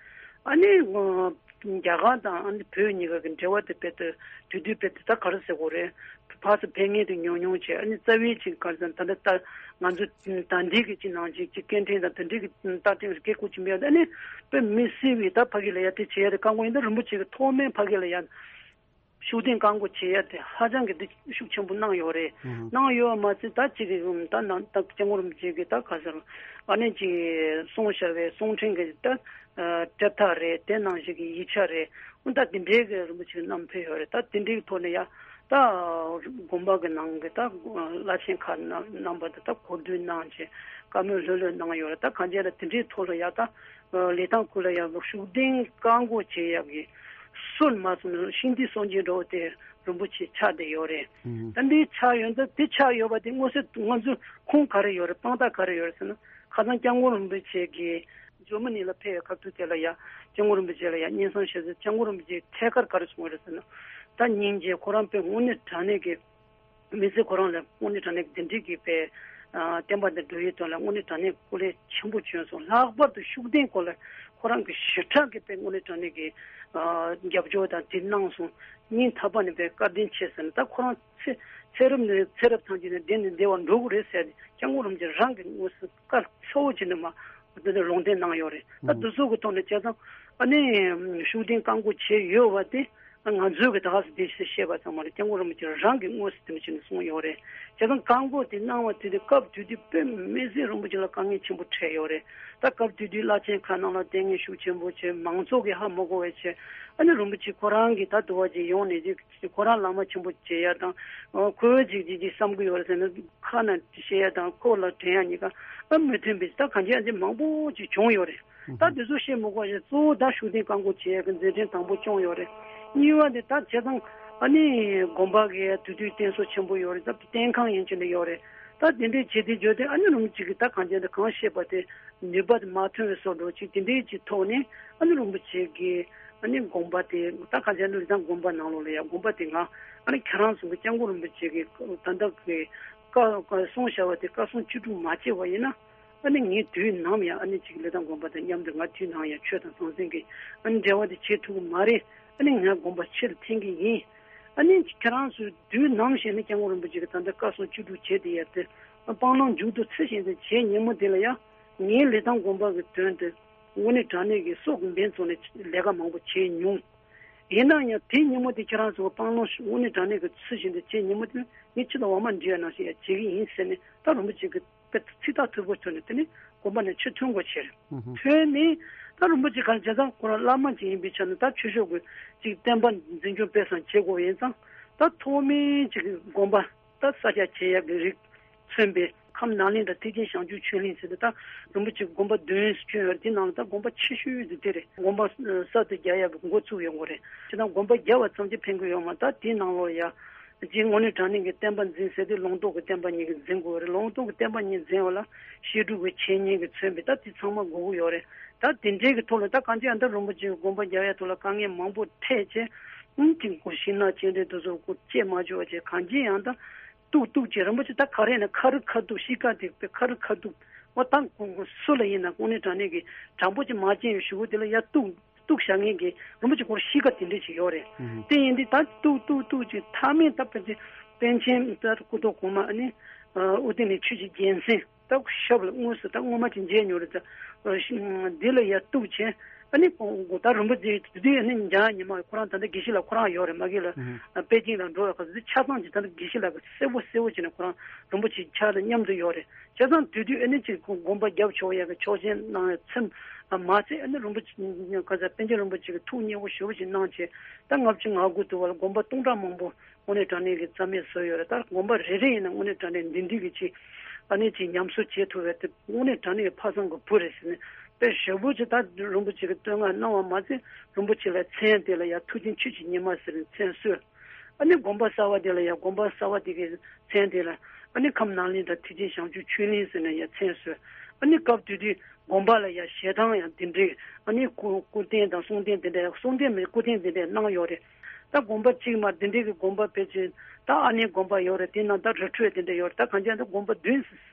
ཨ་ནི་རྒྱ་གར་དང་ཨ་ནི་བོད་གཉིས་ཀ་གི་འབྲེལ་བ་དེ་དཔེ་དེ་དུས་དུས་དཔེ་དེ་ད་ག་རེ་ཟེར་དགོས་རེད། ཕར་ཚུར་ཕེབས་མཁན་དེ་ཉུང་ཉུང་བྱས། ཨ་ནི་རྩ་བའི་ཅིག་ག་རེ་ཟེར་ན་ད་ལྟ་ད་ང་ཚོ་ད་འདི་གི་ཅིག་ནང་ཅིག་ཅིག་སྐད་འཕྲིན་དང་དེ་འདྲའི་གི་རྟགས་ཅན་གྱི་སྐད་ཁུག་ཅིག་མེད། ཨ་ནི་དཔེ་མི་སྲིད་པའི་ད་ཕ་གི་ལ་ཡ་དེ་བྱེད་ཡ་དེ་བཀག་འགོག་ཡིན། ད་རིན་པོ་ཆེ་གི་ཐོག་མའི་ཕ་གི་ལ་ཡ་ཤུགས་ལྡན་བཀག་འགོག་བྱེད་ཡ་དེ་ཧ་ཅང་གི་དེ་ཤུགས་ཆེན་པོ་གནང་ཡོད་རེད། གནང་ཡོད་མ་ཚད་ད་ཅིག་གི་ད་ནང་ད་སྐྱབས་མགོན་རིན་པོ་ཆེ་གི་ད་ག་ཟེར་ཨ་ནི་ཅིག་གསུངས་བཞག་པའི་གསུང་འཕྲིན་གི་ད་ཨ་གྲལ་ཐག་རེད། དེ་ནང་བཞིན་གྱི་ཡིག་ཆ་རེད། འོ་ད་དེ་འདྲའི་གི་རིན་པོ་ཆེ་གི་བསྣམས་ཕེབས་ཡོད་རེད། ད་དེ་འདྲའི་ཐོག་ནས་ཡ་ད་དགོན་པ་གི་ནང་གི་ད་བླ་ཆེན་ཁག་རྣམ་རྣམ་པ་དེ་ད་གོ་བསྡུར་གནང་བྱས་བཀའ་མོལ་ལྷོད་ལྷོད་གནང་ཡོད་རེད། ད་གང་ཅི་ལ་དེ་འདྲའི་ཐོག་ལ་ཡ་ད་ལི་ཐང་ཁུལ་ལ་ཡ་ཤུགས་ལྡན་བཀག་འགོག་བྱེད་ཡག་གི་སྲོལ་མ་སོང་ན་ཤིང་རྟའི་སྲོལ་འབྱེད་འདྲ་བོ་དེ་རིན་པོ་ཆེ་ཆགས་བསྡད་ཡོད་རེད། ད་འདི་ཆགས་ཡོད་ད་དེ་ཆགས་ཡོད་པ་དེ་མངོན་གསལ་ང་ཚོ་ཁུངས་ག་རེ་ཡོད་རེད། དཔང་རྟགས་ག་རེ་ཡོད་རེད་ཟེར་ན། ཁ་སང་སྐྱབས་མགོན་རིན་པོ་ཆེ་གིས་ཇར་མ་ནི་ལ་ཕེབས་པའི་སྐབས་དུས་དེ་ལ་ཡ་སྐྱབས་མགོན་རིན་པོ་ཆེ་ལ་ཡ་སྙན་སེང་ཞུས་ཚེ་སྐྱབས་མགོན་རིན་པོ་ཆེས་ཐད་ཀར་ག་རེ་གསུངས་པ་རེད་ཟེར་ན། ད་སྙིང་རྗེ་ཁོ་རང་དཔེ་དངོས་གནས་དྲང་གནས་ཀྱི་མི་ཚེ་ཁོ་རང་ལ་དངོས་གནས་དྲང་གནས་ཀྱི་དེ་འདྲའི་གི་དཔེ་བསྟན་པ་འདི་འགྲོ་ཡུལ་དོན་ལ་དངོས་གནས་དྲང་གནས་སྐུ་ལས་ཆེན་པོ་བྱོན་སོང་། ལྷག་པར་དུ་ཤུགས་ལྡན་སྐོར་ལ་ཁོ་རང་གི་ཞེ་དྲག་གི་དཔེ་དངོས་གནས་དྲང་གནས་ཀྱི་རྒྱབ་སྐྱོར་དང་དེ་གནང་སོང་། སྙིང་ཐག་པ་ནས་དཔེ་བཀའ་དྲིན་ཆེ་ཟེར་ནས། ད་ཁོ་རང་ཚེ་ ཚེ་རབས་ནས་ཚེ་རབས་ཐམས་ཅད་ནས་འདི་ནས་འདི་བར་འགྲོ་གི་རེད་ཟེར་ཏེ་སྐྱབས་མགོན་རིན་པོ་ཆེ་རང་གིས་དངོས་སུ་བཀའ་གསལ་པོ་བྱས་ནས་མར་འདི་འདྲ་ལུང་བསྟན་གནང་ཡོད་རེད། ད་འདི་ཚོ་གི་ཐོག་ནས་བྱས་ཙང་ཨ་ནི་ཤུགས་ལྡན་བཀའ་བསྒོ་བྱས་ཡོད་པ་དེ། ང་ཚོས་ཀྱི་ད་ག་སེ་དེ་བཤད་པ་ཙམ་མ་རེད། སྐྱབས་མགོན་རིན་པོ་ཆེ་རང་གིས་དངོས་སུ་དེ་འདྲ་བྱས་ནས་གསུངས་ཡོད་རེད། བྱས་ཙང་བཀའ་བསྒོ་དེ་གནང་བ་དེ་དུས་སྐབས་དེ་དུས་དཔེ་མི་སྲིད་རིན་པོ་ཆེ་ལ་དཀའ་ངལ་ཆེན་པོ་འཕྲད་ཡོད་རེད། ད་སྐབས་དེ་དུས་བླ་ཆེན་ཁག་ནང་ལ་ལྟས་ངན་ཤུགས་ཆེན་པོ་བྱས། མང་ཚོགས་ཀྱིས་ཧ་མ་གོ་བའི་ཆེད་ཨ་ནི་རིན་པོ་ཆེ་ཁོ་རང་གིས་ད་དུ་བ་ཅིག་ཡོང་ནས་ཅིག་ཁོ་རང་བླ་མ་ཆེན་པོ་བྱེད་ཡ་དང་། ཁོས་ཅིག་ཅིག་ཅིག་བསམ་གྱི་ཡོད་རེད་ཟེར་ནས་ཁ་ནས་བཤད་ཡ་དང་ཁོ་ལ་དྲན་ཡ་གཉིས་ཀ་ཨ་མི་མཐུན་པའི་ད་གང་ཅི་ཨ་ཅེ་མང་པོ་ཅིག་བྱུང་ཡོད་རེད། ད་དེ་ཚོ་བཤད་མི་དགོས་ཤིང་གཙོ་བོ་ད་ཤུགས་ལྡན་བཀའ་བསྒོ་བྱེད་ཡ་གི་མཛད་འཕྲིན་དང་པོ་བསྐྱངས་ཡོད་རེད། གཉིས་པ་དེ་ད་བྱས་ཙང་ཨ་ནི་དགོན་པ་གི་དེ་དུས་རྟེན་གསོ་ཆེན་པོ་ཡོད་རེད། ད་རྟེན་ཁང་ཡན་ཆད་ནས་ཡོད་རེད། ད་དེ་འདྲའི་བྱེད་དེ་བརྗོད་དེ་ཨ་ནི་རིན་པོ་ཆེ་གི་ད་གང་བྱས་ད་གང་བཤད་པ་དེ་ནུས་པ་དེ་མ་ཐོན་པའི་བཟོ་འདྲ་ཅིག་དེ་འདྲའི་ཅིག་ཐོག་ནས་ཨ་ནི་རིན་པོ་ཆེ་གི་ཨ་ནི་དགོན་པ་དེ་ད་གང་བྱས་ན་ལི་ཐང་དགོན་པ་ནང་ལོགས་ལ་ཡ་དགོན་པ་དེ་ང་ཨ་ནི་ཁྱེད་རང་ཚོ་གི་སྐྱབས་མགོན་རིན་པོ་ཆེ་གི་ད་ལྟ་གི་བཀའ་བཀའ་གསུངས་བཞག་པ་དེ་བཀའ་གསུང་བཅུ་དྲུག་མ་བྱས་པ་ཡིན་ན། ཨ་ནི་ངས་དུས་ནམ་ཡང་ཨ་ནི་ཅིག་ལི་ཐང་དགོན་པ་དང་མཉམ་དུ་ང་དུས་ནམ་ཡང་ཆོས་དང་ཟང་ཟིང་གི་ཨ་ནི་འབྲེལ་བ་དེ་བྱེད་ཐུབ་ཀྱི་མ་རེད། ཨ་ནི་ང་དགོན་པ་ཕྱིར་འཐེན་གྱི་ཡིན། ཨ་ནི་ཁྱེད་རང་ཚོས་དུས་ནམ་ཞིག་ནི་སྐྱབས་མགོན་རིན་པོ་ཆེ་གི་ད་ལྟ་བཀའ་གསུང་བཅུ་དྲུག་བྱས་དེ་ཡར་དེ་སྤང་བླང་མཇུག་ཏུ་ཚུལ་བཞིན་དུ་བྱས་ཉིན་མོ་དེ་ལ་ཡང་ངའི་ལི་ཐང་དགོན་པ་གི་དོན་དུ་དངོས་གནས་དྲང་གནས་ཀྱི་སྲོག་གི་འབེན་བཙོང་ནས་ལས་ཀ་མང་པོ་བྱས་མྱོང་། ཡིན་ན་ཡང་དེའི་ཉིན་མོ་དེ་ཁྱེད་རང་ཚོ་སྤང་བླང་དངོས་གནས་དྲང་གནས་ཀྱི་ཚུལ་བཞིན་དུ་བྱས་ཉིན་མོ་དེ་ངས་ཁྱེད་དང་འོ་མ་འདྲི་བ་ནང་བཞིན་ཡང་བྱེད་ཀྱི་ཡིན་ཟེར་ནས་ད་རིན་པོ་ཆེ་གི་དཔེ་ཚིག་ཐག་ཐུར་པོ་ཐོན་ནས་དེ་ནི་དགོན་པ་ནས་ཕྱིར་ཐོན་དགོས་ཕྱིར། ཐོན་ནས་ད་རིན་པོ་ཆེ་ག་རེ་བྱས་ཙང་ཁོ་རང་བླ་མ་ཅིག་ཡིན་པའི་ཆ་ནས་ད་ཆོས་ཕྱོགས་ཀྱི་ཅིག་བསྟན་པ་འཛིན་སྐྱོང་སྤེལ་གསུམ་བྱེད་དགོས་ཡིན་ཙང་ད་ཐོག་མའི་ཅིག་དགོན་པ་ད་ས་སྐྱ་ཆེ་ཡབ་ཀྱི་རིགས་མཚོན་པའི་ཁམས་ནཱ་ལེནྡྲ་ཐེག་ཆེན་བྱང་ཆུབ་ཆོས་གླིང་ཟེར་ཏེ་ད་རིན་པོ་ཆེ་དགོན་པ་བདུན་བསྐྱོན་ཡོད་རེད། དེ་ནང་ལ་ད་དགོན་པ་ཆེ་ཤོས་དེ་དེ་རེད། དགོན་པ་གསར་དུ་རྒྱག་ཡག་གི་འགོ་ཚུགས་ཡོང་གི་རེད། ཅི་ད་དགོན་པ་རྒྱག་པ་ཙམ་གྱིས་ཕན་གི་ཡོད་མ་རེད། ད་དེའི་ནང་ལོགས་ཡ། རྗེ་དངོས་གནས་དྲང་གནས་ཀྱི་བསྟན་པ་འཛིན་ཟེར་དུས་ལུང་རྟོགས་ཀྱི་བསྟན་པ་ཉིད་ཀྱིས་འཛིན་དགོས་རེད། ལུང་རྟོགས་ཀྱི་བསྟན་པ་ཉིད་འཛིན་པ་ལ་བཤད་སྒྲུབ་ཀྱི་འཆད་ཉན་གྱིས་མཚོན་པའི་ད་དེ་ཚང་མ་དགོས་ཀྱི་ཡོད་རེད། ད་དེ་འདྲའི་གི་ཐོག་ལ་ད་གང་ཅི་ཡང་ད་རིན་པོ་ཆེ་གི་དགོན་པ་རྒྱག་ཡ་ཐོག་ལ་དཀའ་ངལ་མང་པོ་འཕྲད་བྱས། ཨུམ་ཅིག་གོ་ཤིང་ནགས་སྤྱན་འདྲེན་དེ་ཚོ་གོ་བཅད་མ་བཅུག་བྱས་གང་ཅི་ཡང་ད་གཏུག་གཏུག་བྱས་རིན་པོ་ཆེ་ད་ག་རེ་ན་ཁ་རུ་ཁ་ཐུག་ཤི་ཀ་དེ་དཔེ་ཁ་རུ་ཁ་ཐུག་འོ་ད་སུ་ལ་ཡིན་ན་དངོས་གནས་དྲང་གནས་ཀྱི་དྲང་པོ་ཅིག་མ་བྱས་ཡོད་ཞུ་གི་དེ་ལ་ཡ་གཏུག་གཏུག་བཞག་མཁན་གྱི་རིན་པོ་ཆེ་སྐོར་གཤིས་ཀ་དེ་འདྲས་ཅིག་ཡོད་རེད། དེ་ཡིན་དུས་ད་གཏུག་གཏུག་གཏུག་ཅིག་མཐའ་མའི་ད་དཔེ་དེ་པཎ་ཆེན་ད་སྐུ་ཐོག་གོང་མ་ཨ་ནི་ཨོ་ཏི་ནི་ཆོས་ཀྱི་རྒྱལ་མཚན་ད་ཞབས་ལ་དངོས་སུ་ད་སྔོན་མ་ཅིག་མཇལ་མྱོང་རེད། ད་འདི་ལ་ཡ་གཏུག་བྱས་ཨ་ནི་ད་རིན་པོ་ཆེ་དེ་དུས་ཨ་ནི་འཇང་ཉི་མ་ཁོ་རང་ད་ལྟ་དགེ་བཤེས་ལགས་ཁོ་རང་ཡོད་རེད། མ་གི་ལ་པེ་ཅིང་ལ་འགྲོ་བའི་སྐབས་སུ་ཆ་ཚང་ཅིག་ད་ལྟ་དགེ་བཤེས་ལགས་ཀྱི་གསལ་པོ་གསལ་པོ་བྱས་ནས་ཁོ་རང་རིན་པོ་ཆེ་ཕྱག་ལ་མཉམ་དུ་ཡོད་རེད། བྱས་ཙང་དེ་དུས་ཨ་ནི་ཅིག་དགོན་པ་རྒྱབ་ཕྱོགས་ཡ་གི་ཆོག་མཆན་གནང་བའི་ཚེ་མ་ཚད་ཨ་ནི་རིན་པོ་ཆེ་ག་ས་པཎ་ཆེན་རིན་པོ་ཆེ་གི་ཐུགས་མཉེས་པོ་ཞེ་པོ་ཞིག་གནང་བྱས་ད་ལྔ་བཅུ་ང་དགུ་དུ་བ་ལ་དགོན་པ་སྟོང་ཕྲག་མང་པོ་དངོས་གནས་དྲང་གནས་ཀྱི་རྩ་མེད་བཟོས་ཡོད་རེད། ད་དགོན་པ་རེ་རེ་ཡིན་ན་དངོས་གནས་དྲང་གནས་འདི་འདི་གི་ཅིག་ཨ་ནི་ཅིག་ཉམས་གསོ་བྱེད་ཐུབ་པའི་དེ་དངོས་གནས་དྲང་གནས་ཀྱི་ཕ་བཟང་གི་བུ་རེད་ཟེར་ནས་དཔེ་ཞེ་པོ་ཅིག་ད་རིན་པོ་ཆེ་གི་བསྟོད་བསྔགས་གནང་བ་མ་ཚད་རིན་པོ་ཆེ་ལ་མཚན་དེ་ལ་ཡ་མཐུ་ཆེན་ཆོས་ཀྱི་ཉི་མ་ཟེར་ནས་མཚན་གསོལ། ཨ་ནི་དགོན་པ་གསར་བ་དེ་ལ་ཡང་དགོན་པ་གསར་བ་དེ་གའི་མཚན་དེ་ལ་ཨ་ནི་ཁམས་ནཱ་ལེནྡྲ་ཐེག་ཆེན་བྱང་ཆུབ་ཆོས་གླིང་ཟེར་ནས་ཡང་མཚན་གསོལ། ཨ་ནི་སྐབས་དེ་དུས་དགོན་པ་ལ་ཡང་ཞལ་ཐང་ཡང་དེ་འདྲའི་ཨ་ནི་སྐུ་སྐུ་རྟེན་དང་གསུང་རྟེན་དེ་འདྲ་གསུང་རྟེན་མིན་སྐུ་རྟེན་དེ་འདྲ་གནང་ཡོད་རེད། ད་དགོན་པ་གཅིག་མ་དེ་འདྲའི་གི་དགོན་པ་ཕལ་ཆེར་ད་ཨ་ནི་དགོན་པ་ཡོད་རེད། དེ་ན་ད་རི་ཁྲོད་དེ་འདྲ་ཡོད་རེད། ད་གང་ཅི་ད་དགོན་པ་བདུན་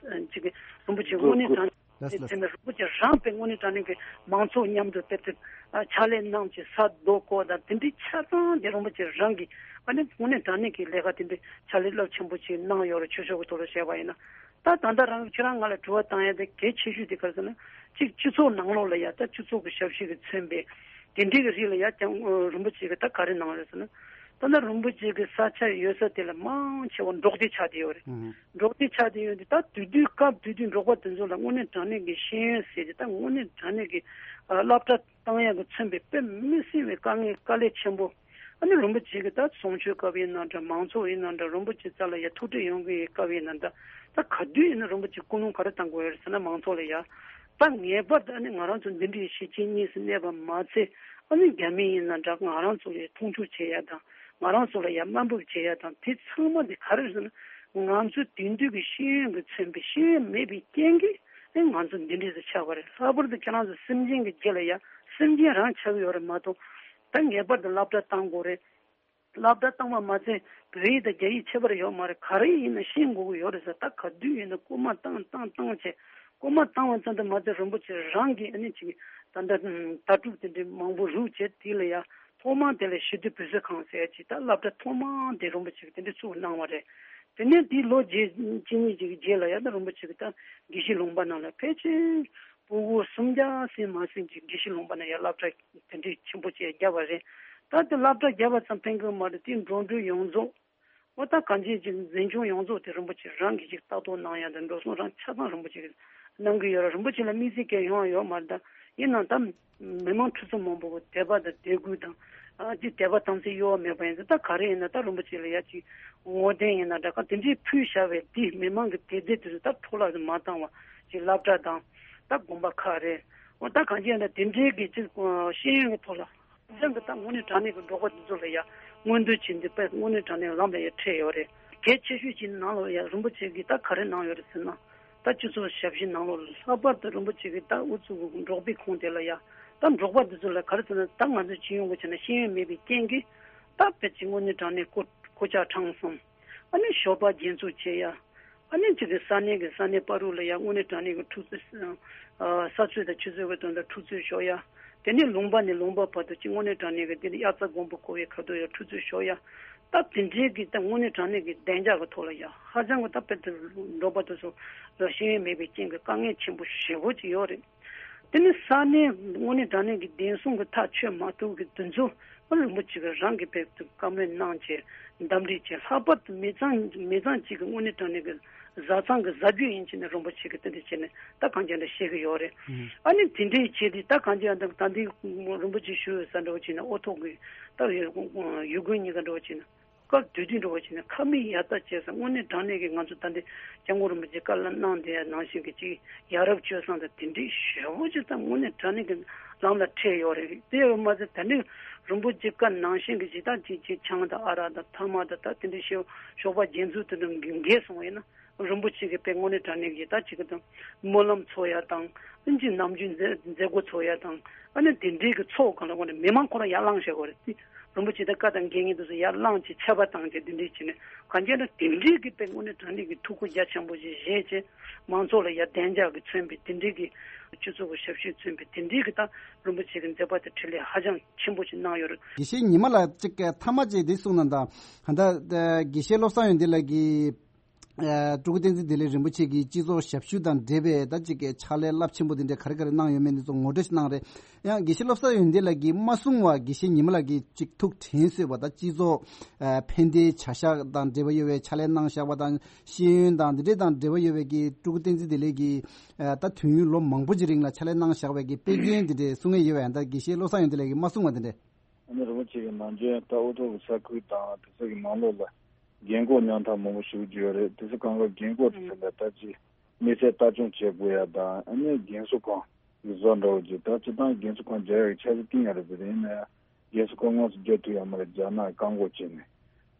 ཅིག་གི་རིན་པོ་ཆེ་དངོས་གནས་དྲང་ལགས་སོ། དེ་ནས་རིན་པོ་ཆེ་རང་དཔེ་དངོས་གནས་དྲང་གནས་ཀྱི་མང་ཚོགས་མཉམ་དུ་དཔེ་དེ་ཕྱག་ལས་གནང་བྱས་ས་རྡོ་བརྐོས་དང་དེ་འདྲའི་ཆ་ཚང་དེ་རིན་པོ་ཆེ་རང་གིས་ཨ་ནི་དངོས་གནས་དྲང་གནས་ཀྱི་ལས་ཀ་དེ་འདྲའི་ཕྱག་ལས་རླབས་ཆེན་པོ་ཅིག་གནང་ཡོད་རེད། ཆོས་ཕྱོགས་ཀྱི་ཐོག་ལ་བཤད་པ་ཡིན་ན། ད་ད་ལྟ་རང་ཁྱེད་རང་ང་ལ་དྲི་བ་བཏང་ཡ་དེ་གལ་ཆེ་ཤོས་དེ་ག་རེ་ཟེར་ན་གཅིག་སྤྱི་ཚོགས་ནང་ལོགས་ལ་ཡ་ད་སྤྱི་ཚོགས་ཀྱི་ཞབས་ཕྱི་གིས་མཚོན་པའི་དེ་འདྲའི་གི་རིགས་ལ་ཡ་ཀྱང་རིན་པོ་ཆེ་གིས་ད་ག་རེ་གནང་རེད་ཟེར་ན། ད་ལྟ་རིན་པོ་ཆེ་གི་ས་ཆ་ཡོད་ས་དེ་ལ་མང་ཆེ་བ་འབྲོག་སྡེ་ཆགས་བསྡད་ཡོད་རེད། འབྲོག་སྡེ་ཆགས་བསྡད་ཡོད་དུས་ད་དུས་དུས་སྐབས་དུས་དུས་འབྲོག་པ་དེ་ཚོ་ལ་དངོས་གནས་དྲང་གནས་ཀྱི་ཤེས་ཡོན་ཟེར་གྱི་ད་དངོས་གནས་དྲང་གནས་ཀྱི་སློབ་གྲྭ་བཏང་ཡག་གི་མཚོན་པའི་དཔེ་མི་སྲིད་པའི་དཀའ་ངལ་དཀའ་ལས་ཆེན་པོ། ཨ་ནི་རིན་པོ་ཆེ་གི་ད་གསུང་ཆོས་སྐབས་ཡིན་ན་འདྲ་མང་ཚོགས་ཡིན་ན་འདྲ་རིན་པོ་ཆེ་རྩ་ལ་ཡ་ཐུགས་ཁྲལ་ཡོང་གི་ཡོད་སྐབས་ཡིན་ན་འདྲ་ད་ག་དུས་ཡིན་ན་རིན་པོ་ཆེ་སྐུལ་སློང་ག་རེ་བཏང་དགོས་ཡོད་རེད་ཟེར་ན་མང་ཚོགས་ལ་ཡ། ད་ངེས་པར་དུ་ཨ་ནི་ང་རང་ཚོ་འདི་འདྲའི་གཞིས་བྱེས་གཉིས་སུ་གནས་པ་མ་ཚད་ཨ་ནི་རྒྱ་མི་ཡིན་ན་འདྲ་ང་རང་ཚོ་ལ་མཐོང་ཆུང་བྱེད་ཡ་དང་ང་རང་ཚོ་ལ་ཡ་དམའ་འབེབས་བྱེད་ཡ་དང་དེ་ཚང་མ་དེ་ག་རེ་རེད་ཟེར་ན་ང་ཚོ་དེང་དུས་ཀྱི་ཤེས་ཡོན་གྱིས་མཚོན་པའི་ཤེས་ཡོན་མེད་པའི་རྐྱེན་གྱིས་ཨ་ང་ཚོ་འདི་འདྲས་སུ་ཆགས་པ་རེད། ལྷག་པར་དུ་ཁྱེད་རང་ཚོ་སེམས་ཅན་གྱི་རྒྱུད་ལ་ཡ་སེམས་ཅན་རང་ཆགས་ཀྱི་ཡོད་རེད་མ་གཏོགས་ད་ངེས་པར་དུ་སློབ་གྲྭ་བཏང་དགོས་རེད། སློབ་གྲྭ་བཏང་བ་མ་ཚད་བོད་ཡིག་དང་རྒྱ་ཡིག་ཁྱད་པར་ཡོད་མ་རེད། ག་རེ་ཡིན་ན་ཤེས་དགོས་ཀྱི་ཡོད་རེད་ཟེར། ད་ག་དུས་ཡིན་ན་སྐུལ་མ་བཏང་བཏང་བཏང་བྱས་སྐུལ་མ་བཏང་བ་ཙམ་དུ་མ་ཚད་རིན་པོ་ཆེ་རང་གིས་ཨ་ནི་ཅིག་ད་ལྟ་ལྟ་གྲུབ་དེ་འདྲའི་མང་པོ་རུབ་བྱས་དེ་ལ་ཡ་ཐོག་མར་དེ་ལ་ཞི་བདེ་བོད་ཟས་ཁང་ཟེར་ཡ་ཅིག་ད་སློབ་གྲྭ་ཐོག་མར་དེ་རིན་པོ་ཆེ་གིས་དེ་འདྲ་བཙུགས་གནང་བ་རེད། དེ་ནས་དེའི་ལོ་རྗེས་གཅིག་གཉིས་ཅིག་གི་རྗེས་ལ་ཡང་ད་རིན་པོ་ཆེ་གིས་ད་དགེ་བཤེས་ལུང་པ་ནང་ལ་ཕལ་ཆེར་ཕྲུ་གུ་སུམ་བརྒྱ་ཟིན་མ་ཟིན་ཅིག་དགེ་བཤེས་ལུང་པ་ནང་ཡང་སློབ་གྲྭ་དེ་འདྲའི་ཆེན་པོ་ཅིག་བརྒྱབ་པ་རེད། ད་དེ་སློབ་གྲྭ་བརྒྱབ་པ་ཙམ་ཕན་གི་མ་རེད། དེའི་འགྲོ་གྲོན་ཡོངས་རྫོགས་འོ་ད་གང་ཅི་ཅིག་འཛིན་སྐྱོང་ཡོངས་རྫོགས་དེ་རིན་པོ་ཆེ་རང་གིས་ཅིག་ལྟ་རྟོག་གནང་ཡ་དང་འགྲོ་སོང་རང་ཆ་ཚང་རིན་པོ་ཆེ་གིས་གནང་གི་ཡོད་རེད། རིན་པོ་ཆེ་ལ་དམིགས་བསལ་གྱི་ཡོང་བ་ཡོད་མ་རེད། ད་ཡིན་ནའང་ད་མི་མང་ཁྲི་ཚོ་མང་པོ་གི་དད་པ་དང་དད་གུས་དང་ཨ་ཅིག་དད་པ་དམ་ཚིག་གཡོ་བ་མེད་པ་ཡིན་ཙང་ད་ག་རེ་ཡིན་ན་ད་རིན་པོ་ཆེ་ལ་ཡ་ཅིག་ངོ་དེབ་ཡིན་ན་འདྲ་ག་དེ་འདྲའི་ཕུལ་བཞག་པའི་དེ་མི་མང་གི་དད་རྫས་དེ་ཚོ་ད་འཕྲོ་བརླག་མ་བཏང་བ་ཅིག་སློབ་གྲྭ་དང་ད་དགོན་པ་ཁག་རེད། འོ་ད་གང་ཅི་ཡིན་ན་དེ་འདྲའི་གི་ཅིག་ཤེས་ཡོན་གི་ཐོག་ལ། ཅང་གི་ད་དངོས་གནས་དྲང་གནས་ཀྱི་འབྲོག་པ་འདི་ཚོ་ལ་ཡ་མངོན་འདོད་བྱེད་འདི་དཔེ་དངོས་གནས་དྲང་གནས་ལམ་ལ་ཡ་ཁྲིད་ཡོད་རེད། གལ་ཆེ་ཤོས་ཀྱི་ནང་ལོགས་ཡ་རིན་པོ་ཆེ་གིས་ད་ག་རེ་གནང་ཡོད་རེད་ཟེར་ན། ད་སྤྱི་ཚོགས་ཞབས་ཞུའི་ནང་ལོགས་ལྷག་པར་དུ་རིན་པོ་ཆེ་གིས་ད་ཨུ་ཚུགས་འབྲོག་པའི་ཁོངས་དེ་ལ་ཡ་ད་འབྲོག་པ་འདི་ཚོ་ལ་ག་རེ་ཟེར་ན། ད་ང་ཚོ་སྤྱི་ཡོངས་ཀྱི་ཆ་ནས་ཤེས་ཡོན་མེད་པའི་རྐྱེན་གྱིས་ད་དཔེ་ཅིག་དངོས་གནས་དྲང་གནས་ཀོ་ཀོ་ཅག་ཁྲམ་གསུམ། ཨ་ནི་ཞོགས་པ་རྒྱན་འཛུགས་བྱེད་ཡ། ཨ་ནི་ཅིག་གི་ས་གནས་ཀྱི་ས་གནས་བར་དུ་ལ་ཡང་དངོས་གནས་དྲང་གནས་ཀྱི་འཁྲུག་རྩོད། ས་རྩོད་དང་ཆུ་རྩོད་ཀྱི་དོན་དུ་འཁྲུག་རྩོད་ཤོར་ཡ། དེ་ནས་ལུང་པ་ནས་ལུང་པ་བར་དུ་ཅིག་དངོས་གནས་དྲང་གནས་ཀྱི་དེ་ནས་དབྱར་རྩྭ་དགུན་འབུ་བརྐོ་བའི་ཁ་ཐུག་ཡ་འཁྲུག་རྩོད་ཤོར་ཡ། ད་དེ་འདྲའི་གི་ད་དངོས་གནས་དྲང་གནས་ཀྱི་བདེ་འཇགས་ཀྱི་ཐོག་ལ་ཡ་ཧ་ཅང་གི་ད་དཔེ་དེ་འབྲོག་པ་དེ་ཚོ་ལ་ཤེས་ཡོན་མེད་པའི་རྐྱེན་གྱིས་དཀའ་ངལ་ཆེན་པོ་ཞེ་པོ་ཅིག་ཡོད་རེད། དེ་ནི་ས་གནས་དངོས་གནས་དྲང་གནས་ཀྱི་བདེན་སྲུང་གི་ཐག་ཆོད་མ་ཐུབ་ཀྱི་དེ་ཚོ་ཨ་རིན་པོ་ཆེ་གིས་རང་གི་དཔེ་དེ་བཀའ་མོལ་གནང་བྱས་འདུམ་འགྲིག་བྱས། ལྷག་པར་དུ་མི་ཚང་མི་ཚང་གཅིག་གི་དངོས་གནས་དྲང་གནས་ཀྱི་བཟའ་ཚང་གི་བཟའ་རྒྱུ་ཡིན་བྱས་ནས་རིན་པོ་ཆེ་གིས་དེ་འདྲ་བྱས་ནས་ད་གང་ཅི་འདྲ་བཤད་ཀྱི་ཡོད་རེད། ཨ་ནི་དེ་འདྲའི་བྱས་ཏེ་ད་གང་ཅི་ཡང་ད་ད་འདི་རིན་པོ་ཆེ་ཞུ་ཡོད་ས་འདྲ་བོ་བྱས་ན་ཨོ་ཐོག་གི་ད་ཡུལ་དགོན་གཉིས་ཀ་འདྲ་བོ་བྱས་ན། སྐབས་དུས་དུས་འགྲོ་བ་བྱས་ནས་ཁ་མིག་ཡར་ལྟ་བྱས་ཙང་དངོས་གནས་དྲང་གནས་ཀྱི་ང་ཚོ་ད་ལྟའི་སྐྱབས་མགོན་རིན་པོ་ཆེས་བཀའ་སློབ་གནང་དེ་ནང་བཞིན་གྱི་ཅིག་ཡ་རབས་སྤྱོད་བཟང་དང་དེ་འདྲའི་ཞེ་པོ་ཅིག་ད་དངོས་གནས་དྲང་གནས་ཀྱི་ལམ་ལ་ཁྲིད་ཡོད་རེད། དེ་ཡོད་མ་ཟད་ད་ནི་རིན་པོ་ཆེའི་བཀའ་ནང་བཞིན་གྱི་ཇི་ལྟར་ཅིག་ཅིག་ཆང་དང་ཨ་རག་དང་ཐ་མག་དང་ད་དེ་འདྲའི་ཞོགས་ཞོགས་པ་རྒྱན་འཛུགས་དེ་འདྲ་འགེལ་སོང་བ་ཡིན་ན། རིན་པོ་ཆེ་གིས་དཔེ་དངོས་གནས་དྲང་གནས་ཀྱི་ད་ཅིག་གི་དང་སྨོན་ལམ་ཚོགས་ཡ་དང་། ཨ་ནི་ཅིག་ནམ་རྒྱུན་མཛད་མཛད་སྒོ་ཚོགས་ཡ་དང་། ཨ་ནི་དེ་འདྲའི་གི་ཚོགས་གང་ལ་དངོས་གནས་མི་མང་ཁོ་རང་ཡར་ལངས་བྱེད་དགོས་རེད་དེ། རིན་པོ་ཆེ་དང་བཀའ་དང་དགེ་བསྙེན་དེ་ཚོ་ཡར་ལངས་བྱས་ཆད་པ་བཏང་བྱས་དེ་འདྲའི་བྱས་ནས་གང་བྱས་ན་དེ་འདྲའི་གི་དཔེ་དངོས་གནས་དྲང་གནས་ཀྱི་ཐུགས་ཁུར་རྒྱ་ཆེན་པོ་ཞིག་བཞེས་བྱས་མང་ཚོགས་ལ་ཡར་བདེ་འཇགས་ཀྱི་མཚོན་པའི་དེ་འདྲའི་གི་སྤྱི་ཚོགས་ཀྱི་ཞབས་ཞུ་མཚོན་པའི་དེ་འདྲའི་གི་ད་རིན་པོ་ཆེ་གི་མཛད་པ་དེ་འཕྲིན་ལས་ཧ་ཅང་ཆེན་པོ་ཞིག་གནང་ཡོད་རེད། དགེ་བཤེས་ཉི་མ་ལགས་ཅིག་མཐའ་མ་ཅིག་འདི་གསུངས་ན་ད་ད་དགེ་བཤེས་བློ་བཟང་ཡོན་ཏན་ལགས་ཀྱིས། ཨ་སྤྲུལ་སྐུ་བསྟན་འཛིན་བདེ་ལེགས་རིན་པོ་ཆེ་གིས་སྤྱི་ཚོགས་ཞབས་ཞུ་དང་འབྲེལ་བའི་ད་ཅིག་གི་ཕྱག་ལས་རླབས་ཆེན་པོ་དེ་འདྲ་ག་རེ་ག་རེ་གནང་ཡོད་མེད་འདི་ཚོ་ངོ་སྤྲོད་ཞིག་གནང་རེད། ཡང་དགེ་བཤེས་བློ་བཟང་ཡོན་ཏན་ལགས་ཀྱིས་མ་གསུངས་པ་དགེ་བཤེས་ཉི་མ་ལགས་ཀྱིས་ཅིག་ཐུགས་དྲན་གསོས་པ་ད་སྤྱི་ཚོགས་ཨ་ཕན་བདེའི་བྱ་གཞག་དང་འབྲེལ་བ་ཡོད་པའི་ཕྱག་ལས་གནང་བཞག་པ་དང་ཤེས་ཡོན་དང་འདི་འདྲས་དང་འབྲེལ་བ་ཡོད་པའི་གི་སྤྲུལ་སྐུ་བསྟན་འཛིན་བདེ་ལེགས་ཀྱིས་ཨ་ད་དུས་ཡུན་ལོ་མང་པོ་ཅིག་རིང་ལ་ཕྱག་ལས་གནང་བཞག་པའི་གི་དཔེ་རྒྱུན་འདི་འདྲས་གསུང་ཡས་ཡོད་པ་ཡང་ད་དགེ་བཤེས་བློ་བཟང་ཡོན་ཏན་ལགས་ཀྱིས་མ་གསུངས་པ་འདི་འདྲས། ཨ་ནི་རིན་པོ་ཆེ་གིས་ནམ་རྒྱུན་ད་ཨུ་ཐུག་གི་ས་ཁུལ་དང་དེ་ཚོ་གི་ནང་ལོགས་ལ་རྒན་འཁོགས་མཉམ་ཐག་མང་པོ་ཞུ་རྒྱུ་ཡོད་རེད། དེ་ཚོ་གང་ག་རྒན་འཁོགས་དེ་ཚོ་ལ་ད་ཅི་དམིགས་བསལ་ལྟ་སྐྱོང་བྱེད་དགོས་ཡ་དང་། ཨ་ནི་རྒན་གསོ་ཁང་གི་བཟོ་འདྲ་བོ་ཅིག་ད་སྤྱི་བཏང་རྒན་གསོ་ཁང་རྒྱག་ཡ་གི་འཆར་གཞི་བཏིང་ཡ་རེད་ཟེར། ཡིན་ན་ཡང་རྒན་གསོ་ཁང་དངོས་སུ་རྒྱག་ཐུབ་ཡ་མ་རེད། རྒྱ་ནག་བཀག་འགོག་བྱས་ནས།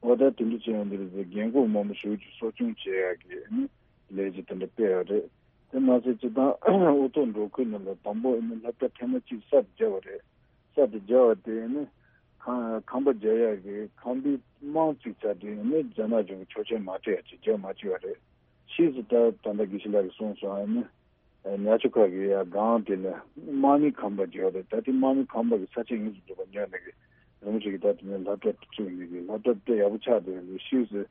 འོ་ད་དེ་འདྲ་བྱས་ཡོང་དུས་རེད་ཟེར། རྒན་འཁོགས་མང་པོ་ཞེ་པོ་ཅིག་གསོ་སྐྱོང་བྱེད་ཡ་གི་ཨ་ནི་ལས་གཞི་དེ་འདྲ་སྤེལ་ཡོད་རེད། དེ་མ་ཟད་སྤྱི་བཏང་ཨུ་ཐུག་འབྲོག་ཁུལ་ནང་ལ་དང་པོ་ཨ་ནི་སློབ་གྲྭ་ཐེངས་མ་གཅིག་གསར་དུ་བརྒྱབ་པ་རེད། གསར་དུ་བརྒྱབ་པ་དེ་ཨ་ནི་ཁང་ཁང་པ་རྒྱག་ཡ་གི་ཁང་པའི་རྨང་བཙུགས་ཚར་དུས་ཨ་ནི་རྒྱ་ནག་གཞུང་གིས་ཆོག་མཆན་མ་སྤྲད་ཡ་ཅིག་བརྒྱབ་མ་བཅུག་པ་རེད། ཕྱིས་སུ་ད་ད་ལྟ་དགེ་བཤེས་ལགས་ཀྱིས་གསུངས་སོང་། ཨ་ནི་ཉ་ཆུ་ཁ་གི་ཡ་སྒང་དེ་ལ་དམག་མིའི་ཁང་པ་བརྒྱབ་པ་རེད། ད་དེ་དམག་མིའི་ཁང་པ་གི་ས་ཆ་ཡིན་ཟེར་འདུག་པ། ཉོས་ནས་གི་རིན་པོ་ཆེ་གིས་ད་དེ་ནས་སློབ་གྲྭ་བཙུགས་ནས་གི་སློབ་གྲྭ་དེ་ཡག་པོ་ཆགས་བསྡད་ཡོད་རེད། ཕྱིས་སུ་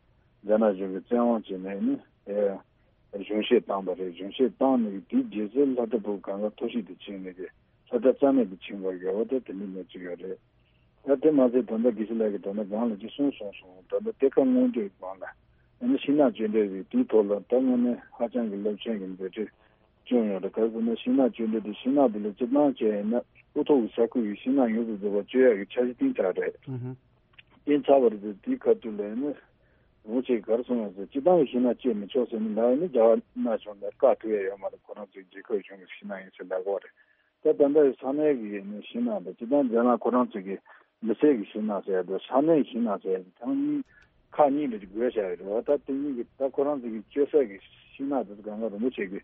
རྒྱ་ནག་གཞུང་གིས་བཙན་དབང་བྱས་ནས་ནི་ཨེ་གཞུང་བཞེས་བཏང་པ་རེད། གཞུང་བཞེས་བཏང་ནས་གི་དེའི་རྗེས་སུ་སློབ་གྲྭ་ཕྲུ་གུ་གང་ག་མཐོ་ཤོས་དེ་ཕྱིན་ནས་གི་སློབ་གྲྭ་རྩ་མེད་དུ་ཕྱིན་པ་རེད། འོ་ད་དེ་འདྲའི་གནས་ཚུལ་ཡོད་རེད། ད་དེ་མ་ཟད་ད་ལྟ་དགེ་བཤེས་ལགས་ཀྱིས་ད་ལྟ་སྒང་ལ་ཅིག་གསུངས་སོང་སོང་། ད་ལྟ་གཏེར་ཁ་སྔོག་འདོན་སྒང་ལ་ཨ་ནི་ཤིང་ནགས་གཅོད་འབྲེག་རེད། དེའི་ཐོག་ལ་ད་དངོས་གནས་ཧ་ཅང་གི་རླབས་ཆེན་གྱི་འབད་བརྩོན་བྱུང་ཡོད་རེད། ག་རེ་ཟེར་ན་ཤིང་ནགས་གཅོད་འབྲེག་དེ་ཤིང་ནགས་དེ་ལ་སྤྱིར་བཏང་བྱས་ཡིན་ན་ཨུ་ཐུག་གི་ས་ཁུལ་གྱི་ཤིང་ནགས་ཡོངས་སུ་རྫོགས་པ་གཅོད་ཡག་གི་འཆར་གཞི་བཏིང་ཚར་རེད། ཨུ་ཧུ། བཏིང་ཚར་བ་རེད་དེ། དེའི་ཁ་ཐུག་ལ་ཡིན་ན་རིན་པོ་ཆེས་ག་རེ་གསུངས་ཡོད་ཟེར། སྤྱིར་བཏང་གི་ཤིང་ནགས་གཅོད་མི་ཆོག་ཟེར་ནས་ལབ་ཡིན་ན་རྒྱ་ནག་གཞུང་ལ་བཀག་ཐུབ་ཡ་ཡོད་མ་རེད། ཁོ་རང་ཚོའི་རྒྱལ་ཁབ་གཞུང་གི་ཤིང་ནགས་ཡིན་ཟེར་ལབ་ཀྱི་ཡོད་རེད། ད་ད་ལྟ་ས་གནས་ཀྱི་ནི་ཤིང་ནགས་དང་། སྤྱིར་བཏང་རྒྱ་ནག་ཁོ་རང་ཚོ་གི་མི་སེར་གྱི་ཤིང་ནགས་ཟེར་ཡ་དང་ས་གནས་ཀྱི་ཤིང་ནགས་ཟེར་ཡ་དེ་ཚང་མ་ཁག་གཉིས་ལ་ཅིག་བགོས་བཞག་ཡོད་རེད་བ། ད་དེ་གཉིས་ཀྱི་ད་ཁོ་རང་ཚོ་གི་གཅོད་ས་གི་ཤིང་ནགས་དེ་ཚོ་གང་ག་རིན་པོ་ཆེ་གི་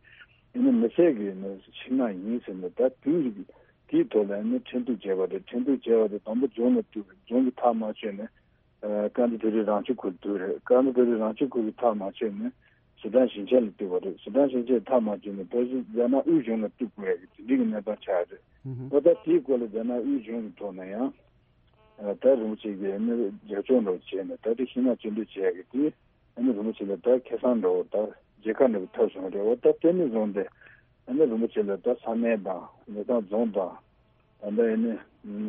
ཨ་ནི་མི་སེར་གྱི་ནི་ཤིང་ནགས་ཡིན་ཟེར་ནས། ད་དུས་རིག་དེའི་ཐོག་ལ་ཨ་ནི་ཁྲིམས་གཏུག་བྱས་པ་རེད། ཁྲིམས་གཏུག་བྱས་པ་དེ་དང་པོ་རྫོང་ལ་གཏུག་རེད། རྫོང་གིས་ཐག་མ་ཆོད་ནས། ཨ་ཀ་ན་ཌ་པ་རི་རང་སྐྱོང་ཁུལ་གཏུག་རེད། ཀ་ན་ཌ་པ་རི་རང་སྐྱོང་ཁུལ་གྱིས་ཐག་མ་ཆོད་ནས་སི་ཁྲོན་ཞིང་ཆེན་ལ་གཏུག་པ་རེད། སི་ཁྲོན་ཞིང་ཆེན་ཐག་མ་ཆོད་ནས་ཕལ་ཆེར་རྒྱ་ནག་དབུས་གཞུང་ལ་གཏུག་དགོས་ཡ་གི་དེ་འདྲའི་གི་གནས་སྟངས་ཆགས་རེད། ཨུ་ཧུ། འོ་ད་དེའི་སྐོར་ལ་རྒྱ་ནག་དབུས་གཞུང་གི་ཐོག་ནས་ཡང་ཨ་ད་རིན་པོ་ཆེ་གིས་ཨ་ནི་རྒྱབ་སྐྱོར་འདྲ་བོ་བྱས་ནས་ད་དེ་ཤིང་ནགས་གཅོད་འབྲེག་བྱེད་ཡ་གི་དེ་ཨ་ནི་རིན་ ཆེ་ལ་ད་ཁེ་བཟང་འདྲ་བོ་ད་མཇལ་ཁ་འདྲ་བོ་ཐོབ་སོང་རེད། འོ་ད་དེ་ནས་བཟུང་སྟེ་ཨ་ནི་རིན་པོ་ཆེ་ལ་ད་ས་གནས་དང་མི་ཚང་རྫོང་དང་། ད་ལྟ་ཨ་ནི་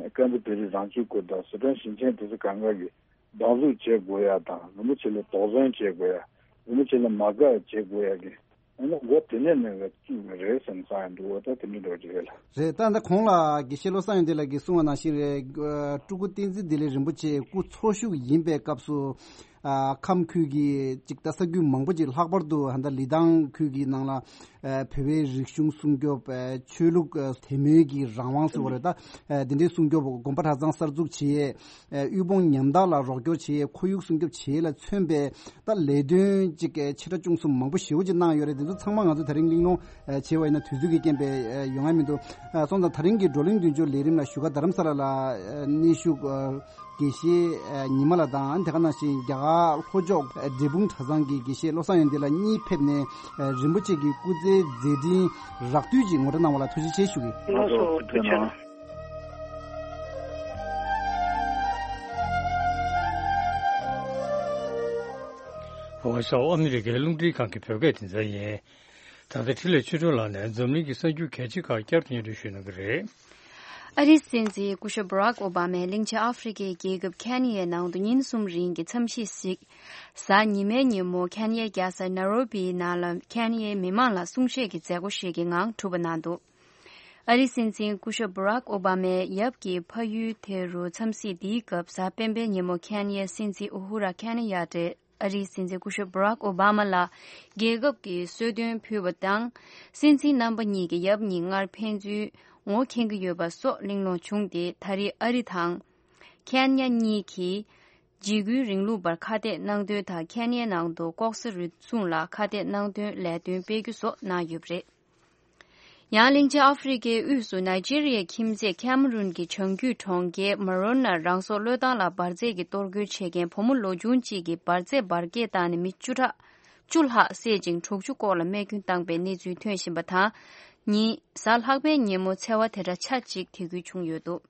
ཀན་ལྷོ་བོད་རིགས་རང་སྐྱོང་ཁུལ་དང་སི་ཁྲོན་ཞིང་ཆེན་དེ་ཚོ་གང་ག་གི་སྡང་ཟུག་བྱེད་དགོས་ཡ་དང་། རིན་པོ་ཆེ་ལ་དོགས་ཟོན་བྱེད་དགོས་ཡ། རིན་པོ་ཆེ་ལ་མ་དགའ་བྱེད་དགོས་ཡ་གི་ཨ་ནི་འགོ་དེ་ནས་ནས་བཙུགས་ནི་རེད་བསམ་བསམ་ཡ་འདུག་འོ་ད་དེ་འདྲ་འགྲོ་གི་རེད་ལ། རེད། ད་ད་གོང་ལ་དགེ་བཤེས་བློ་བཟང་ཡོན་ཏན་ལགས་ཀྱིས་གསུངས་པ་ནང་བཞིན་རེད། ཨ་སྤྲུལ་སྐུ་བསྟན་འཛིན་བདེ་ལེགས་རིན་པོ་ཆེ་སྐུ་འཚོ་བཞུགས་ཡིན་པའི་སྐབས་སུ། ཨ་ཁམས་ཁུལ་གྱི་ཅིག་ད་ས་ཁུལ་མང་པོ་ཅིག་ལྷག་པར་དུ་ད་ལི་ཐང་ཁུལ་གྱི་ནང་ལ་ཨ་བོད་པའི་རིག་གཞུང་སྲུང་སྐྱོབ། ཨ་ཆོས་ལུགས་ཨ་དད་མོས་ཀྱི་རང་དབང་ཟེར་བ་རེད། ད་ཨ་དེ་འདྲའི་སྲུང་སྐྱོབ་དགོན་པ་གྲྭ་ཚང་གསར་འཛུགས་བྱེད་ཡས། ཨ་དབུལ་ཕོངས་ཉམ་ཐག་ལ་རོགས་སྐྱོར་བྱེད་ཡས། ཁོར་ཡུག་སྲུང་སྐྱོབ་བྱེད་ཡས་ལ་མཚོན་པའི་ད་ལས་དོན་ཅིག་ཨ་ཆེ་ཕྲ་ཆུང་གསུམ་མང་པོ་ཞེ་པོ་ཅིག་གནང་ཡོད་རེད། དེ་ཚོ་ཚང་མ་ང་ཚོ་དེ་རིང་གླེང་སློང་ཨ་བྱས་པ་ཡིན་ན་དུས་ཚོད་ཀྱི་རྐྱེན་པས་ཨ་ཡོང་ཡ་མི་འདུག་ཨ་སོང་ཙང་དེ་རིང་གི་བགྲོ་གླེང་མདུན་སྐྱོད་ལས་རིམ་ལ་བཞུགས་སྒར་རྡ་རམ་ས་ལ་ལ་ཨ་གནས་བཞུགས་ཨ་དགེ་བཤེས་ཨ་ཉི་མ་ལགས་དང་། དེ་ག་ནང་བཞིན་རྒྱ་གར་ལྷོ་ཕྱོགས་ཨ་འབྲས་སྤུངས་གྲྭ་ཚང་གི་དགེ་བཤེས་བློ་བཟང་ཡོན་ཏན་ལགས་གཉིས་ཕེབས་ནས་ཨ་རིན་པོ་ཆེ་གི་སྐུ་ཚེའི་མཛད་འཕྲིན་རགས་བསྡུས་ཅིག་ངོ་སྤྲོད་གནང་བ་ལ་ཐུགས་རྗེ་ཆེ་ཞུ་གི། ལགས་སོ། ཐུགས་རྗེ་གནང་། ཝ་ཤོ་ཨ་མི་རི་ཀའི་རླུང་འཕྲིན་ཁང་གི་བོད་སྐད་སྡེ་ཚན་ཡིན། ད་ལྟ་འཕྲིན་ལས་ཆོས་སྒྲོན་ལགས་ནས་འཛམ་གླིང་གི་གསར་འགྱུར་གལ་ཆེ་ཁག་བསྐྱར་དུ་སྙན་སྒྲོན་ཞུ་གནང་གི་རེད། ཨ་རིའི་སྲིད་འཛིན་སྐུ་ཞབས་Barack Obama གླིང་ཆེན་ཨ་ཧྥེ་རི་ཁའི་རྒྱལ་ཁབ་ཁེན་ཡའི་ནང་དུ་ཉིན་གསུམ་རིང་གི་འཚམས་གཞིས་ཤིག་གཟའ་ཉི་མའི་ཉིན་མོ་ཁེན་ཡའི་རྒྱལ་ས་ནཱ་རོ་བིའི་ནང་ལ་ཁེན་ཡའི་མི་མང་ལ་གསུང་བཤད་ཀྱི་མཛད་སྒོ་ཞིག་གི་ངང་གྲུབ་པ་གནང་འདུག་ཨ་རིའི་སྲིད་འཛིན་སྐུ་ཞབས་Barack Obama ཡབ་ཀྱི་ཕ་ཡུལ་དེ་རུ་འཚམས་གཟིགས་འདིའི་སྐབས་གཟའ་སྤེན་པའི་ཉིན་མོ་ཁེན་ཡའི་སྲིད་འཛིན་ཨུ་ཧུ་ར་ཁེན་ཡ་ཏེ་ཨ་རིའི་སྲིད་འཛིན་སྐུ་ཞབས་Barack Obama ལ་རྒྱལ་ཁབ་ཀྱི་གསོལ་སྟོན་ཕུལ་བ་དང་། སྲིད་འཛིན་རྣམ་པ་གཉིས་ཀྱི་ཡབ་གཉིས་སྔར་ཕན་ཚུན་ངོ་མཁྱེན་གྱི་ཡོད་པ་སོགས་གླེང་སློང་བྱུང་སྟེ། ད་རེས་ཨ་རི་དང་ཁེན་ཡ་གཉིས་ཀྱིས་འཇིགས་སྐུལ་རིང་ལུགས་པར་ཁ་གཏད་གནང་དོན་དང་། ཁེན་ཡའི་ནང་དུ་ལྐོག་ཟ་རུལ་སུངས་ལ་ཁ་གཏད་གནང་དོན་ལས་དོན་སྤེལ་རྒྱུ་སོགས་གནང་ཡོད་པ་རེད། ཡང་གླིང་ཆེན་ཨ་ཧྥེ་རི་ཁའི་དབུས་སུ་ནཱི་ཇི་རི་ཡའི་ཁྱིམ་མཚེས་ཁེམ་རུན་གྱི་བྱང་རྒྱུད་གྲོང་ཁྱེར་མ་རོ་ནར་རང་སྲོག་བློས་བཏང་ལ་འབར་རྫས་ཀྱི་གཏོར་རྒོལ་བྱེད་མཁན་བུ་མོ་ལོ་ཆུང་གཅིག་གིས་འབར་རྫས་འབར་གས་བཏང་ནས་མི་བཅུ་ཕྲག་བཅུ་ལྷག་བསད་ཅིང་དྲུག་ཅུ་སྐོར་ལ་རྨས་སྐྱོན་བཏང་པའི་གནས་ཚུལ་ཐོན་བཞིན་པ་དང་། ཉིན་གཟའ་ལྷག་པའི་ཉིན་མོ་འཚེ་བ་དེ་འདྲ་ཆ་གཅིག་དེ་ཁུལ་བྱུང་ཡོད་འདུག་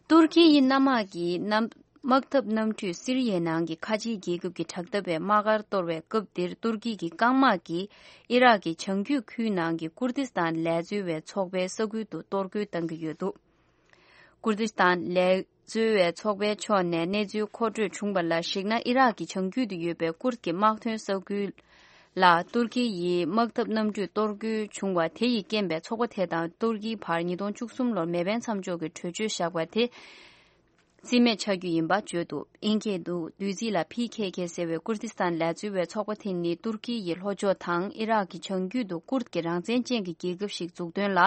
ཏུར་ཀི་ཡི་གནམ་དམག་གིས་གནམ་དམག་འཐབ་གནམ་གྲུས་སི་རི་ཡའི་ནང་གི་ཁ་ཆེའི་རྒྱལ་ཁབ་ཀྱི་དྲག་འཐབ་པའི་དམག་སྒར་གཏོར་བའི་སྐབས་འདིར། ཏུར་ཀི་གི་རྐང་དམག་གིས་ཨི་རག་གི་བྱང་རྒྱུད་ཁུལ་ནང་གི་ཀུར་དིས་ཏཱན་ལས་འཛོལ་བའི་ཚོགས་པའི་ས་ཁུལ་དུ་གཏོར་རྒོལ་བཏང་གི་ཡོད་འདུག་ཀུར་དིས་ཏཱན་ལས་འཛོལ་བའི་ཚོགས་པའི་ཕྱོགས་ནས་གནས་ཚུལ་མཁོ་སྤྲོད་བྱུང་བ་ལ་གཞིགས་ན། ཨི་རག་གི་བྱང་རྒྱུད་དུ་ཡོད་པའི་ཀུར་གྱི་དམག་དོན་ས་ཁུལ་ལ་ཏུར་ཀི་ཡི་དམག་འཐབ་གནམ་གྲུས་གཏོར་རྒོལ་བྱུང་བ་དེ་ཡི་རྐྱེན་པས། ཚོགས་པ་དེ་དང་ཏུར་ཀིའི་བར་ཉིས་སྟོང་བཅུ་གསུམ་ལོར་མེ་འཕེན་མཚམས་འཇོག་གི་གྲོས་ཆོད་བཞག་པ་དེ་རྩིས་མེད་ཆགས་རྒྱུ་ཡིན་པ་བརྗོད་འདུག་ཨིན་སྐད་དུ་བདུད་རྩི་ལ་ཕི་ཁེ་ཁེ་ཟེར་བའི་ཀུར་དིས་ཏཱན་ལས་འཛོལ་བའི་ཚོགས་པ་དེ་ནི་ཏུར་ཀི་ཡི་ལྷོ་ཕྱོགས་དང་ཨི་རག་གི་བྱང་རྒྱུད་དུ་ཀུར་གྱི་རང་བཙན་ཅན་གྱི་རྒྱལ་ཁབ་ཞིག་འཛུགས་དོན་ལ་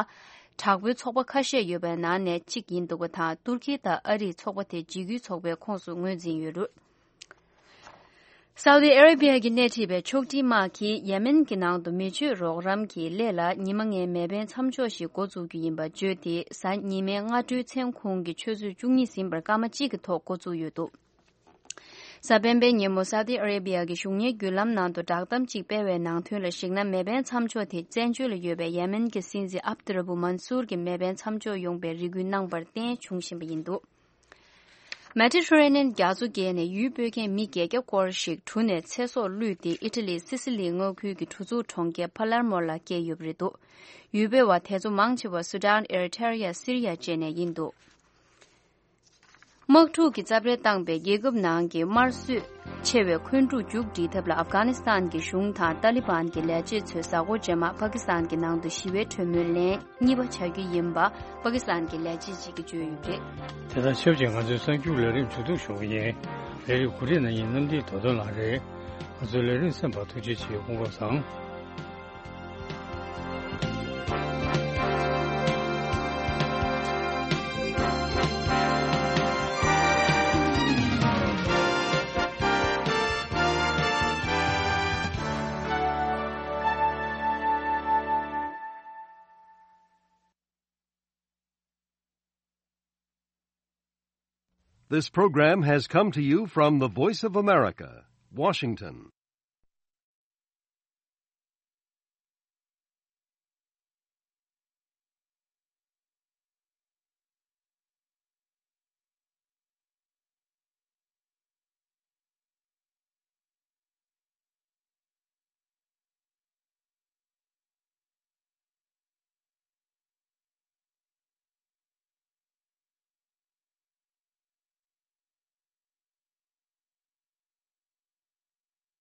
དྲག་པོའི་ཚོགས་པ་ཁ་ཤས་ཡོད་པའི་ནང་ནས་གཅིག་ཡིན་འདུག་པ་དང་། ཏུར་ཀི་དང་ཨ་རིས་ཚོགས་པ་དེ་འཇིགས་སྐུལ་ཚོགས་པའི་ཁོངས་སུ་ངོས་འཛིན་ཡོད་རུང་། སའུ་ཏི་ཨ་རེ་བྷི་ཡ་གིས་སྣེ་ཁྲིད་པའི་ཕྱོགས་སྒྲིག་དམག་གིས་ཡེ་མེན་གྱི་ནང་དུ་མེ་མཆོད་རོགས་རམ་གྱི་སླད་ལ་ཉི་མ་ལྔའི་མེ་འཕེན་མཚམས་འཇོག་ཞིག་འགོ་འཛུགས་རྒྱུ་ཡིན་པ་བརྗོད་དེ། གཟའ་ཉི་མའི་སྔ་དྲོའི་མཚན་གུང་གི་ཆུ་ཚོད་བཅུ་གཉིས་ཟིན་པར་སྐར་མ་གཅིག་གི་ཐོག་འགོ་བཙུགས་ཡོད་འདུག་གཟའ་སྤེན་པའི་ཉིན་མོ་སའུ་ཏི་ཨ་རེ་བྷི་ཡ་གི་གཞུང་གཉེར་བརྒྱུད་ལམ་ནང་དུ་བསྒྲགས་གཏམ་གཅིག་སྤེལ་བའི་ནང་དོན་ལ་གཞིགས་ན། མེ་འཕེན་མཚམས་འཇོག་དེ་བཙན་བྱོལ་ལ་ཡོད་པའི་ཡེ་མེན་གྱི་སྲིད་འཛིན་ཨབ་ཏུ་ར་བུ་མན་སུར་གྱི་མེ་འཕེན་མཚམས་འཇོག་ཡོང་བའི་རེ་སྐུལ་གནང་བར་བརྟེན་བྱུང་བཞིན་པ་ཡིན་འདུག་མེ་ཏི་ཊེ་རེ་ནི་ཡན་རྒྱ་མཚོ་བརྒལ་ནས་ཡུལ་སྤོས་མཁན་མི་བརྒྱད་བརྒྱ་སྐོར་ཞིག་གྲུ་ནས་ཚེ་སྲོག་བླུས་ཏེ། ཨི་ཊ་ལིའི་སི་སི་ལི་མངའ་ཁུལ་གྱི་གྲུ་ཟུར་གྲོང་ཁྱེར་ཕ་ལར་མོ་ལ་བསྐྱལ་ཡོད་པ་རེད་འདུག་ཡུལ་སྤོས་པ་དེ་ཚོ་མང་ཆེ་བ་སུ་ཌན། ཨེ་རི་ཐེ་རི་ཡ། སི་རི་ཡ་བཅས་ནས་ཡིན་འདུག་དམག་འཁྲུག་གི་རྩབ་རལ་བཏང་པའི་རྒྱལ་ཁབ་ནང་གི་དམར་གསོད་ཆེ་བའི་འཁོན་འཁྲུག་མཇུག་སྒྲིལ་ཐབས་ལ་ཨབ་གྷ་ནི་སི་ཐན་གྱི་གཞུང་དང་ཏཱ་ལི་བན་གྱི་ལས་བྱེད་ཚོས་གཟའ་འཁོར་རྗེས་མ་པ་ཀི་སི་ཐན་གྱི་ནང་དུ་ཞི་བའི་གྲོས་མོལ་ལན་གཉིས་པ་བྱ་རྒྱུ་ཡིན་པ་པ་ཀི་སི་ཐན་གྱི་ལས་བྱེད་ཅིག་གིས་བརྗོད་ཡོད་པ་རེད། དེ་དང་ཆབས་ཅིག་ང་ཚོའི་གསར་འགྱུར་ལས་རིམ་མཇུག་བསྡོམས་ཞུ་གི་ཡིན། ལས་རིམ་གོ་སྒྲིག་གནང་མཁན་གནམ་བདེ་རྡོ་དོན་ལགས་རེད། ང་ཚོའི་ལས་རིམ་གསན་པར་ཐུགས་རྗེ་ཆེ། སྐུ་ཁམས་བཟང་། This program has come to you from the Voice of America, Washington.